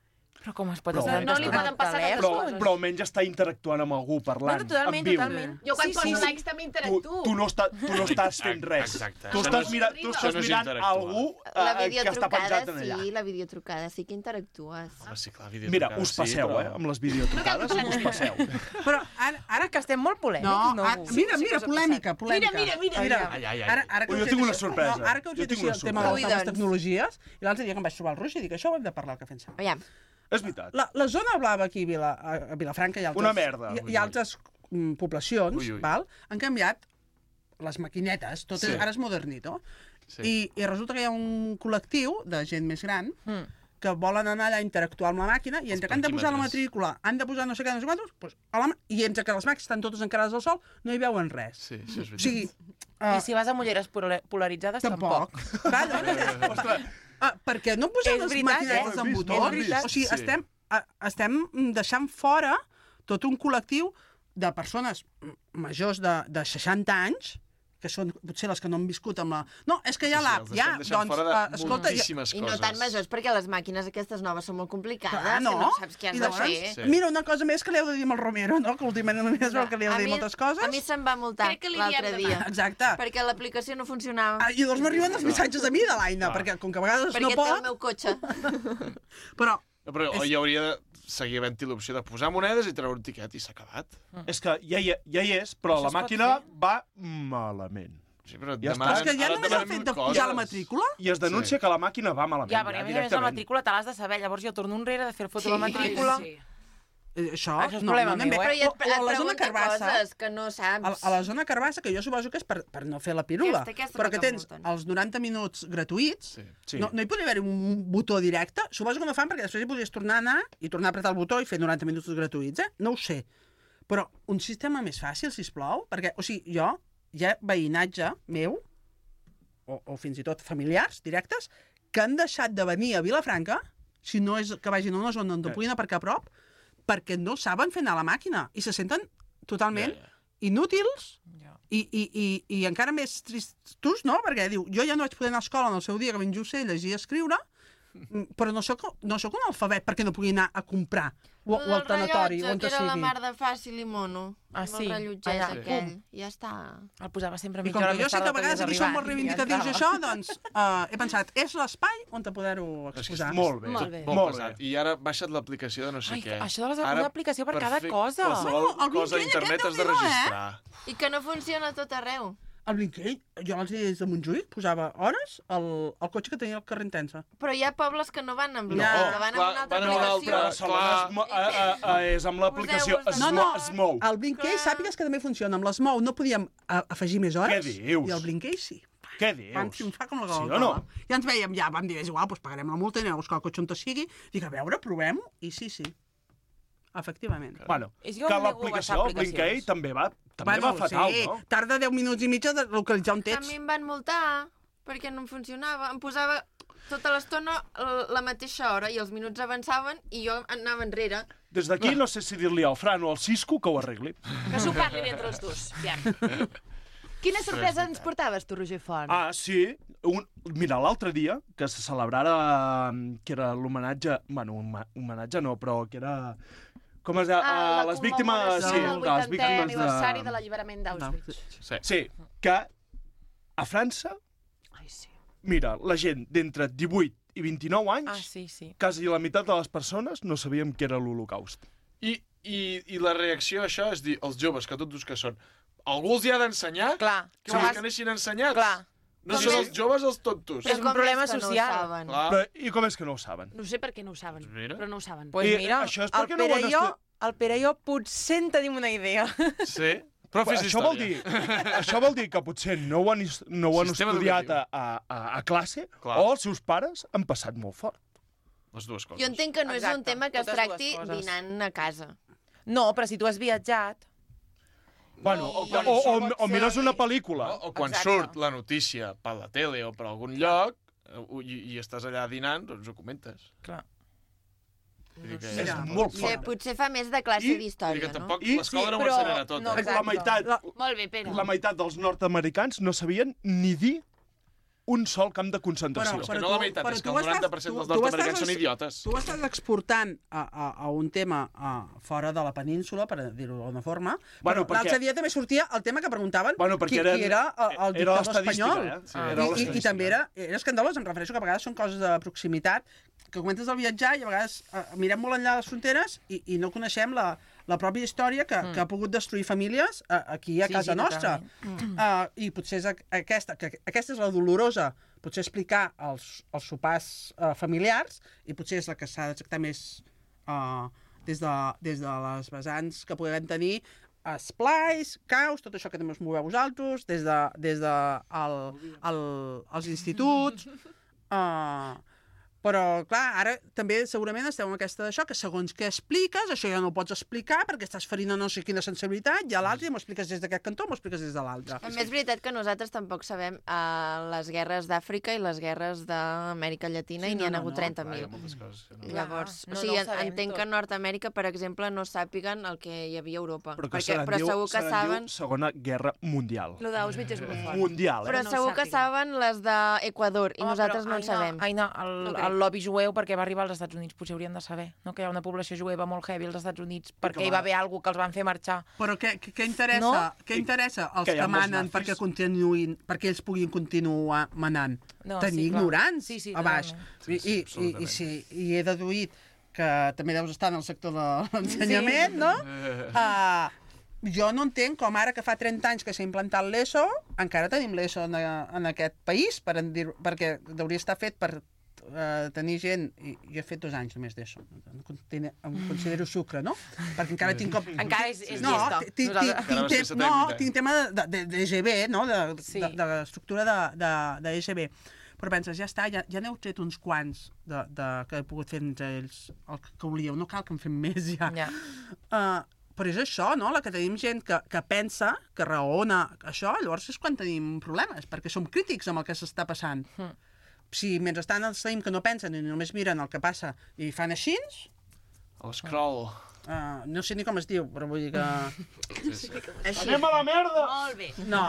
Però com es pot
Però-
estar
No li poden passar tantes
Però,
coses.
però almenys està interactuant amb algú, parlant,
No, no, totalment,
en viu.
totalment.
Jo quan
Sí,
poso
sí, sí.
likes també
Tu,
interactuo.
tu, no està, tu no estàs fent res.
Exacte.
Tu
Això
estàs,
no és-
mira, tu
Això
estàs
no és
mirant
interactuar.
algú
La
eh, que està
videotrucada
penjat en allà.
sí, la videotrucada sí que interactues.
Home, sí, clar,
Mira,
videotrucades,
us passeu,
sí, però...
eh, amb les videotrucades, us passeu.
Però ara, ara
Que estem molt polèmics,
No,
no?
ara, mira,
Sí,
mira,
sí,
polèmica, polèmica.
Mira, mira, mira.
mira.
Ai, ai, ai.
Ara, ara que
Jo
us he
tinc una
dit-
sorpresa.
No, ara que us
Jo
he dit
tinc una
el tema de les
sorpresa.
noves
Ui, doncs.
tecnologies, i l'altre dia que em vaig trobar el Roger, dic, això ho hem de parlar al Cafè en Sau.
Aviam,
És veritat.
La, la zona blava aquí a, Vila, a a Vilafranca i altres,
Una merda.
i, i altres mm, poblacions
Ui, ui.
Val, han canviat les maquinetes, tot
Sí.
és, ara és modernito,
Sí.
I, i resulta que hi ha un col·lectiu de gent més gran
Mm.
que volen anar allà a interactuar amb la màquina i entre que han de posar la
parquímetres.
matrícula, han de posar no sé què, no sé quantos, doncs, a la, ma- i entre que les màquines estan totes encarades al sol, no hi veuen res.
Sí, això és
O
veritat.
sigui,
I si vas amb ulleres pola- polaritzades, tampoc.
tampoc. Clar,
Ostres,
Ah, perquè no posem
És
les
veritat,
maquinetes
eh?
amb
És
botons?
veritat.
O sigui,
Sí.
estem, a, estem deixant fora tot un col·lectiu de persones m- majors de, de seixanta anys, que són potser les que no han viscut amb la... No, és que hi ha
Sí, sí,
l'app,
els
ja,
estem deixant
doncs,
fora de
uh, escolta... Ja,
moltíssimes
i no
coses.
tan majors, perquè les màquines aquestes noves són molt complicades,
clar,
que
no?
no saps què has
I
de
llavors,
fer.
Sí.
mira, una cosa més que li heu de dir amb el Romero, no? Que últimament només veu que li heu
A
de dir
mi-
moltes coses.
A mi se'm va multar
Crec que li
l'altre
diem
dia.
demà.
Exacte.
Perquè l'aplicació no funcionava.
Ah, I llavors m'arriben els missatges a mi de l'Aina,
Clar.
perquè com que a vegades
perquè
no
té
pot...
el meu cotxe.
Però
No, però
És-
hi hauria de seguir havent-hi l'opció de posar monedes i treure un tiquet i s'ha acabat.
és que ja hi, ja hi és, però
Això
la
es pot
màquina
fer?
va malament.
Sí, però et
Ja està.
demanen,
és que ja
ara et
només el
demanen
fet de
coses.
pujar la matrícula...
I es denuncia
Sí.
que la màquina va malament.
Ja, perquè a més a més la
directament.
matrícula te l'has de saber, llavors jo torno enrere de fer foto
Sí,
de la matrícula.
Sí.
Eh, Això,
Això és
no,
problema
no anem
meu,
bé.
eh?
Però ja et,
O, o a la zona
pregunta
Carbassa,
coses que no
a,
saps.
a la zona Carbassa, que jo suposo que és per, per no fer la pirula,
Aquesta- aquesta
però
no
que
que
tens
multen.
els noranta minuts gratuïts,
Sí.
Sí.
no, no hi podria haver un botó directe? Suposo que no fan perquè després hi podries tornar a anar i tornar a apretar el botó i fer noranta minuts gratuïts, eh? No ho sé. Però un sistema més fàcil, si plau, perquè, o sigui, jo, hi ha veïnatge meu, o, o fins i tot familiars directes, que han deixat de venir a Vilafranca, si no és que vagin a una zona on no
Eh.
puguin aparcar a prop, perquè no saben fer anar la màquina i se senten totalment
Ja, ja.
inútils
Ja.
i, i, i, i encara més tristos, no? Perquè diu, jo ja no vaig poder anar a escola en el seu dia que ben just sé llegir i escriure, mm, però no sóc, no sóc un alfabet perquè no pugui anar a comprar o, o al tanatori, on
que era la
sigui.
mar de fàcil i mono.
Ah,
amb
sí?
el rellotget
Allà,
aquell.
pum.
Ja està.
El posava sempre
I
mitja
com
hora
que jo
més
sé
tard
que a
del
vegades
havies
aquí som molt
arribat i ja
reivindicatius
entrava.
d'això, doncs uh, he pensat, és l'espai on te poder-ho
És que
exposar.
és
Molt bé.
Molt bé.
Molt,
Molt
pesat.
bé.
I ara baixa't l'aplicació de no sé
Ai,
què.
això de les-
Ara,
una aplicació per cada
fer
cosa.
Qualsevol
Bueno, el
cosa a
Blinkei
internet
aquest
has de
Déu-n'hi-do, eh?
registrar.
I que no funciona a tot arreu.
El Blinkei, jo l'altre dia des de Montjuïc posava hores al, al cotxe que tenia el carrer Intensa.
Però hi ha pobles que no van amb
No,
Blinkei, que van amb
clar,
una altra
van amb una
aplicació.
altra.
Barcelona es, mo- eh, eh, és amb l'aplicació
Poseu-vos
es,
de-
mo-
No, no.
es mou.
El Blinkei, sàpigues que també funciona. Amb l'Smou no podíem a, afegir més hores.
Què dius?
I el Blinkei sí.
Què
Vam
dius?
triomfar com la
Sí
gola.
o no?
Ja ens veiem, ja vam dir, és igual, doncs pagarem la multa i anem a buscar el cotxe on te sigui. Dic, a veure, provem-ho. I sí, sí. Efectivament.
Bueno,
És
que
que em nego a
l'aplicació,
baixar
el Blinkei,
aplicacions.
també va, també
Bueno,
va fatal,
sí,
no?
tarda deu minuts i mig de localitzar un
A
text.
mi em van multar perquè no em funcionava. Em posava tota l'estona l- la mateixa hora i els minuts avançaven i jo anava enrere.
Des d'aquí no sé si dir-li al Fran o al Cisco que ho arregli.
Que s'ho parlin entre els dos. Ja. Quina sorpresa ens portaves tu, Roger Font?
Ah, sí. Un... Mira, l'altre dia, que se celebrara, que era l'homenatge... Bueno, homa- homenatge no, però que era... Com es deia?
Ah,
a
la
les víctimes...
commemoració
Sí,
del
a les
vuitantè
víctimes
aniversari
de...
de l'alliberament d'Auschwitz.
Sí.
Sí, que a França,
Ai, sí.
mira, la gent d'entre divuit i vint-i-nou anys,
Ah, sí, sí.
quasi la meitat de les persones no sabíem què era l'Holocaust.
I, i, I la reacció a això és dir, els joves, que tots que són, algú els hi ha d'ensenyar?
Clar.
Que vols que neixin ensenyats?
Clar.
No
Com
són
és-
els joves els tontos.
És un
com
problema
és que no ho
social.
saben?
Clar.
Però, I com és que no ho saben?
No sé per què no ho saben,
Mira.
però no ho saben.
Pues
I
mira,
això és
el
perquè no ho
Pere,
han
i jo,
estu-
el Pere i jo potser en tenim una idea.
Sí? Profes
això vol
d'història.
dir, això vol dir que potser no ho han, is- no ho han
Sistema
estudiat
educatiu.
a, a, a classe
Clar.
o els seus pares han passat molt fort.
Les dues coses.
Jo entenc que no és un
Exacte,
tema que es
totes
tracti
dues coses.
dinant a casa.
No, però si tu has viatjat...
Bueno, o,
quan
o, o,
surt
o mires una pel·lícula.
No? O quan
Exacte.
surt la notícia per la tele o per algun lloc eh, i, i estàs allà dinant, doncs ho comentes.
Clar.
Vull dir que
És
Mira,
molt
Potser,
fort.
potser fa més de classe
I-
Vull dir
d'història,
que
no?
tampoc
I-
l'escola
sí,
no ho
però-
ensenyarà tot.
no,
eh?
exacte.
La meitat,
La-
Molt bé, Pere.
la meitat dels nord-americans no sabien ni dir un sol camp de concentració.
És que no la meitat, és que el
tu estàs-
noranta per cent dels
tu- tu
nord-americans
estàs-
són idiotes.
Tu estàs exportant a, a, a un tema a, fora de la península, per dir-ho d'alguna forma,
Bueno,
però
perquè-
l'altre dia també sortia el tema que preguntaven
Bueno, perquè
qui,
eren-
qui era el, el
era
dictador
l'estadística,
espanyol.
eh? Sí,
I,
era
i, I
l'estadística.
també era, era escandalós, em refereixo que a vegades són coses de proximitat, que comentes el viatjar i a vegades eh, mirem molt enllà de les fronteres i, i no coneixem la, la pròpia història que, mm. que ha pogut destruir famílies eh, aquí a
Sí,
casa
sí,
nostra.
totalment.
Uh, I potser és a- aquesta, que aquesta és la dolorosa, potser explicar els, els sopars uh, familiars, i potser és la que s'ha de tractar més uh, des, de, des de les vessants que podem tenir esplais, caus, tot això que també us moveu vosaltres, des de, des de el, el, els instituts... Uh, però, clar, ara també segurament esteu en aquesta d'això, que segons què expliques, això ja no ho pots explicar perquè estàs ferint no sé quina sensibilitat, i a l'altre m'ho expliques des d'aquest cantó, m'ho expliques des de l'altre.
A més, és veritat que nosaltres tampoc sabem uh, les guerres d'Àfrica i les guerres d'Amèrica Llatina,
Sí,
i n'hi
no,
ha
no,
hagut
no.
trenta
Clar, hi
mil.
ha moltes coses que no.
Llavors,
Clar,
o
no,
sigui,
no ho sabem
entenc
tot.
que a Nord-Amèrica, per exemple, no sàpiguen el que hi havia a Europa.
Però que
Perquè,
se'n
però
diu,
segur que
se'n
saben...
diu Segona Guerra Mundial.
Lo d'Auschwitz és molt fort.
Mundial, eh?
Però
no ho
segur que
sàpiguen.
saben les d'Equador, i
Home,
nosaltres
però,
no en
Aina,
sabem.
Aina, el,
No crec.
el lobby jueu, perquè va arribar als Estats Units, potser haurien de saber, no? Que hi ha una població jueva molt heavy als Estats Units, perquè
que
hi va
va-
haver alguna que els van fer marxar.
Però què, què, què interessa,
No?
què interessa als
Que
que,
hi ha molts
manen
nazis.
perquè continuïn, perquè ells puguin continuar manant?
No,
Tenir
sí, clar.
ignorants
Sí, sí,
a baix.
totalment.
I, i, i, i, sí, I he deduït que també deus estar en el sector de l'ensenyament,
Sí.
no? Uh, jo no entenc com ara que fa trenta anys que s'ha implantat l'ESO, encara tenim l'ESO en, en aquest país, per en dir, perquè hauria estar fet per uh, tenir gent, i jo he fet dos anys només d'ESO, em considero- em considero sucre, no? Perquè encara tinc com...
Encara és- és
no,
llesta.
tinc, tinc,
Nosaltres-
tinc,
Encara vas fer
tem-
setè i
no,
vuitè.
tinc tema de, de, de E G B, no? De,
Sí.
de, de l'estructura de, de, de E G B. Però penses, ja està, ja, ja n'heu tret uns quants de, de, que he pogut fer entre ells el que, que volíeu, no cal que en fem més ja.
Ja.
Uh, però és això, no? La que tenim gent que, que pensa, que raona això, llavors és quan tenim problemes, perquè som crítics amb el que s'està passant.
Mm.
Si mentrestant els tenim que no pensen i només miren el que passa i fan així,
L'escroll.
uh, no sé ni com es diu, però vull dir que...
Sí, sí.
Així.
Anem a la merda!
Molt bé.
No,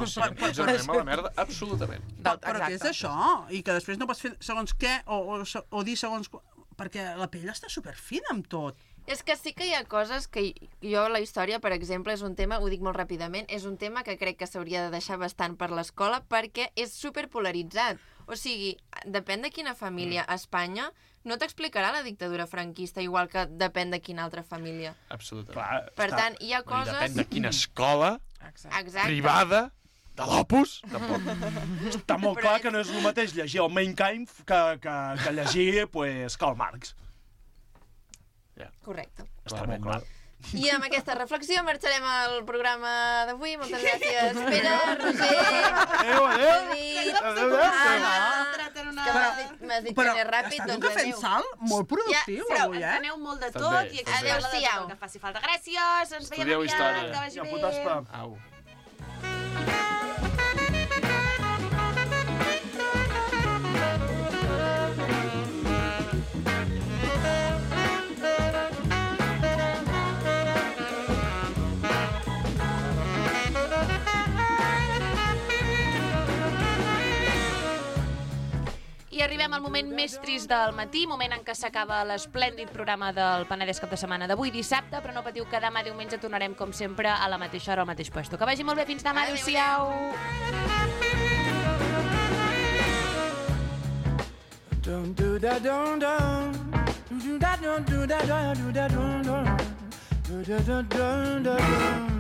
Sí, ens anem a la merda, absolutament.
però, però què és això? I que després no pots fer segons què o, o, o dir segons... qu- Perquè la pell està superfina amb tot.
És que sí que hi ha coses que jo, la història, per exemple, és un tema, ho dic molt ràpidament, és un tema que crec que s'hauria de deixar bastant per l'escola perquè és superpolaritzat. O sigui, depèn de quina família a Espanya, no t'explicarà la dictadura franquista igual que depèn de quina altra família.
Absolutament.
Clar,
Per
està-
tant, hi ha
I
coses...
depèn de quina escola
Exacte.
privada de l'Opus, tampoc.
Està molt clar que no és el mateix llegir el Mein Kampf que, que, que llegir pues, Karl Marx.
Correcte.
Està molt clar.
I amb aquesta reflexió marxarem al programa d'avui. Moltes gràcies, Pere, Roger,
Adéu, adéu.
David,
Adéu, adéu.
Anna.
Però
m'has dit, m'has dit
Però
que anés ràpid,
estàs un
doncs
cafè en
adéu.
sal molt productiu,
ja,
avui, eh?
Aneu molt de
Estan
tot
bé,
i
estan bé.
expliqueu
Adéu-siau.
el que faci falta. Gràcies, ens veiem
Estudieu
aviat,
història.
que vagi
Ja,
bé.
puta espa.
Au.
I arribem al moment més trist del matí, moment en què s'acaba l'esplèndid programa del Penedès cap de setmana d'avui dissabte, però no patiu que demà diumenge tornarem com sempre a la mateixa hora al mateix puesto. Que vagi molt bé, fins demà, adéu-siau!
Don't do that, don't do that, don't do that, don't do that, don't do that, don't do that, don't do that.